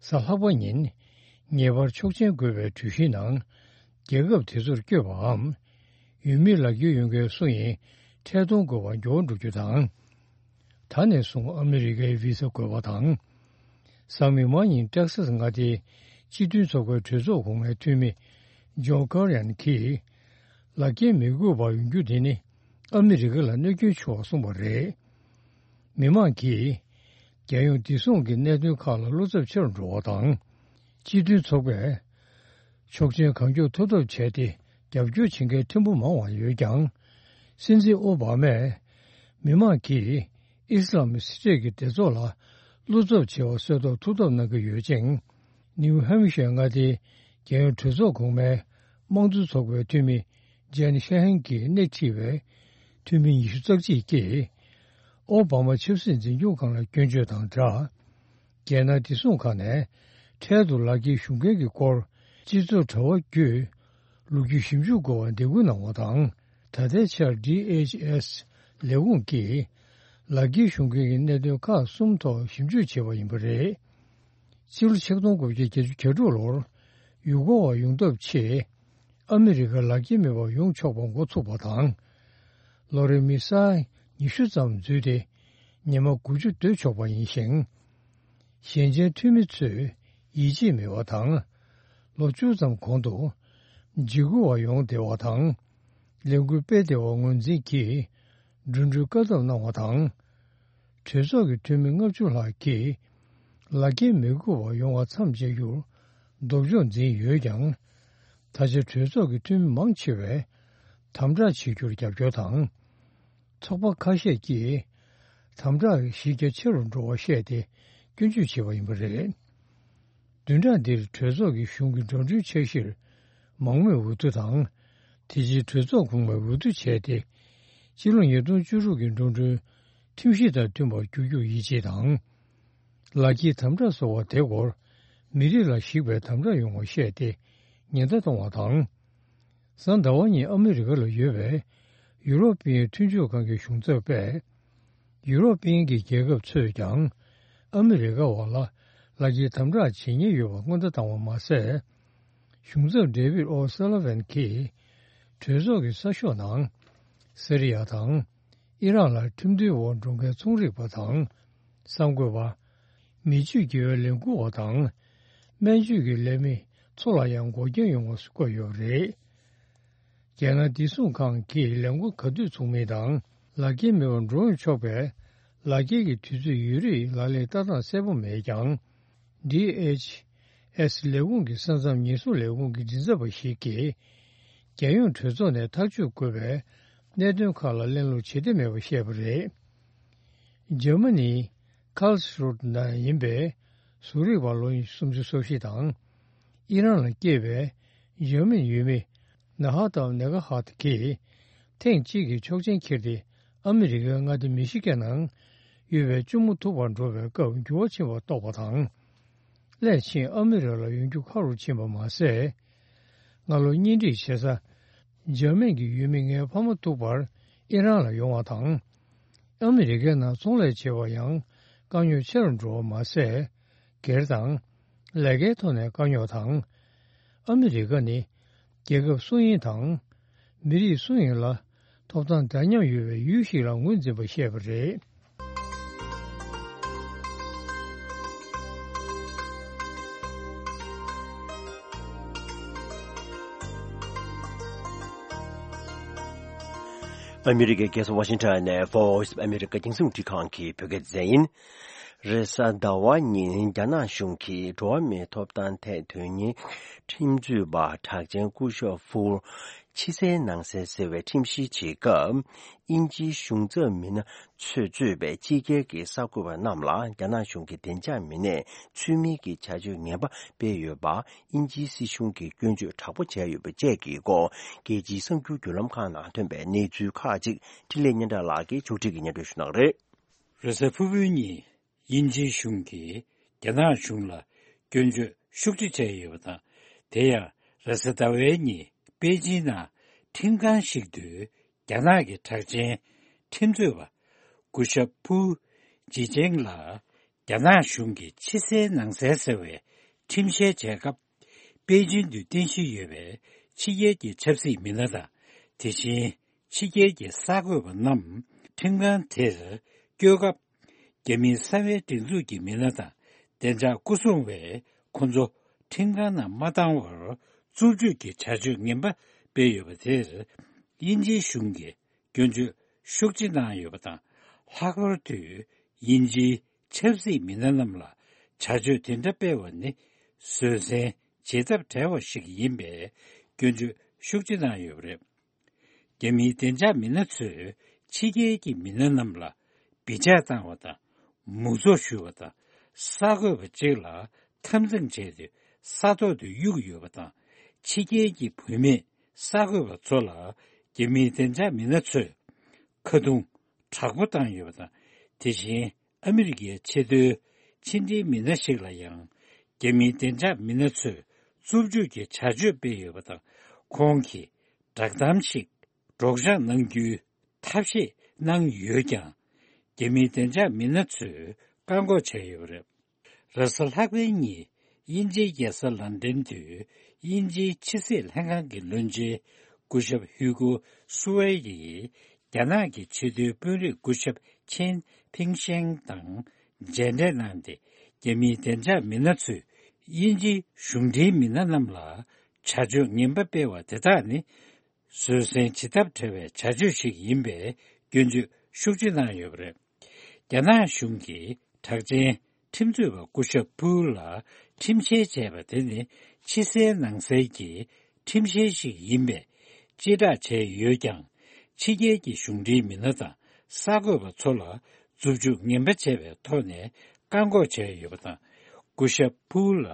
གཟའ་ལྷག་པ་ཉིན་ངེས་པར་ཆོག་མཆན་དགོས་པའི་གྲོས་གཞིའི་ནང་རྒྱལ་ཁབ་དེ་ཚོར་བསྐྱོད་པའམ་ཡུལ་མིའི་ལག་འཁྱེར་ཡོད་མཁན་སུ་ཡིན་ཁྲལ་གཏོང་དགོས་པར་འགྱུར་བ་འགྲོ་རྒྱུ་དང་། ད་ནས་བཟུང་ཨ་མི་རི་ཀའི་བི་ས་དགོས་པ་དང་། གཟའ་མིག་དམར་ཉིན་ཏེག་སཱས་མངའ་སྡེའི་སྤྱི་མཐུན་ཚོགས་པའི་གྲོས་ཚོགས་གོང་མའི་འཐུས་མི་ཇོན་ཀར་ཡན་གྱིས། ལག་འཁྱེར་མི་དགོས་པར་ཡོང་རྒྱུ་དེ་ནི་ཨ་མི་རི་ཀ་ལ་གནོད་སྐྱོན་ཆེ་བར་གསུངས་པ་རེད། མི་མང་གིས་རྒྱལ་ཡོངས་བདེ་སྲུང་གི་གནད་དོན་ཁག་ལ་བློ་འཚབ་ཆེ་རུ་འགྲོ་བ་དང་། སྤྱི་མཐུན་ཚོགས་པས་ཆོག་མཆན་གང་མགྱོགས་ཐོབ་ཐབས་བྱས་ཏེ་རྒྱབ་སྐྱོར་བྱེད་མཁན་ཕྲན་བུ་མང་བ་ཡོད་ཀྱང་། སྲིད་འཛིན་ཨོ་བྷ་མས་མི་མང་གིས་ཨི་སི་ལམ་སི་ཊེཊ་ཀྱི་སྡེ་ཚོགས་ལ་བློ་འཚབ་ཆེ་བ་བཟོ་ཐབས་ཐུགས་འདོད་གནང་གི་ཡོད་ཅིང་། ནིའུ་ཧེམ་ཤར་མངའ་སྡེའི་རྒྱལ་ཡོངས་གྲོས་ཚོགས་གོང་མའི་དམངས་གཙོ་ཚོགས་པའི་འཐུས་མི་ཇན་ཤ་ཧན་གྱིས་སྣེ་ཁྲིད་པའི་འཐུས་མི་ཉི་ཤུ་རྩ་གཅིག་གིས། ཨོ་བྷ་མ་ཆབ་སྲིད་འཛིན་སྐྱོང་ཁང་ལ་སྐྱོན་བརྗོད་དང་སྦྲགས། རྒྱལ་ནང་བདེ་སྲུང་ཁང་ནས་འཕྲལ་དུ་ལག་འཁྱེར་ཞུ་མཁན་གྱི་སྐོར་སྤྱི་ཚོགས་དྲ་བ་བརྒྱུད་ལོ་རྒྱུས་ཞིབ་འཇུག་དགོས་པར་འདེད་སྐུལ་གནང་བ་དང་། ད་ལྟའི་ཆར་ཌི་ཨེཆ་ཨེས་ལས་ཁུངས་ཀྱིས་ལག་འཁྱེར་ཞུ་མཁན་གྱི་གནད་དོན་ཁག་གསུམ་ཐོག་ཞིབ་འཇུག་བྱས་པ་ཡིན་པ་རེད། ཕྱི་ལོ་ཆིག་སྟོང་དགུ་བརྒྱ་བརྒྱད་ཅུ་གྱ་དྲུག་ལོར་ཡུལ་སྐོར་བ་ཡོང་ཐབས་ཆེད། ཨ་མི་རི་ཀར་ལག་འཁྱེར་མེད་པར་ཡོང་ཆོག་པ་འགོ་ཚུགས་པ་དང་། ལོ་རེར་མི་ས་ཉི་ཤུ་ཙམ་འཛུལ་ཏེ་ཉི་མ་དགུ་བཅུ་སྡོད་ཆོག་པ་ཡིན་ཞིང་། ཞན་ཆེན་འཐུས་མི་ཚོས་ཡིད་ཆེས་མེད་པ་དང་། ལོ་བཅུ་ཙམ་གོང་དུ་འཇིགས་སྐུལ་བ་ཡོང་བདེ་བ་དང་། ལས་འགུལ་སྤེལ་བདེ་བ་ངོས་འཛིན་གྱིས་འགྲོ་གྲོན་བཀག་སྡོམ་གནང་བ་དང་། གྲོས་ཚོགས་ཀྱི་འཐུས་མི་ལྔ་བཅུ་ལྷག་གིས་ལག་འཁྱེར་མི་དགོས་པར་ཡོང་བ་མཚམས་བཅད་རྒྱུར་ལྡོག་ཕྱོགས་འཛིན་ཡོད་ཀྱང་། ད་ཆ་གྲོས་ཚོགས་ཀྱི་འཐུས་མི་མང་ཆེ་བས་དམ་དྲག་བྱེད་རྒྱུར་རྒྱབ་སྐྱོར་དང་། ཚོགས་པ་ཁ་ཤས་ཀྱིས་དམ་དྲག་གི་གཞི་རྒྱ་ཆེ་རུ་འགྲོ་བ་བཤད་དེ་སྐྱོན་བརྗོད་བྱས་པ་ཡིན་པ་རེད། བདུན་ཕྲག་འདིར་གྲོས་ཚོགས་ཀྱི་གཞུང་གི་འགྲོ་གྲོན་འཆར་གཞིར་མང་མོས་འོས་བསྡུ་དང་། དེ་རྗེས་གྲོས་ཚོགས་གོང་མའི་འོས་བསྡུ་བྱས་ཏེ། སྤྱི་ལོ་ཉིས་སྟོང་བཅུ་དྲུག་གི་འགྲོ་གྲོན་ཁྲིམས་གཞི་དང་མཐུན་པར་འགྱུར་རྒྱུར་ཡིད་ཆེས་དང་། ལག་འཁྱེར་དམ་དྲག་སོགས་པ་དེ་སྐོར་མི་རིགས་ལ་གཞིགས་པའི་དམ་དྲག་ཡོང་བ་བཤད་དེ་ཉེན་བརྡ་གཏོང་བ་དང་། གཟའ་ཟླ་བ་ཉིན་ཨ་མི་རི་ཀ་ལ་ཡོད་པའི་ཡུ་རོབ་པའི་མཐུན་ཕྱོགས་ཁང་གི་གཞུང་ཚབ་པས། ཡུ་རོབ་པའི་གི་རྒྱལ་ཁབ་ཚོས་ཀྱང་ཨ་མི་རི་ཀ་བ་ལ་ལག་འཁྱེར་དམ་དྲག་བྱེད་ཉེན་ཡོད་པ་སྔོན་བརྡ་བཏང་བ་མ་ཟད། གཞུང་ཚབ་ཌེ་བིད་ཨོ་སེ་ལ་ཝན་གྱིས་གྲོས་ཚོགས་ཀྱི་གསར་ཤོག་ནང་སི་རི་ཡ་དང་ཨི་རག་ལ་ཁྲིམས་མཐུན་འོག་འགྲོ་མཁན་ཚོང་རིག་པ་དང་གསར་འགོད་པ། མི་སྤྱོད་དགེ་བའི་ལས་འགུལ་བ་དང་སྨན་བཅོས་ཀྱི་ལས་མི་ཚོ་ལ་ཡང་འགོག་རྐྱེན་ཡོང་བ་བཀོད་ཡོད་པ་རེད། རྒྱལ་ནང་བདེ་སྲུང་ཁང་གིས་ལས་འགུལ་ག་དུས་ཚུགས་མིན་དང་། ལག་འཁྱེར་མེད་པར་འགྲོ་ཡོང་ཆོག་པའི་ལག་འཁྱེར་གྱི་དུས་ཚོད་ཡོད་རིགས་ལག་ལེན་བསྟར་སྟངས་གསལ་པོ་མེད་ཀྱང་། ཌི་ཨེཆ་ཨེས་ལས་ཁུངས་ཀྱི་ས་མཚམས་ཉེན་སྲུང་ལས་ཁུངས་ཀྱི་མགྲིན་ཚབ་པ་ཞིག་གིས། རྒྱལ་ཡོངས་གྲོས་ཚོགས་ནས་ཐག་གཅོད་དགོས་པའི་གནད་དོན་ཁག་ལ་གླེང་སློང་བྱེད་འདོད་མེད་པ་བཤད་པ་རེད། འཇར་མ་ནིའི་ཁཱལ་སི་རུ་ཊི་ནང་ཡིན་པའི་ཟུར་རིག་པ་ལོ་ཉི་ཤུ་རྩ་བཞི་དང་། ཨི་རན་ལ་སྐྱེས་པའི་འཇར་མན་ཡུལ་མི་ན་ཧ་ཏའོ་ནེ་ག་ཧ་ཏ་གིས་ཐེངས་གཅིག་གི་ཆོག་མཆན་འཁྱེར་ཏེ་ཨ་མི་རི་ཀའི་མངའ་སྡེ་མི་ཤི་གན་ནང་ཡོད་པའི་གཅུང་མོ་ཐུག་པར་འགྲོ་བའི་སྐབས་འགྱུར་བ་ཕྱིན་པ་རྟོགས་པ་དང་། སླད་ཕྱིན་ཨ་མི་རི་ལ་ཡོང་རྒྱུ་ཁག་རུ་ཕྱིན་པ་མ་ཟད། སྔ་ལོ་གཉེན་སྒྲིག་བྱེད་ས་འཇར་མན་གྱི་ཡུལ་མི་ངའི་ཕ་མ་ཐུག་པར་ཨི་རན་ལ་ཡོང་བ་དང་། ཨ་མི་རི་ཀའི་ནང་ཚོང་ལས་བྱེད་པར་ཡང་དཀའ་རྙོག་ཆེ་རུ་འགྲོ་བ་མ་ཟད། སྒེར་དང་། ལས་ཀའི་ཐོག་ནས་དཀའ་རྙོག་དང་། ཨ་མི་རི་ཀ་ནི་རྒྱལ་ཁབ་སུ་ཡིན་དང་། མི་རིགས་སུ་ཡིན་ལ་ཐོབ་ཐང་འདྲ་མཉམ་ཡོད་པའི་ཡུལ་ཞིག་ལ་ངོས་འཛིན་པ་བཤད་པ་རེད། ཨ་མི་རི་ཀའི་རྒྱལ་ས་ཝ་ཤིང་ཊོན་ནས་Voice of America རྒྱང་སྲིང་འཕྲིན་ཁང་གི་བོད་སྐད་སྡེ་ཚན་ཡིན། རེས་གཟའ་ཟླ་བ་ཉིན་རྒྱ་ནག་གཞུང་གིས་འགྲོ་བ་མིའི་ཐོབ་ཐང་ཐད་དོན་གཉེར་ཁྲིམས་རྩོད་པ་གྲགས་ཅན་སྐུ་ཞབས་ཧྥུའུ་ཕྱི་གསལ་ནང་གསལ་ཟེར་བའི་ཁྲིམས་བཤེར་བྱེད་སྐབས། དབྱིན་ཇིའི་གཞུང་ཚབ་མི་སྣ་ཚོས་གཙོས་པའི་ཕྱི་རྒྱལ་གྱི་གསར་འགོད་པ་རྣམས་ལ་རྒྱ་ནག་གཞུང་གི་བདེ་འཇགས་མི་སྣས་ཚུལ་མིན་གྱི་བྱ་སྤྱོད་ངན་པ་སྤེལ་ཡོད་པ། དབྱིན་ཇིའི་སྲིད་གཞུང་གིས་སྐྱོན་བརྗོད་དྲག་པོ་བྱས་ཡོད་པ་བཅས་ཀྱི་སྐོར། རྒྱལ་སྤྱིའི་གསར་འགྱུར་བརྒྱུད་ལམ་ཁག་ནང་ཐོན་པའི་གནས་ཚུལ་ཁག་ཅིག་འཕྲིན་ལས་སྙན་གྲགས་ལགས་ཀྱིས་ཕྱོགས་སྒྲིག་གིས་སྙན་སྒྲོན་ཞུ་གནང་རེད། རེས་གཟའ་ཕུར་བུའི་ཉིན། དབྱིན་ཇིའི་གཞུང་གིས་རྒྱ་ནག་གཞུང་ལ་སྐྱོན་བརྗོད་ཤུགས་ཆེ་བྱས་ཡོད་པ་དང་། དེ་ཡང་རེས་གཟའ་ཟླ་བའི་ཉིན་པེ་ཅིན་ནང་ཁྲིམས་ཁང་ཞིག་ཏུ་རྒྱ་ནག་གི་གྲགས་ཅན་ཁྲིམས་རྩོད་པ་སྐུ་ཞབས་ཕུའུ་ཅི་ཅེང་ལ། རྒྱ་ནག་གཞུང་གིས་ཕྱི་གསལ་ནང་གསལ་ཟེར་བའི་ཁྲིམས་བཤེར་བྱས་སྐབས། པེ་ཅིན་དུ་རྟེན་གཞི་ཡོད་པའི་ཕྱི་རྒྱལ་གྱི་ཆབ་སྲིད་མི་སྣ་དང་། དེ་བཞིན་ཕྱི་རྒྱལ་གྱི་གསར་འགོད་པ་རྣམས་ཁྲིམས་ཁང་དེར་བསྐྱོད་སྐབས། རྒྱ་མིའི་གསང་བའི་སྒྲིག་འཛུགས་ཀྱི་མི་སྣ་དང་བདེ་འཇགས་སྐུ་སྲུང་བས་ཁོ་ཚོ་ཁྲིམས་ཁང་ནང་མ་བཏང་བར་རྩུབ་སྤྱོད་ཀྱི་བྱ་སྤྱོད་ངན་པ་སྤེལ་ཡོད་པ་དེར། དབྱིན་ཇིའི་གཞུང་གིས་སྐྱོན་བརྗོད་ཤུགས་ཆེ་གནང་ཡོད་པ་དང་། ལྷག་པར་དུ་དབྱིན་ཇིའི་ཆབ་སྲིད་མི་སྣ་རྣམས་ལ་བྱ་སྤྱོད་དེ་འདྲ་སྤེལ་བ་ནི་བཟོད་བསྲན་བྱེད་ཐབས་བྲལ་བ་ཞིག་ཡིན་པའི་སྐྱོན་བརྗོད་ཤུགས་ཆེ་གནང་ཡོད་པ་རེད། རྒྱ་མིའི་བདེ་འཇགས་མི་སྣ་ཚོས་ཕྱི་རྒྱལ་གྱི་མི་སྣ་རྣམས་ལ་བི་ཇ་བཏང་བ་དང་། མུ་ཚོགས་ཞུ་བ་དང་། གསར་འགོད་པ་གཅིག་ལ་འཐབ་འཛིང་བྱས་ཏེ་ས་ཐོག་ཏུ་གཡུགས་ཡོད་པ་དང་། ཕྱི་རྒྱལ་གྱི་བུད་མེད་གསར་འགོད་པ་ཚོ་ལ་རྒྱ་མིའི་བདེ་འཇགས་མི་སྣ་ཚོས་ཁ་རྡུང་དྲག་པོ་བཏང་ཡོད་པ་དང་། དེ་བཞིན་ཨ་མི་རི་ཀའི་ཆེས་མཐོའི་ཕྱི་འབྲེལ་མི་སྣ་ཞིག་ལ་ཡང་རྒྱ་མིའི་བདེ་འཇགས་མི་སྣ་ཚོས་རྩུབ་སྤྱོད་ཀྱི་བྱ་སྤྱོད་སྤེལ་ཡོད་པ་དང་། ཁོང་གིས་བསྒྲགས་གཏམ་ཞིག་སྒྲོག་སྦྱང་གནང་རྒྱུའི་ཐབས་ཤེས་གནང་ཡོད་ཀྱང་། རྒྱ་མིའི་བདེ་འཇགས་མི་སྣ་ཚོས་བཀག་འགོག་བྱས་ཡོད་པ་རེད། རེས་གཟའ་ལྷག་པའི་ཉིན་དབྱིན་ཇིའི་རྒྱལ་ས་ལན་ཀྲན་དུ་དབྱིན་ཇིའི་ཕྱི་སྲིད་ལྷན་ཁང་གི་བློན་ཆེན་སྐུ་ཞབས་ཧུའུ་ཀོ་སུ་ཝེ་ཡིས་རྒྱ་ནག་གི་ཆེས་མཐོའི་དཔོན་རིགས་སྐུ་ཞབས་ཆན་ཕིང་ཤན་དང་མཇལ་འཕྲད་གནང་སྟེ། རྒྱ་མིའི་བདེ་འཇགས་མི་སྣ་ཚོས་དབྱིན་ཇིའི་གཞུང་འབྲེལ་མི་སྣ་རྣམས་ལ་བྱ་སྤྱོད་ངན་པ་སྤེལ་བ་དེ་དག་ནི་བཟོད་བསྲན་བྱེད་ཐབས་བྲལ་བའི་བྱ་སྤྱོད་ཞིག་ཡིན་པའི་སྐྱོན་བརྗོད་ཤུགས་ཆེ་གནང་ཡོད་པ་རེད། རྒྱ་ནག་གཞུང་གིས་གྲགས་ཅན་ཁྲིམས་རྩོད་པ་སྐུ་ཞབས་ཕུའུ་ལ་ཁྲིམས་བཤེར་བྱས་པ་དེ་ནི་ཕྱི་གསལ་ནང་གསལ་གྱི་ཁྲིམས་བཤེར་ཞིག་ཡིན་པས། སྤྱི་བསྒྲགས་བྱས་ཡོད་ཀྱང་། ཕྱི་རྒྱལ་གྱི་གཞུང་འབྲེལ་མི་སྣ་དང་གསར་འགོད་པ་ཚོ་ལ་རྩུབ་སྤྱོད་ངན་པ་བྱས་པའི་ཐོག་ནས་བཀག་འགོག་བྱས་ཡོད་པ་དང་། སྐུ་ཞབས་ཕུའུ་ལ་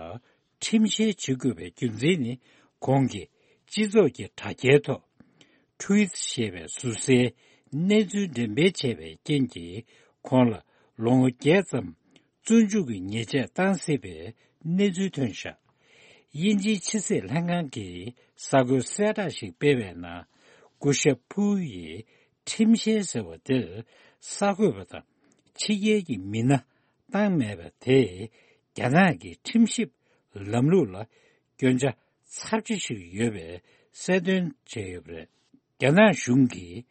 ཁྲིམས་བཤེར་བྱེད་དགོས་པའི་རྒྱུ་མཚན་ནི། ཁོང་གིས་སྤྱི་ཚོགས་ཀྱི་དྲ་རྒྱའི་ཐོག་Truth ཞེས་པའི་ཟུར་གསལ་གནས་ཚུལ་འགྲེམས་སྤེལ་བྱས་པའི་རྐྱེན་གྱིས། ཁོང་ལ་ལོ་ངོ་བརྒྱད་ཙམ་བཙོན་འཇུག་གི་ཉེས་ཆད་བཏང་སྲིད་པའི་གནས་ཚུལ་ཐོན་བཞག་དབྱིན་ཇིའི་ཕྱི་སྲིད་ལྷན་ཁང་གིས་གསར་འགོད་གསལ་བསྒྲགས་ཤིག་སྤེལ་བའི་ནང་། སྐུ་ཞབས་ཕུའུ་ཡིས་ཁྲིམས་བཤེར་ཟེར་བ་དེར་གསར་འགོད་པ་དང་ཕྱི་རྒྱལ་གྱི་མི་སྣ་བཏང་མེད་པ་དེས། རྒྱ་ནག་གི་ཁྲིམས་ཞིབ་ལམ་ལུགས་ལ་སྐྱོན་ཆ་ཚབས་ཆེ་ཞིག་ཡོད་པའི་གསལ་སྟོན་བྱས་ཡོད་པ་རེད། རྒྱ་ནག་གཞུང་གིས་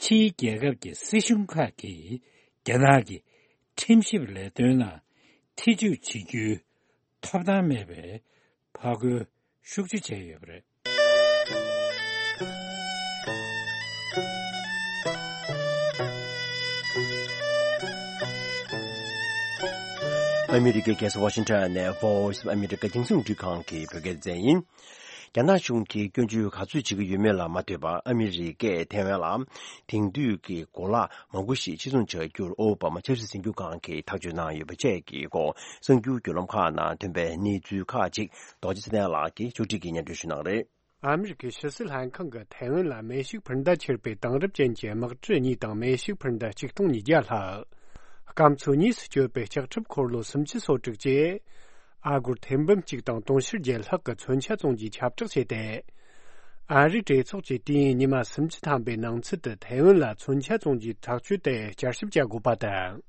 ཕྱིའི་རྒྱལ་ཁབ་ཀྱི་སྲིད་གཞུང་ཁག་གིས་རྒྱ་ནག་གི་ཁྲིམས་ཞིབ་ལས་དོན་ནང་ཐེ་ཇུས་བྱེད་རྒྱུའི་ཐོབ་ཐང་མེད་པའི་ཕར་རྒོལ་ཤུགས་ཆེ་བྱས་ཡོད་པ་རེད། ཨ་མི་རི་ཀའི་རྒྱལ་ས་ཝ་ཤིང་ཊོན་ནས་Voice of America་རྒྱང་སྲིང་རླུང་འཕྲིན་ཁང་གི་བོད་སྐད་སྡེ་ཚན་ཡིན། རྒྱ་ནག་གཞུང་གིས་སྐྱོན་བརྗོད་ག་ཚོད་བྱེད་ཀྱི་ཡོད་མེད་ལ་མ་ལྟོས་པར། ཨ་མི་རི་ཀས་ཐའེ་ཝན་ལ་དེང་དུས་ཀྱི་གོ་ལག་མང་པོ་ཞིག་ཕྱིར་ཚོང་བྱ་རྒྱུར་ཨོ་བྷ་མ་ཆབ་སྲིད་འཛིན་སྐྱོང་ཁང་གིས་ཐག་གཅོད་གནང་ཡོད་པ་བཅས་ཀྱི་སྐོར། གསར་འགྱུར་བརྒྱུད་ལམ་ཁག་ནང་ཐོན་པའི་གནས་ཚུལ་ཁག་ཅིག་རྡོ་རྗེ་ཚེ་བརྟན་ལགས་ཀྱིས་ཕྱོགས་སྒྲིག་གིས་སྙན་སྒྲོན་ཞུ་གནང་རེད། ཨ་མི་རི་ཀའི་ཕྱི་སྲིད་ལྷན་ཁང་གིས་ཐའེ་ཝན་ལ་མེ་ཤུགས་འཕུར་མདའ་ཁྱེར་བའི་དེང་རབས་ཅན་གྱི་དམག་གྲུ་གཉིས་དང་མེ་ཤུགས་འཕུར་མདའ་ཆིག་སྟོང་ཉིས་བརྒྱ་ལྷག་སྐམ་མཚོ་གཉིས་སུ་སྐྱོད་པའི་ལྕགས་ཁྲབ་འཁོར་ལོ་སུམ་ཅུ་སོ་དྲུག་བཅས་ཨ་སྒོར་ཐེར་འབུམ་གཅིག་དང་དུང་ཕྱུར་བརྒྱད་ལྷག་གི་མཚོན་ཆ་བཙོང་རྒྱུའི་ཁྱབ་བསྒྲགས་བྱས་ཏེ། ཨ་རིའི་གྲོས་ཚོགས་ཀྱིས་དུས་ཡུན་ཉི་མ་སུམ་ཅུ་ཐམ་པའི་ནང་ཚུད་དུ་ཐའེ་ཝན་ལ་མཚོན་ཆ་བཙོང་རྒྱུའི་ཐག་གཅོད་དེ་བསྐྱར་ཞིབ་བྱ་དགོས་པ་དང་།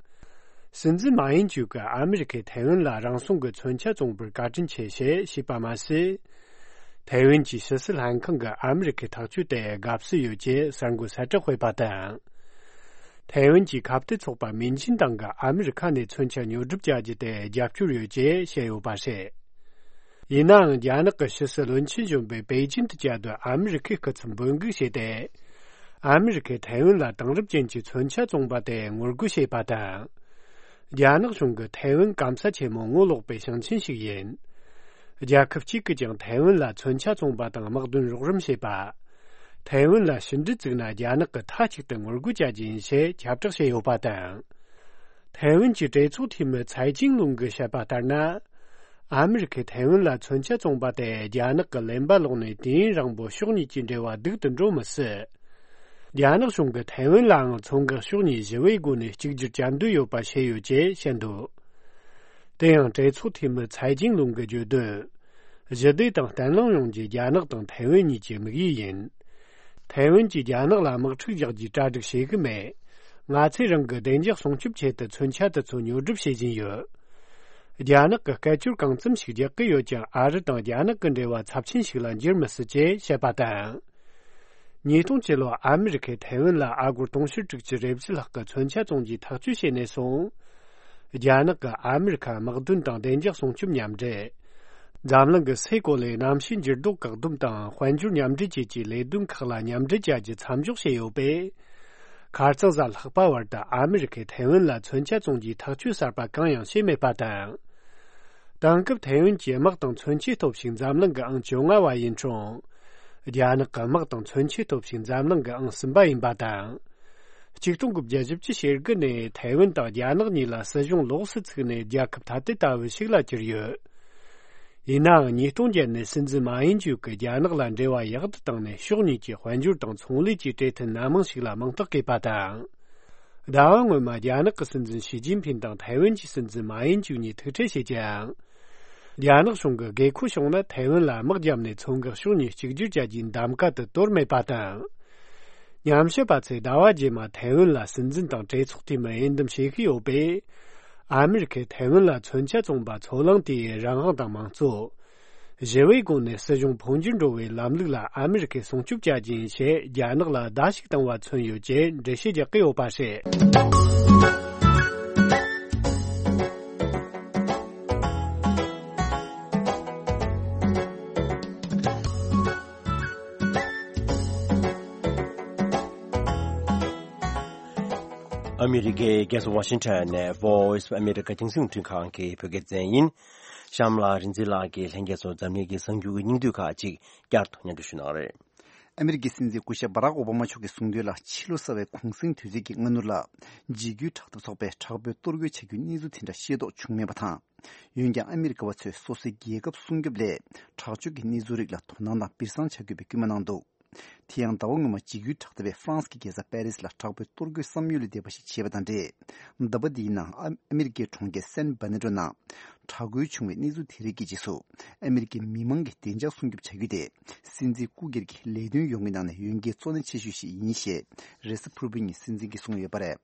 སྲིད་འཛིན་མཱ་ཡིན་ཅུག་གིས་ཨ་མི་རི་ཀས་ཐའེ་ཝན་ལ་རང་སྲུང་གི་མཚོན་ཆ་བཙོང་བར་བཀའ་དྲིན་ཆེ་ཞེས་ཞུས་པ་མ་ཟད། ཐའེ་ཝན་གྱི་ཕྱི་སྲིད་ལྷན་ཁང་གིས་ཨ་མི་རི་ཀའི་ཐག་གཅོད་དེ་དགའ་བསུ་ཡོད་ཅེས་གསར་འགོད་གསལ་བསྒྲགས་སྤེལ་པ་དང་། ཐའེ་ཝན་གྱི་ཁ་གཏད་ཚོགས་པ་མིན་ཆིན་ཏང་གིས་ཨ་མི་རི་ཁ་ནས་མཚོན་ཆ་ཉོ་སྒྲུབ་བྱ་རྒྱུ་དེ་རྒྱབ་སྐྱོར་ཡོད་ཅེས་བཤད་ཡོད་པ་རེད། ཡིན་ནའང་རྒྱ་ནག་གི་ཕྱི་སྲིད་བློན་ཆེན་གཞོན་པས་པེ་ཅིན་དུ་བཅའ་སྡོད་ཨ་མི་རི་ཁའི་སྐུ་ཚབ་འབོད་འགུག་བྱས་ཏེ། ཨ་མི་རི་ཁས་ཐའེ་ཝན་ལ་དེང་རབས་ཅན་གྱི་མཚོན་ཆ་བཙོང་པ་དེ་ངོ་རྒོལ་བྱས་པ་དང་། རྒྱ་ནག་གཞུང་གིས་ཐའེ་ཝན་སྐམ་ས་ཆེན་མོ་ངོ་ལོག་པའི་ཞིང་ཆེན་ཞིག་ཡིན། རྒྱལ་ཁབ་གཅིག་གིས་ཀྱང་ཐའེ་ཝན་ལ་མཚོན་ཆ་བཙོང་པ་དང་དམག་དོན་རོགས་རམ་བྱེད་པ། ཐའེ་ཝན་ལ་ཕྱི་འབྲེལ་བཙུགས་ན་རྒྱ་ནག་གིས་མཐའ་གཅིག་ཏུ་ངོ་རྒོལ་བྱ་རྒྱུ་ཡིན་ཞེས་ཁྱབ་བསྒྲགས་བྱས་ཡོད་པ་དང་། ཐའེ་ཝན་གྱི་གྲོས་ཚོགས་འཐུས་མི་ཚའེ་ཅིང་ལུང་གིས་བཤད་པ་ལྟར་ན། ཨ་མི་རི་ཁས་ཐའེ་ཝན་ལ་མཚོན་ཆ་བཙོང་པ་དེ་རྒྱ་ནག་གི་ལེན་པ་ལོག་ནས་དུས་ཡུན་རིང་པོ་ཕྱོགས་གཉིས་ཀྱི་འབྲེལ་བ་སྡུག་ཏུ་འགྲོ་མི་སྲིད། རྒྱ་ནག་གཞུང་གིས་ཐའེ་ཝན་ལའང་མཚོ་འགག་ཕྱོགས་གཉིས་ཞི་བའི་སྒོ་ནས་གཅིག་གྱུར་བྱ་འདོད་ཡོད་པ་བཤད་ཡོད་ཅེས་བཤད་འདུག་དེ་ཡང་གྲོས་ཚོགས་འཐུས་མི་ཚའེ་ཅིང་ལུང་གིས་བརྗོད་དོན། ཞི་བདེ་དང་བརྟན་ལྷིང་ཡོང་རྒྱུ་རྒྱ་ནག་དང་ཐའེ་ཝན་གཉིས་ཀྱི་དམིགས་ཡུལ་ཡིན། ཐའེ་ཝན་གྱིས་རྒྱ་ནག་ལ་དམག་འཁྲུག་རྒྱག་རྒྱུའི་གྲ་སྒྲིག་བྱེད་ཀྱི་མེད། ང་ཚོས་རང་གི་བདེ་འཇགས་སྲུང་སྐྱོབ་ཆེད་དུ་མཚོན་ཆ་དེ་ཚོ་ཉོ་སྒྲུབ་བྱེད་བཞིན་ཡོད། རྒྱ་ནག་གིས་སྐད་ཅོར་གང་འཚམ་ཞིག་རྒྱག་གི་ཡོད་ཀྱང་ཨ་རི་དང་རྒྱ་ནག་གི་འབྲེལ་བ་ཚབས་ཆེན་ཞིག་ལ་འགྱུར་མི་སྲིད་ཅེས་བཤད་པ་དང་། ཉིས་སྟོང་བཅུ་ལོར་ཨ་མི་རི་ཁས་ཐའེ་ཝན་ལ་ཨ་སྒོར་དུང་ཕྱུར་དྲུག་ཅུ་རེ་བཞི་ལྷག་གི་མཚོན་ཆ་བཙོང་རྒྱུའི་ཐག་གཅོད་བྱས་ནས་བཟུང་། རྒྱ་ནག་གིས་ཨ་མི་རི་ཁར་དམག་དོན་དང་བདེ་འཇགས་སྲུང་སྐྱོབ་མཉམ་འབྲེལ། འཛམ་གླིང་གི་སའི་གོ་ལའི་གནམ་གཤིས་འགྱུར་ལྡོག་བཀག་སྡོམ་དང་དཔལ་འབྱོར་མཉམ་འབྲེལ་བཅས་ཀྱི་ལས་དོན་ཁག་ལ་མཉམ་འབྲེལ་བྱ་རྒྱུ་མཚམས་འཇོག་བྱས་ཡོད་པས། ཁ་རྩང་གཟའ་ལྷག་པ་བར་དུ་ཨ་མི་རི་ཁས་ཐའེ་ཝན་ལ་མཚོན་ཆ་བཙོང་རྒྱུའི་ཐག་གཅོད་གསར་པ་གང་ཡང་བྱས་མེད་པ་དང་། དེང་སྐབས་ཐའེ་ཝན་གྱི་དམག་དང་མཚོན་ཆའི་སྟོབས་ཤུགས་འཛམ་གླིང་གི་ཨང་བཅོ་ལྔ་བ་ཡིན་ཀྱང་། རྒྱ་ནག་གི་དམག་དང་མཚོན་ཆའི་སྟོབས་ཤུགས་འཛམ་གླིང་གི་ཨང་གསུམ་པ་ཡིན་པ་དང་། གཅིག་སྟོང་དགུ་བརྒྱ་བཞི་བཅུ་ཞེ་དགུ་ནས་ཐའེ་ཝན་དང་རྒྱ་ནག་གཉིས་ལ་སྲིད་གཞུང་ལོགས་སུ་ཚུགས་ནས་རྒྱལ་ཁབ་ཐ་དད་ལྟ་བུ་ཞིག་ལ་གྱུར་ཡོད། ཡིན་ནའང་ཉིས་སྟོང་བརྒྱད་ནས་སྲིད་འཛིན་མཱ་ཡིན་ཅུག་གིས་རྒྱ་ནག་ལ་འབྲེལ་བ་ཡག་ཏུ་བཏང་ནས་ཕྱོགས་གཉིས་ཀྱི་དཔལ་འབྱོར་དང་ཚོང་ལས་ཀྱི་གྲོས་མཐུན་སྣ་མང་ཞིག་ལ་མིང་རྟགས་བཀོད་པ་དང་། ཟླ་བ་སྔོན་མ་རྒྱ་ནག་གི་སྲིད་འཛིན་ཞི་ཅིན་ཕིན་དང་ཐའེ་ཝན་གྱི་སྲིད་འཛིན་མཱ་ཡིན་ཅུག་གཉིས་ཐུག་འཕྲད་བྱས་ཀྱང་། རྒྱ་ནག་གཞུང་གིས་དགོས་མཁོ་བྱུང་ན་ཐའེ་ཝན་ལ་དམག་བརྒྱབ་ནས་མཚོ་འགག་ཕྱོགས་གཉིས་གཅིག་གྱུར་བྱ་རྒྱུའི་གདམ་ག་དེ་དོར་མེད་པ་དང་། ཉམས་ཞིབ་པ་ཚོས་ཟླ་བ་རྗེས་མ་ཐའེ་ཝན་ལ་སྲིད་འཛིན་དང་གྲོས་ཚོགས་འཐུས་མི་འོས་འདེམས་བྱེད་ཀྱི་ཡོད་པས། ཨ་མི་རི་ཁས་ཐའེ་ཝན་ལ་མཚོན་ཆ་བཙོང་པ་ཚོ་ལངས་ཏེ་རང་དབང་དང་མང་གཙོ། ཞི་བའི་སྒོ་ནས་སྲིད་གཞུང་འཕོ་འགྱུར་འགྲོ་བའི་ལམ་ལུགས་ལ་ཨ་མི་རི་ཁས་སྲུང་སྐྱོབ་བྱ་རྒྱུ་ཡིན་ཞེས་རྒྱ་ནག་ལ་བརྡ་ཞིག་བཏང་བ་མཚོན་ཡོད་ཅེས་འགྲེལ་བཤད་རྒྱག་གི་ཡོད་པ་རེད། ཨ་མི་རི་ཀའི་རྒྱལ་ས་ཝ་ཤིང་ཊོན་ནས་Voice of America་རྒྱང་སྲིང་རླུང་འཕྲིན་ཁང་གི་བོད་སྐད་སྡེ་ཚན་ཡིན། གཤམ་ལ་རིག་འཛིན་ལགས་ཀྱིས་ལྷན་རྒྱས་ཚོར་འཛམ་གླིང་གི་གསར་འགྱུར་གྱི་སྙིང་བསྡུས་ཁག་ཅིག་བསྐྱར་དུ་སྙན་སྒྲོན་ཞུ་གནང་རེད། ཨ་མི་རི་ཀའི་སྲིད་འཛིན་སྐུ་ཞབས་བྷ་རག་ཨོ་བྷ་མ་མཆོག་གིས་གསུངས་དོན་ལ། ཕྱི་ལོ་གསར་བའི་གུང་གསེང་དུས་ཚོད་ཀྱི་སྔ་སྣུར་ལ། འཇིགས་སྐུལ་དྲག་འཐབ་ཚོགས་པས་དྲག་པོའི་གཏོར་རྒོལ་བྱ་རྒྱུའི་གནས་ཚུལ་དེ་འདྲ་ཤེས་རྟོགས་བྱུང་མེད་པ་དང་། འོན་ཀྱང་ཨ་མི་རི་ཀ་བ་ཚོས་སོ་སོའི་རྒྱལ་ཁབ་སྲུང་སྐྱོབ་སླད། དྲག་སྤྱོད་ཀྱི་གནས་ཚུལ་རིགས་ལ་དོ་སྣང་དང་སྤུས་གཙང་བྱ་དགོས་པའི་སྐུལ་མ་གནང་འདུག་དེ་ཡང་ཟླ་བ་སྔོན་མ་འཇིགས་སྐུལ་དྲག་འཐབ་པས་ཧྥ་རན་སི་གི་རྒྱལ་ས་པེ་རི་སི་ལ་དྲག་པོའི་གཏོར་རྒོལ་བསམ་ཡུལ་ལས་འདས་པ་ཞིག་བྱས་པ་དང་འབྲེལ། ཟླ་བ་འདིའི་ནང་ཨ་ཨ་མི་རི་ཀའི་གྲོང་ཁྱེར་སན་བྷ་ནེ་ཏྲོ་ནང་དྲག་རྒོལ་བྱུང་བའི་གནས་ཚུལ་དེ་རིགས་ཀྱི་རྗེས་སུ། ཨ་མི་རི་ཀའི་མི་མང་གི་བདེ་འཇགས་སྲུང་སྐྱོབ་བྱ་རྒྱུ་དེ། སྲིད་འཛིན་སྐུ་སྒེར་གྱི་ལས་དོན་ཡོང་གི་ནང་ནས་འོས་འགན་གཙོ་གནད་ཆེ་ཤོས་ཤིག་ཡིན་ཞེས་རེས་གཟའ་ཕུར་བུ་ཉིན་སྲིད་འཛིན་གྱིས་གསུངས་ཡོད་པ་རེད།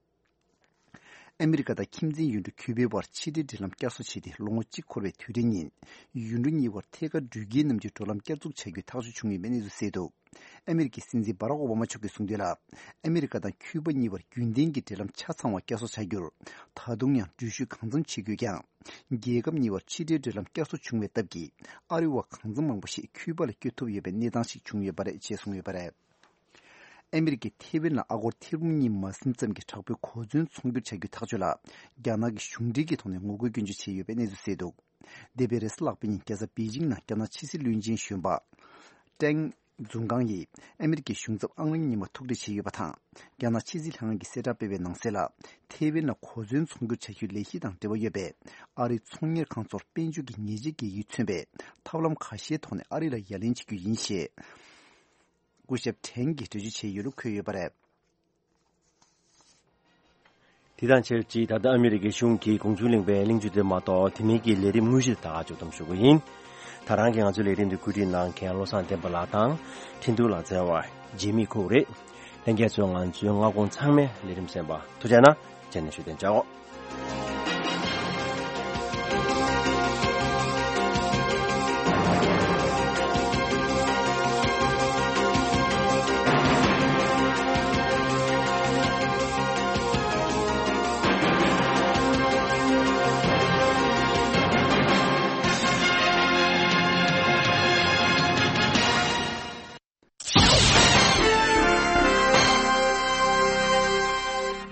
ཨ་མི་རི་ཀ་དང་ཁྱིམ་མཚེས་ཡུལ་གྲུ་ཁྱུ་པའི་བར་ཕྱི་འབྲེལ་འབྲེལ་ལམ་བསྐྱར་གསོ་བྱས་ཏེ་ལོ་ངོ་གཅིག་འཁོར་བའི་དུས་དྲན་ཉིན། ཡུལ་གྲུ་གཉིས་བར་ཐད་ཀར་འགྲུལ་སྐྱེལ་རྣམས་ཀྱི་འགྲོ་ལམ་བསྐྱར་འཛུགས་བྱ་རྒྱུའི་ཐག་གཅོད་བྱུང་ཡོད་པའི་གནས་ཚུལ་གསལ་འདུག་ཨ་མི་རི་ཀའི་སྲིད་འཛིན་བྷ་རག་ཨོ་བྷ་མ་མཆོག་གིས་གསུངས་དོན་ལ། ཨ་མི་རི་ཀ་དང་ཁྱུ་པ་གཉིས་བར་རྒྱུན་ལྡན་གྱི་འབྲེལ་ལམ་ཆ་ཚང་བ་བསྐྱར་གསོ་བྱ་རྒྱུར། ད་དུང་ཡང་འགྲུལ་བཞུད་གང་འཚམ་བྱེད་དགོས་ཀྱང་། རྒྱལ་ཁབ་གཉིས་བར་ཕྱི་འབྲེལ་འབྲེལ་ལམ་བསྐྱར་གསོ་བྱུང་བའི་སྟབས་ཀྱིས། ཨ་རི་བ་གང་འཚམ་མང་པོ་ཞིག་ཁྱུ་པ་ལ་བསྐྱོད་ཐུབ་ཡོད་པའི་གནས་སྟངས་ཤིག་བྱུང་ཡོད་པ་རེད་ཅེས་གསུངས་ཡོད་པ་རེད། ཨ་མི་རི་ཀས་ཐེ་ཝན་ལ་ཨ་སྒོར་ཐེར་འབུམ་གཉིས་མ་ཟིན་ཙམ་གྱི་དྲག་པོའི་གོ་མཚོན་ཚོང་སྒྱུར་བྱ་རྒྱུའི་ཐག་གཅོད་ལ། རྒྱ་ནག་གིས་གཞུང་འབྲེལ་གྱི་ཐོག་ནས་ངོ་རྒོལ་སྐྱོན་བརྗོད་བྱས་ཡོད་པའི་གནས་ཚུལ་གསལ་འདུག་འདས་པའི་རེས་གཟའ་ལྷག་པའི་ཉིན་རྒྱལ་ས་པེ་ཅིང་ནང་རྒྱ་ནག་ཕྱི་སྲིད་བློན་ཆེན་གཞོན་པ་ཀྲེང་ཛུང་ཀང་ཡིས་ཨ་མི་རི་ཀའི་གཞུང་ཚབ་ཨང་རིམ་གཉིས་པ་ཐུག་འཕྲད་བྱས་ཡོད་པ་དང་། རྒྱ་ནག་ཕྱི་སྲིད་ལྷན་ཁང་གིས་གསལ་བསྒྲགས་སྤེལ་བའི་ནང་གསལ་ལ། ཐེ་ཝན་ལ་གོ་མཚོན་ཚོང་སྒྱུར་བྱ་རྒྱུའི་ལས་གཞི་དང་འབྲེལ་བ་ཡོད་པའི་ཨ་རིའི་ཚོང་གཉེར་ཁང་ཚོར་དཔལ་འབྱོར་གྱི་ཉེས་ཆད་འགེལ་རྒྱུས་མཚོན་པའི་ཐབས་ལམ་ཁ་ཤས་ཐོག་ནས་ཨ་རི་ལ་ཡ་ལན་བྱེད་རྒྱུ་ཡིན་ཞེས། སྐུ་ཞབས་ཁྲེན་གྱིས་འགྲེལ་བརྗོད་བྱས་ཡོད་ལུགས་འཁོད་ཡོད་པ་རེད། དེ་དང་ཆབས་ཅིག་ད་ལྟ་ཨ་མི་རི་ཀའི་གཞུང་གིས་གུང་གཞུང་གླེང་བའི་གླེང་བརྗོད་དེ་མ་གཏོགས་དེ་མིན་གྱི་ལས་རིམ་དངོས་གཞི་དག་ཅིག་བསྡོམས་ཞུ་གི་ཡིན། ད་རང་གིས་ང་ཚོའི་ལས་རིམ་འདི་བཀོད་སྒྲིག་གནང་མཁན་བློ་བཟང་བསྟན་པ་ལགས་དང་། འཕྲིན་ཐུང་ལགས་བརྩེ་བ་རྗེས་མི་ཁུག་རེད། ལྷན་རྒྱས་ཚོས་ང་ཚོའི་སྔ་དགོང་ཚང་མའི་ལས་རིམ་གསན་པ་ཐུགས་རྗེ་གནང་། རྗེས་ནས་ཞུ་གཏན་འཇགས།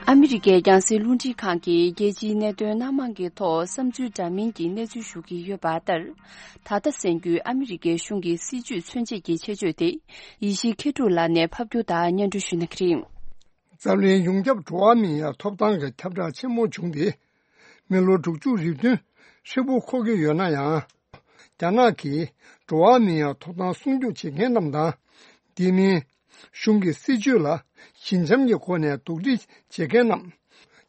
ཨ་མི་རི་ཀའི་རྒྱང་སྲིང་རླུང་འཕྲིན་ཁང་གིས་རྒྱལ་སྤྱིའི་གནད་དོན་སྣ་མང་གི་ཐོག་བསམ་ཚུལ་འདྲ་མིན་གྱི་གནས་ཚུལ་ཞུ་གི་ཡོད་པ་ལྟར། ད་ལྟ་གསན་རྒྱུའི་ཨ་མི་རི་ཀའི་གཞུང་གི་སྲིད་བྱུས་མཚོན་བྱེད་ཀྱི་ཆེད་བརྗོད་དེ། ཡེ་ཤེས་མཁས་གྲུབ་ལགས་ནས་ཕབ་སྒྱུར་དང་སྙན་སྒྲོན་ཞུ་གནང་གི་རེད། འཛམ་གླིང་ཡོངས་ཁྱབ་འགྲོ་བ་མིའི་ཐོབ་ཐང་གི་ཁྱབ་བསྒྲགས་ཆེན་མོ་བྱུང་སྟེ། མི་ལོ་དྲུག་ཅུ་རེ་བདུན་ཧྲིལ་པོ་འཁོར་གྱི་ཡོད་ན་ཡང་། རྒྱ་ནག་གིས་འགྲོ་བ་མིའི་ཐོབ་ཐང་སྲུང་སྐྱོབ་བྱེད་མཁན་རྣམས་དང་། དེ་མིན། གཞུང་གི་སྲིད་བྱུས་ལ་ཞི་འཇམ་གྱི་སྒོ་ནས་རྡོག་ཁྲེས་བྱེད་མཁན་རྣམས།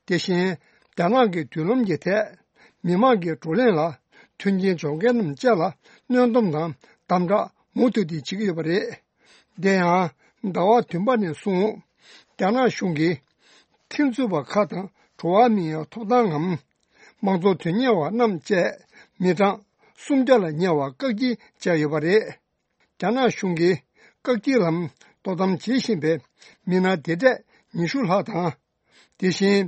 དེ་བཞིན། རྒྱ་ནག་གི་མདུན་ལམ་གྱི་ཐད། མི་མང་གི་བགྲོ་གླེང་ལ་མཐུན་རྐྱེན་སྦྱོར་མཁན་རྣམས་བཅས་ལ་གནོན་སྡོམ་དང་དམ་དྲག་མུ་མཐུད་དེ་བྱེད་ཀྱི་ཡོད་པ་རེད། དེ་ཡང་ཟླ་བ་བདུན་པ་ནས་བཟུང་རྒྱ་ནག་གཞུང་གིས་ཁྲིམས་རྩོད་པ་ཁག་དང་འགྲོ་བ་མིའི་ཐོབ་ཐང་ངམ། མང་གཙོ་དོན་གཉེར་བ་རྣམས་བཅས་མི་གྲངས་སུམ་བརྒྱ་ལ་ཉེ་བ་བཀག་སྐྱིལ་བྱས་ཡོད་པ་རེད། རྒྱ་ནག་གཞུང་གིས་བཀག་སྐྱིལ་ལམ་དོ་དམ་བྱེད་བཞིན་པའི་མི་སྣ་དེ་གྲས་ཉི་ཤུ་ལྷག་དང་། དེ་བཞིན།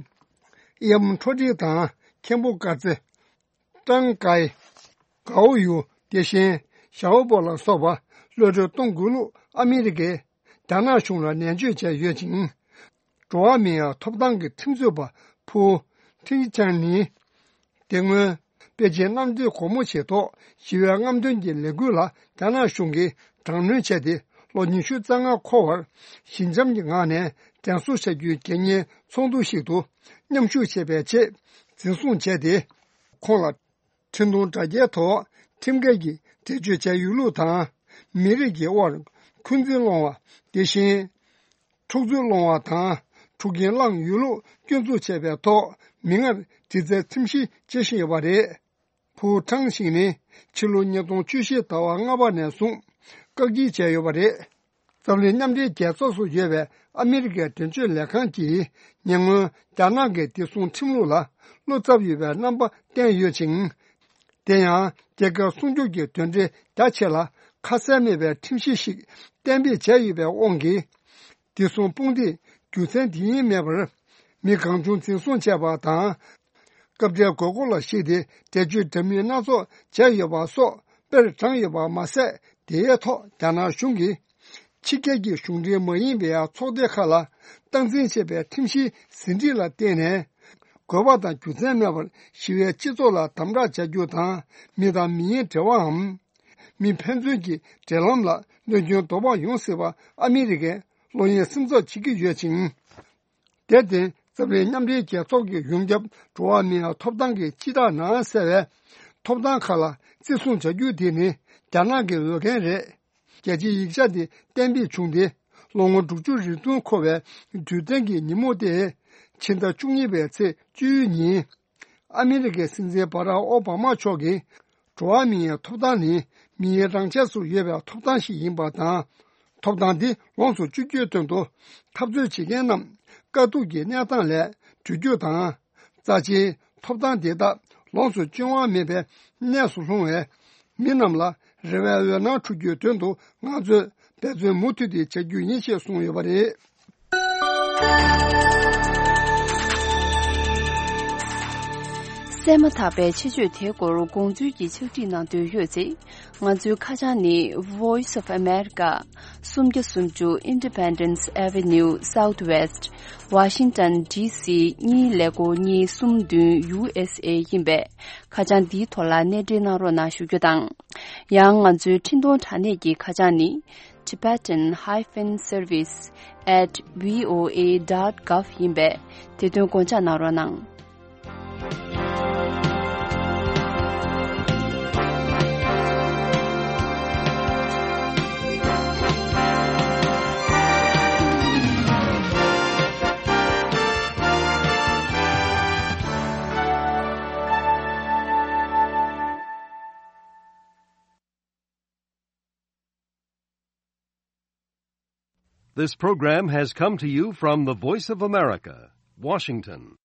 གཡམ་ཁྲོ་ཁྲིག་དང་མཁན་པོ་དཀར་རྩེ། ཀྲང་ཀའི། གའོ་ཡུ། དེ་བཞིན་ཞའོ་པོ་ལ་སོགས་པ་གློད་གྲོལ་གཏོང་དགོས་ལུགས་ཨ་མི་རི་ཀས་རྒྱ་ནག་གཞུང་ལ་ནན་བརྗོད་བྱས་ཡོད་ཅིང་། འགྲོ་བ་མིའི་ཐོབ་ཐང་གི་ཁྲིམས་རྩོད་པ་ཕུའུ་ཁྲིན་ཆན་ནི། དེ་སྔོན་པེ་ཅིན་གནམ་བདེ་སྒོ་མོ་ཆེའི་ཐོག་ཞི་བའི་རྔམ་སྟོན་གྱི་ལས་འགུལ་ལ་རྒྱ་ནག་གཞུང་གིས་དྲག་གནོན་བྱས་ཏེ་ལོ་ཉི་ཤུ་རྩ་ལྔ་འཁོར་བར་ཞི་འཇམ་གྱི་ངང་ནས་དྲན་གསོ་བྱ་རྒྱུའི་དགེ་བསྙེན་ཚོགས་འདུ་ཞིག་ཏུ་མཉམ་ཞུགས་བྱེད་པའི་ཆེད་འཛིན་བཟུང་བྱས་ཏེ། ཁོང་ལ་འཕྲིན་ཐུང་དྲ་རྒྱའི་ཐོག་ཁྲིམས་འགལ་གྱི་འགྲེལ་བརྗོད་བྱས་ཡོད་ལུགས་དང་། མི་རིགས་ཀྱི་དབར་འཁོན་འཛིན་སློང་བ། དེ་བཞིན་འཁྲུག་རྩོད་སློང་བ་དང་འཁྲུག་རྐྱེན་བསླངས་ཡོད་ལུགས་སྐྱོན་འཛུགས་བྱས་པའི་ཐོག་མིག་སྔར་དྲི་རྩད་ཁྲིམས་ཞིབ་བྱེད་བཞིན་ཡོད་པ་རེད། ཕུའུ་ཁྲང་ཞིང་ནི་ཕྱི་ལོ་ཉིས་སྟོང་བཅུ་བཞི་ཟླ་བ་ལྔ་པ་ནས་བཟུང་བཀག་སྐྱིལ་བྱས་ཡོད་པ་རེད། འཛམ་གླིང་མཉམ་འབྲེལ་རྒྱལ་ཚོགས་སུ་ཡོད་པའི་ཨ་མི་རི་ཀའི་དོན་གཅོད་ལས་ཁང་གིས་ཉེ་སྔོན་རྒྱ་ནག་གི་བདེ་སྲུང་ཁྲིམས་ལུགས་ལ་བློ་འཚབ་ཡོད་པའི་རྣམ་པ་བསྟན་ཡོད་ཅིང་། དེ་ཡང་རྒྱལ་ཁབ་སྲུང་སྐྱོབ་ཀྱི་དོན་འབྲེལ་རྒྱ་ཆེ་ལ་ཁ་གསལ་མེད་པའི་ཁྲིམས་གཞི་ཞིག་གཏན་འབེབས་བྱས་ཡོད་པའི་དབང་གིས། བདེ་སྲུང་དཔུང་སྡེས་རྒྱུ་མཚན་དེ་ཉིད་མེད་པར་མི་གང་བྱུང་འཛིན་བཟུང་བྱས་པ་དང་། སྐབས་འབྲེལ་དགོས་མཁོ་ལ་གཞིགས་ཏེ་འགྲེལ་བརྗོད་འདྲ་མིན་སྣ་ཚོགས་བྱས་ཡོད་པ་སོགས་དཔེར་དྲངས་ཡོད་པ་མ་ཟད། དེའི་ཐོག་རྒྱ་ནག་གཞུང་གིས་ཕྱི་རྒྱལ་གྱི་གཞུང་འབྲེལ་མ་ཡིན་པའི་ཚོགས་སྡེ་ཁག་ལ་སྟངས་འཛིན་བྱེད་པའི་ཁྲིམས་གཞིའི་ཟིན་བྲིས་ལ་བརྟེན་ནས། དགོས་པ་དང་རྒྱུ་མཚན་མེད་པར་ཞི་བའི་སྤྱི་ཚོགས་ལ་དམ་དྲག་བྱ་རྒྱུ་དང་། མི་དང་མི་ཡི་འབྲེལ་བའམ། མི་ཕན་ཚུན་གྱི་འབྲེལ་ལམ་ལ་གནོད་སྐྱོན་དོགས་པ་ཡོང་སྲིད་པ་ཨ་མི་རི་ཀས་བློ་གཡེང་སེམས་འཚབ་བྱེད་ཀྱི་ཡོད་ཅིང་། དེར་བརྟེན་འཛམ་གླིང་མཉམ་འབྲེལ་རྒྱལ་ཚོགས་ཀྱི་ཡོངས་ཁྱབ་འགྲོ་བ་མིའི་ཐོབ་ཐང་གི་སྤྱི་བསྒྲགས་ནང་གསལ་བའི་ཐོབ་ཐང་ཁག་ལ་བརྩི་སྲུང་བྱ་རྒྱུ་དེ་ནི་རྒྱ་ནག་གི་འོས་འགན་རེད། རྒྱལ་སྤྱིའི་ཡིག་ཆ་དེ་གཏན་འབེབས་བྱུང་སྟེ་ལོ་ངོ་དྲུག་ཅུ་རེ་བདུན་འཁོར་བའི་དུས་སྟོན་གྱི་ཉིན་མོ་སྟེ། ཕྱི་ཟླ་བཅུ་གཉིས་པའི་ཚེས་བཅུ་ཉིན། ཨ་མི་རི་ཀའི་སྲིད་འཛིན་བྷ་རག་ཨོ་བྷ་མ་མཆོག་གིས། འགྲོ་བ་མིའི་ཐོབ་ཐང་ནི་མིའི་རང་ཆས་སུ་ཡོད་པའི་ཐོབ་ཐང་ཞིག་ཡིན་པ་དང་། ཐོབ་ཐང་འདི་ལོངས་སུ་སྤྱོད་རྒྱུའི་དོན་དུ་འཐབ་རྩོད་བྱེད་མཁན་རྣམས་དཀའ་སྡུག་གི་གནས་སྟངས་ལས་སྒྲོལ་རྒྱུ་དང་། རྩ་ཆེའི་ཐོབ་ཐང་དེ་དག་ལོངས་སུ་སྤྱོད་དབང་མེད་པའི་གནས་སུ་ལྷུང་བའི་མི་རྣམས་ལ་རེ་བའི་འོད་སྣང་འཕྲོ་རྒྱུའི་དོན་དུ་ང་ཚོས་འབད་བརྩོན་མུ་མཐུད་དེ་བྱ་རྒྱུ་ཡིན་ཞེས་གསུངས་ཡོད་པ་རེད། གསན་ གསན་མ་ཐག་པའི་ཆེད་བརྗོད་དེའི་སྐོར་དགོངས་ཚུལ་གྱི་ཕྱག་བྲིས་གནང་འདོད་ཡོད་ཚེ། ང་ཚོའི་ཁ་བྱང་ནི། Voice of America, སུམ་བརྒྱ་སུམ་ཅུ་Independence Avenue Southwest, Washington D C གཉིས་ཀླད་ཀོར་གཉིས་གསུམ་བདུན་U S A ཡིན་པས། ཁ་བྱང་འདིའི་ཐོག་ལ་གནས་འབྲེལ་གནང་རོགས་གནང་ཞུ་རྒྱུ་དང་། ཡང་ང་ཚོའི་འཕྲིན་གཏོང་དྲ་གནས་ཀྱི་ཁ་བྱང་ནི། Tibetan hyphen service at V O A dot gov ཡིན་པས། དེ་དོན་དགོངས་འཇགས་གནང་རོགས་གནང་། This program has come to you from the Voice of America, Washington.